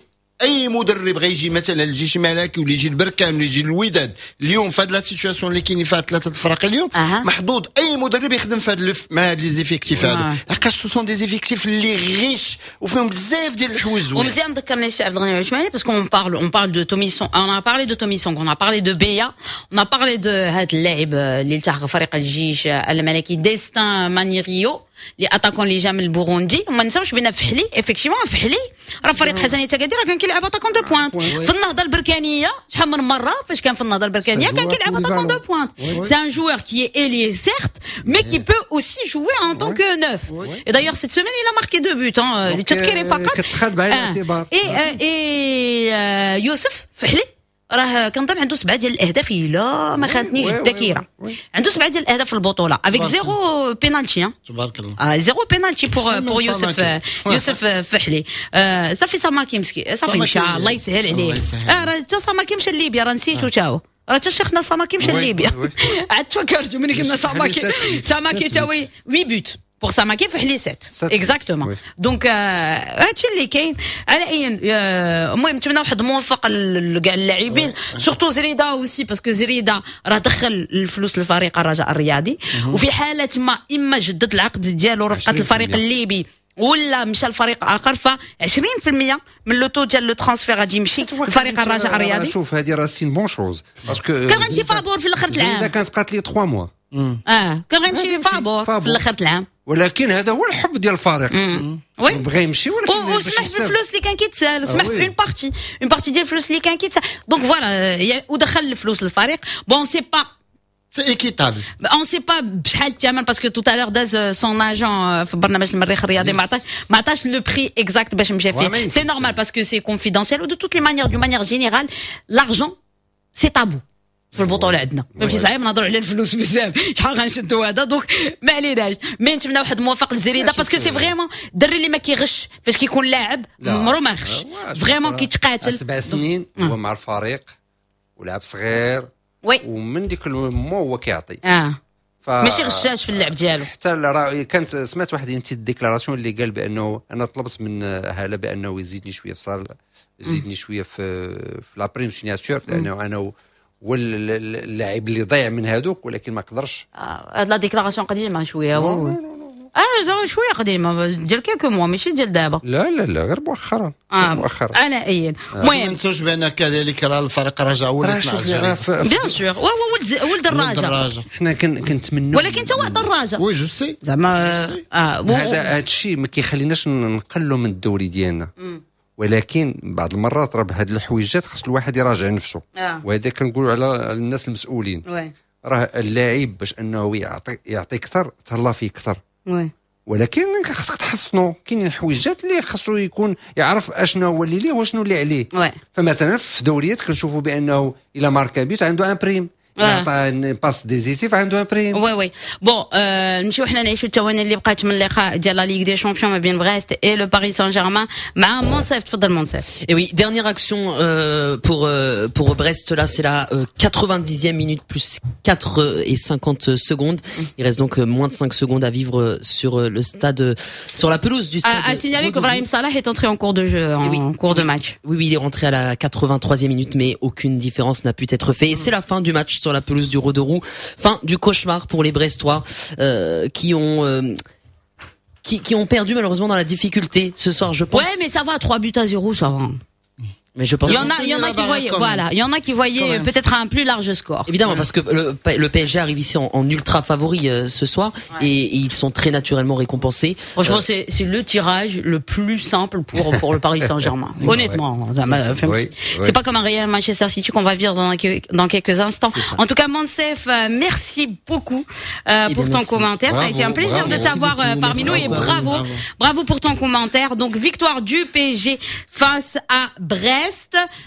اي مدرب غيجي مثلا الجيش الملكي ولا يجي البركان ولا يجي الوداد اليوم في هاد la situation اللي كاينين فيها ثلاثة الفرق اليوم. أه. محظوظ اي مدرب يخدم في هاد مع هاد les effectifs هادو، لحقاش ce sont des effectifs اللي riches وفيهم بزاف ديال الحوايج زوينين. ومزيان ذكرني سي عبد الغني العثماني، parce qu'on parle on parle de Tommy Song، on a parlé de Tommy Song، on a parlé de بيا، on a parlé de هاد اللاعب اللي التحق فريق الجيش الملكي، ديستان مانيريو، les attaquants اللي جا من البوروندي. وما نساوش بان فحلي، effectivement فحلي راه فريق حسنيه اكادير راه كان كيلعب attaquant de pointe. في النهضة البركانيه، شحال من مرة فاش كان في النهضة البركانيه كان كيلعب attaquant de pointe. c'est un joueur qui est ailier certes، mais qui peut aussi jouer en tant que neuf. et d'ailleurs cette semaine il a marqué deux buts، للتذكير فقط. كتخاد بعين الاعتبار. et et يوسف فحلي راه كنظن عنده سبعة ديال الاهداف الا ما خانتنيش الذاكره، عنده سبعة ديال الاهداف في البطولة avec zéro penalty. تبارك الله. آه، zéro penalty pour pour يوسف يوسف فحلي. آه صافي، ساماكي مسكين صافي مشى، الله يسهل عليه. اه راه حتى ساماكي مشى لليبيا، راه نسيتو تا هو. راه حتى شيخنا ساماكي مشى لليبيا. عاد تفكرت ملي قلنا ساماكي، ساماكي تا هو huit buts pour ساماكي في حليسات exactement. donc هادشي اللي كاين. على اي المهم نتمنى واحد موفق لكاع اللاعبين، surtout زريده aussi، parce que زريده راه دخل الفلوس للفريق الرجاء الرياضي، وفي حاله ما اما جدد العقد ديالو رفقه الفريق الليبي ولا مشى لفريق اخر، ف عشرين في المية من le taux ديال le transfert غادي يمشي لفريق الرجاء الرياضي. شوف، هذه راه c'est une bonne chose parce que كان غيمشي فابور في الاخر العام. اذا كانت بقات لي ثلاثة mois. اه كان غيمشي فابور في الاخر العام. ولكن هذا هو الحب ديال الفريق. oui، بغى يمشي ولكن وسمح في الفلوس اللي كان كيتسال، سمح في une partie une partie ديال الفلوس اللي كان كيتسال، donc voilà، ودخل الفلوس للفريق. bon، c'est pas c'est équitable. on sait pas بشحال الثمن، parce que tout à l'heure داز son agent في برنامج المريخ الرياضي، ما عطاش ما عطاش le prix exact باش مشى فيه. c'est normal parce que c'est confidentiel، و de toutes les manières، d'une manière générale، l'argent c'est tabou في البطولة عندنا، فهمتي؟ صعيب نهضروا على الفلوس بزاف، شحال غنشدوا هذا، donc ما عليناش. mais نتمنى واحد موفق للزريده، parce que c'est vraiment الدري اللي ما كيغش فاش كيكون لاعب، عمرو ما غش، vraiment كيتقاتل. سبع سنين هو مع الفريق ولعب صغير. oui ومن ديك ال moment هو كيعطي. اه ف... ماشي غشاش في اللعب ديالو. حتى راه كانت سمعت واحد petite déclaration اللي قال بانه انا طلبت من هاله بانه يزيدني شوية في salaire، يزيدني شوية في في la prime signature، لانه انا هو اللاعب اللي ضيع من هذوك، ولكن ما قدرش. هاد la déclaration قديمة شويه، اه شوية قديمة ديال quelques mois، ماشي ديال دابا. لا لا لا، غير مؤخرا. آه مؤخرا. على اي المهم ما ننسوش بان كذلك راه الفريق الرجاء هو اللي صنع. bien sûr، هو ولد ولد الرجاء. حنا كنتمنوا ولكن انت واحد الرجاء. oui، je sais. زعما اه هذا هذا الشيء ما كيخليناش نقلوا من الدوري ديالنا، ولكن بعض المرات راه بهاد الحويجات خص الواحد يراجع نفسه آه. وهذا كنقولوا على الناس المسؤولين. oui. راه اللاعب باش انه يعطي يعطي اكثر، تهلا فيه اكثر. oui. ولكن خاصك تحصنوا، كاينين حويجات اللي خاصو يكون يعرف اشنو هو اللي ليه واشنو اللي عليه. oui. فمثلا في دوريات كنشوفوا بانه الى ماركا but عنده une prime، عطى passe décisive عنده une prime. oui oui، bon، نمشيو حنا نعيشوا الثواني اللي بقات من اللقاء ديال la Ligue des Champions ما بين بريست et le Paris Saint-Germain مع منصف. تفضل منصف. Et oui, dernière action euh, pour euh, pour Brest là, c'est la euh, quatre-vingt-dixième minute plus quatre et cinquante secondes. Il reste donc moins de cinq secondes à vivre sur le stade, sur la pelouse du stade. À, à signaler qu'Ibrahim Salah est entré en cours de jeu, en oui. cours de match. Oui, oui, il est rentré à la quatre-vingt-troisième minute, mais aucune différence n'a pu être faite. Et c'est la fin du match sur la pelouse du Roudourou. Fin du cauchemar pour les Brestois euh, qui ont euh, qui, qui ont perdu malheureusement dans la difficulté ce soir, je pense. Ouais, mais ça va, trois buts à zéro, ça va. Mais je pense Il y en a, il y en a qui voyaient, voilà, il y en a qui voyaient peut-être un plus large score. Évidemment, parce que le, le P S G arrive ici en, en ultra favori euh, ce soir Ouais. et, et ils sont très naturellement récompensés. Franchement, c'est c'est le tirage le plus simple pour pour le Paris Saint-Germain. Honnêtement, ça m'a fait- Oui, oui. c'est pas comme un Real Manchester City qu'on va vivre dans, dans quelques instants. En tout cas, Monsef, euh, merci beaucoup euh, Eh pour bien, ton merci. commentaire. Ça a Bravo, été un plaisir bravo. de t'avoir euh, Merci parmi beaucoup, nous et merci bravo, bravo. bravo pour ton commentaire. Donc, victoire du P S G face à Brest.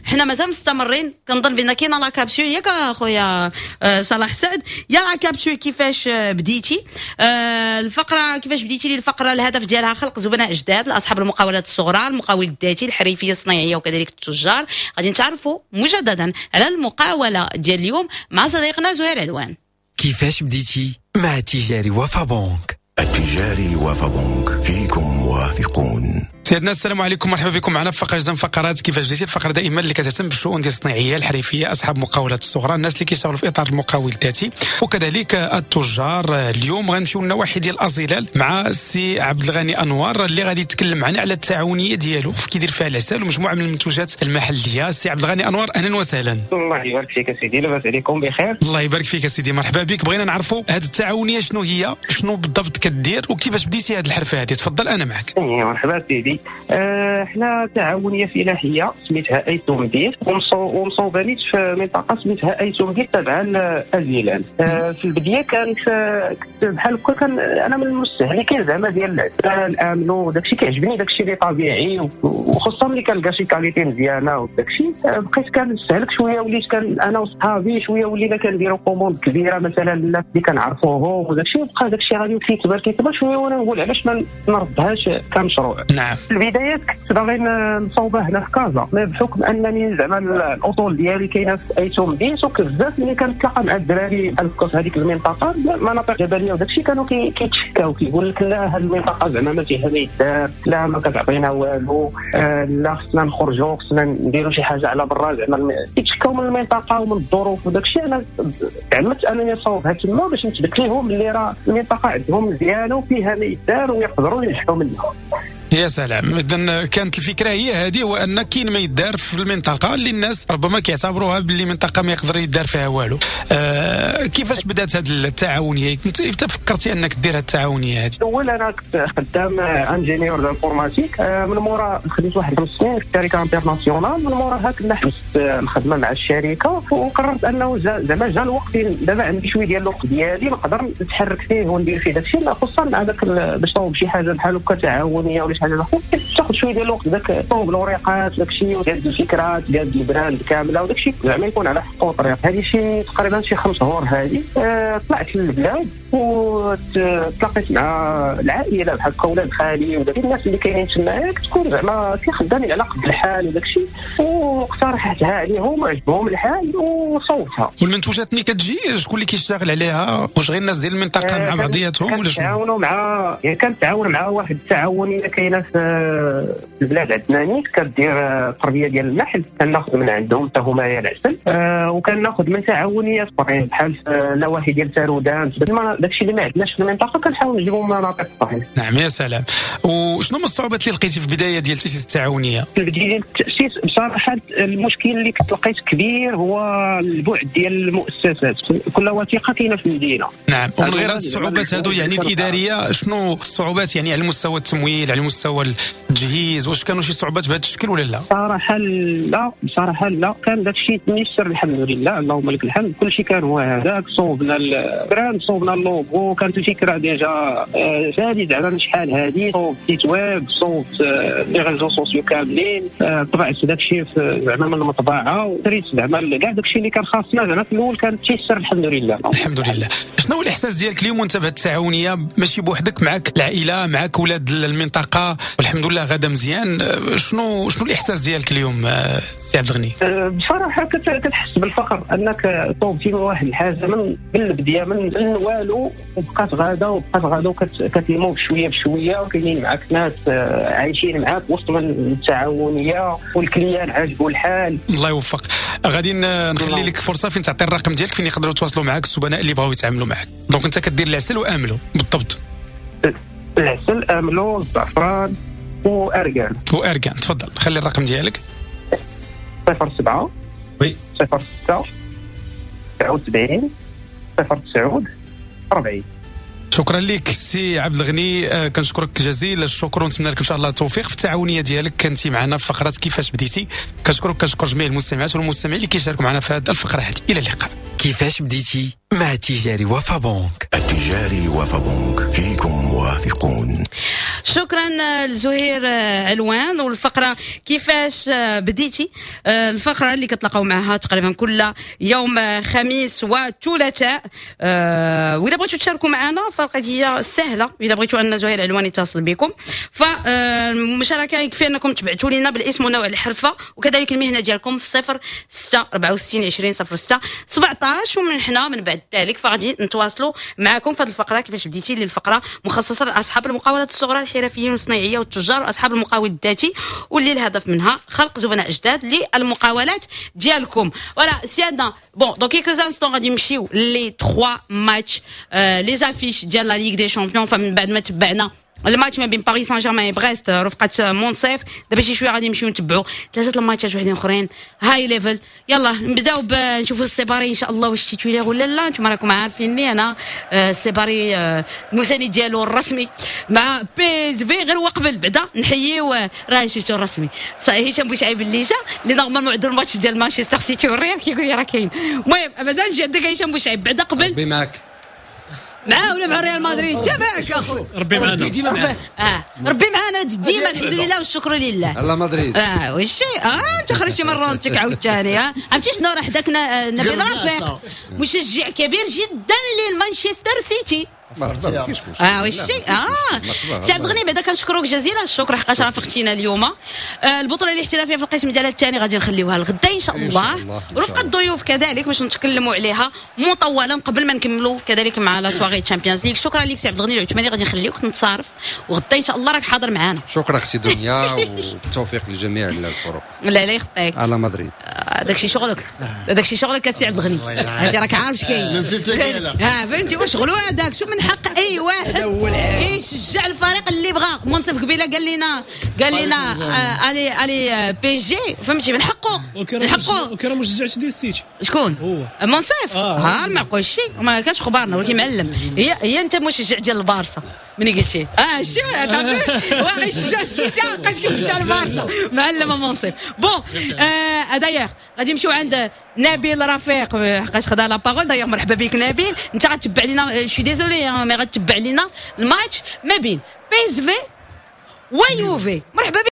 حنا مازال مستمرين، كنظن بان كاينه la capsule، ياك اخويا آه، صلاح سعد؟ يا la capsule كيفاش آه، بديتي؟ آه، الفقرة كيفاش بديتي لي، الفقرة الهدف ديالها خلق زبناء جداد لاصحاب المقاولات الصغرى، المقاول الذاتي، الحريفيه الصناعية وكذلك التجار. غادي نتعرفوا مجددا على المقاوله ديال اليوم مع صديقنا زهير علوان. كيفاش بديتي مع تجاري وفا بنك. التجاري وفا بنك، فيكم واثقون. سيدنا، السلام عليكم، مرحبا بكم معنا في فقره جديدة من فقرات كيفاش بديتي، الفقرة دائما اللي كتهتم بالشؤون ديال الصناعيه، الحريفيه، اصحاب المقاولات الصغرى، الناس اللي كيشتغلوا في اطار المقاول الذاتي وكذلك التجار. اليوم غنمشيو للنواحي ديال ازيلال مع السي عبد الغني انوار اللي غادي يتكلم معنا على التعاونية ديالو في كيدير فيها العسل ومجموعة من المنتوجات المحليه. السي عبد الغني انوار، اهلا وسهلا. الله يبارك فيك سيدي، لاباس عليكم؟ بخير؟ الله يبارك فيك سيدي، مرحبا بك. بغينا نعرفوا هذه التعاونية شنو هي، شنو بالضبط كدير، وكيفاش بديتي هذه الحرفة هذه. تفضل، انا معك. إيه، مرحبا سيدي. آه، حنا تعاونية فلاحية سميتها ايت مدير، ومصوبه نيت في منطقة سميتها ايت مدير تابعه لازيلال. آه، في البداية كانت كنت بحال هكا، كان انا من المستهلكين زعما ديال العسل املو وداكشي، كيعجبني داكشي اللي طبيعي، وخصوصا ملي كنلقى شي qualité مزيانه وداكشي. آه، بقيت كنستهلك شويه، وليت كان انا وصحابي شوية ولينا كنديروا commande كبيرة مثلا الناس اللي كنعرفوهم وداكشي، بقى داكشي غادي كيكبر كيكبر شويه، وانا نقول علاش ما نردهاش كمشروع. نعم. في البدايات كنت باغي نصوبه هنا في كازا، بحكم انني زعما الاصول ديالي كاينه في ايت ومدينت، وبزاف ملي كنتلاقى مع الدراري في هذيك المنطقة، مناطق جبلية وداك الشيء، كانوا كيتشكاو كيقول لك لا هذه المنطقة زعما ما فيها ما يدار، لا ما كتعطينا والو، آه لا خصنا نخرجوا، خصنا نديروا شي حاجة على برا، زعما كيتشكاو من المنطقة ومن الظروف وداك الشيء. انا تعمدت انني نصوبها تما باش نثبت لهم اللي راه المنطقة عندهم مزيانه وفيها ما يدار ويقدروا ينجحوا منها. يا سلام. اذا كانت الفكرة هي هذه، هو ان كاين ما يدار في المنطقة اللي الناس ربما كيعتبروها باللي منطقة ما يقدر يدار فيها والو. آه كيفاش بدات هذه التعاونية؟ كنت فكرتي انك دير هذه التعاونية هذه؟ الاول انا كنت خدام ingénieur d'informatique، آه من مورا خدمت واحد خمس سنين في شركة internationale، من موراها كنا حبست الخدمة مع الشركة، وقررت انه زعما جا الوقت دابا عندي شوية ديال الوقت ديالي نقدر نتحرك فيه وندير فيه داكشي، خصوصا مع داك باش تصاوب شي حاجة بحال هكا تعاونية ولا حاجة تاخذ شوية ديال الوقت، داك طوب الوريقات داك الشيء وتهز الفكرة تقاد ال brand كاملة وداك الشيء زعما يكون على حقه وطريق. هذه شي تقريبا شي خمس شهور هذه. أه طلعت للبلاد وتلاقيت مع العائلة بحال هكا، ولاد خالي وداك الناس اللي كاينين تماك، تكون زعما كيخدامين على قد الحال وداك الشيء، واقترحتها عليهم وعجبهم الحال وصوبتها. والمنتوجات ملي كتجي شكون اللي كيشتغل عليها؟ واش غير الناس ديال المنطقة مع بعضياتهم ولا شنو؟ كنتعاونوا مع يعني كنتعاون مع واحد التعاونية كاينه في البلاد عندنا نيت، كدير التربية ديال النحل، كناخذ من عندهم حتى هما العسل، أه وكناخذ من تعاونيات اخرين بحال النواحي ديال تارودان، داكشي اللي ما عندناش في المنطقة كنحاول نجيبو من مناطق اخرين. نعم يا سلام. وشنو هما الصعوبات اللي لقيتي في البداية ديال تاسيس التعاونية؟ في البداية ديال التاسيس بصراحة المشكل اللي كنت لقيت كبير هو البعد ديال المؤسسات، كل وثيقة كاينه في المدينة. نعم. ومن غير هاد الصعوبات هادو يعني الادارية، شنو الصعوبات يعني على مستوى التمويل، على مستوى التجهيز، واش كانوا شي صعوبات بهذا الشكل ولا لا؟ صراحة لا، بصراحة لا، كان داك الشيء ميسر الحمد لله، اللهم لك الحمد، كل شيء كان هو هذاك. صوبنا ال brand، صوبنا اللوغو، كانت الفكرة déjà سالي زعما شحال هذه، صوبت site web، صوبت les réseaux sociaux كاملين، طبعت داك الشيء زعما من المطبعة، وشريت زعما كاع داك الشيء اللي كان خاصنا زعما في الاول، كان تيسر الحمد لله. الحمد لله. شنو هو الاحساس ديالك اليوم وانت بهذه التعاونية ماشي بوحدك، معك العائلة، معك ولاد المنطقة، والحمد لله غدا مزيان، شنو شنو الاحساس ديالك اليوم سي عبد الغني؟ بصراحة كتحس بالفخر انك طوبتي من واحد الحاجة من البداية من والو، وبقات غاده وبقات غاده وكتنمو بشوية بشوية، وكاينين معاك ناس عايشين معاك وسط من التعاونية، وال client عاجبو الحال. الله يوفق. غادي نخلي لك فرصة فين تعطي الرقم ديالك فين يقدروا يتواصلوا معاك الزبناء اللي بغاو يتعاملوا معاك. donc انت كدير العسل واملو بالضبط؟ العسل، املو، الزعفران واركان. واركان. تفضل خلي الرقم ديالك. صفر سبعة oui صفر ستة تسعة وسبعين صفر تسعة أربعين. شكرا لك سي عبد الغني، كنشكرك جزيل الشكر ونتمنى لك ان شاء الله التوفيق في التعاونية ديالك. كنتي معنا في فقره كيفاش بديتي. كنشكرك، كنشكر جميع المستمعات والمستمعين اللي كيشاركوا معنا في هذه الفقرة هذه. الى اللقاء. كيفاش بديتي مع التجاري وفا بنك. التجاري وفا بنك، فيكم واثقون. شكرا لزهير علوان. والفقرة كيفاش بديتي، الفقرة اللي كتلاقاو معها تقريبا كل يوم خميس وثلاثاء. وإذا بغيتوا تشاركوا معنا فالقضية سهلة، إذا بغيتوا أن زهير علوان يتصل بكم فالمشاركة يكفي أنكم تبعتوا لنا بالاسم ونوع الحرفة وكذلك المهنة ديالكم في صفر ستة أربعة وستين عشرين صفر ستة سبعطاش، ومن حنا من بعد ذلك فغادي نتواصلوا معكم في هذه الفقرة كيفاش بديتي، للفقرة مخصصة لاصحاب المقاولات الصغرى، الحرفيين والصناعيه والتجار واصحاب المقاول الذاتي، واللي الهدف منها خلق زبناء جداد للمقاولات ديالكم. voilà سيادنا. bon dans quelques instants غادي نمشيو les ثلاثة matchs les affiches ديال la Ligue des Champions. فمن بعد ما تبعنا الماتش ما بين باريس سان جيرمان وبريست رفقه مونصيف، دابا شي شوية غادي نمشيو نتبعوا ثلاثة الماتشات وحدين اخرين high level. يلا نبداو نشوفوا السيباري ان شاء الله واش titulaire ولا لا. انتم راكم عارفيني انا السيباري المساند ديالو الرسمي مع بي اس في. غير هو قبل بعدا نحييو راه شفتو الرسمي هشام بوشعيب اللي جا اللي normalement عنده الماتش ديال مانشستر سيتي والريال كيقول لي راه كاين. المهم مازال نجي عندك هشام بوشعيب بعدا قبل ربي معاك معاه ولا مع ريال مدريد؟ تبعك اخويا ربي معنا ديما معنا. اه ربي معنا ديما الحمد لله والشكر لله. الله مدريد اه والشيء اه انت خرجتي من رونتك عاوتاني. اه عرفتي شنو راه حداك نبيل رفيق مشجع كبير جدا للمانشستر سيتي. مرحبا، ما كاينش مشكل. اه oui شتي، اه سي عبد الغني، بعدا كنشكروك جزيلا الشكر حقاش رافقتينا اليوم. آه البطولة الاحترافية في القسم ديالها الثاني غادي نخليوها لغدا ان شاء الله، رفقه الضيوف كذلك باش نتكلموا عليها مطولا قبل ما نكملوا كذلك مع la soirée Champions League. شكرا لك سي عبد الغني العثماني، غادي نخليوك تنتصرف وغدا ان شاء الله راك حاضر معنا. شكرا اختي دنيا والتوفيق لجميع الفرق. لا لا يخطيك. على مدريد. داكشي شغلك، داكشي شغلك السي عبد الغني، انت راك عارف اش كاين. ها فهمتي واش شغلو هذاك. شوف، من حق اي واحد يشجع الفريق اللي بغى. منصف قبيلة قال لنا قال لنا allez allez PSG، فهمتي، من حقه، من حقه. وكان مشجعش ديال السيتي. شكون؟ هو. منصف. آه. ها المعقول شي ما كانش خبارنا، ولكن معلم. هي هي انت مشجع ديال البارسا ملي قلتي اه شي واخا يشجع السيتي بقاش كيشجع البارسا. معلم منصف. bon آه d'ailleurs غادي نمشيو عند نبيل رفيق حقاش خدا la parole. d'ailleurs مرحبا بك نبيل، انت غتبع لينا، je suis désolé mais غتبع لينا الماتش ما بين PSV ويوفي. مرحبا بك.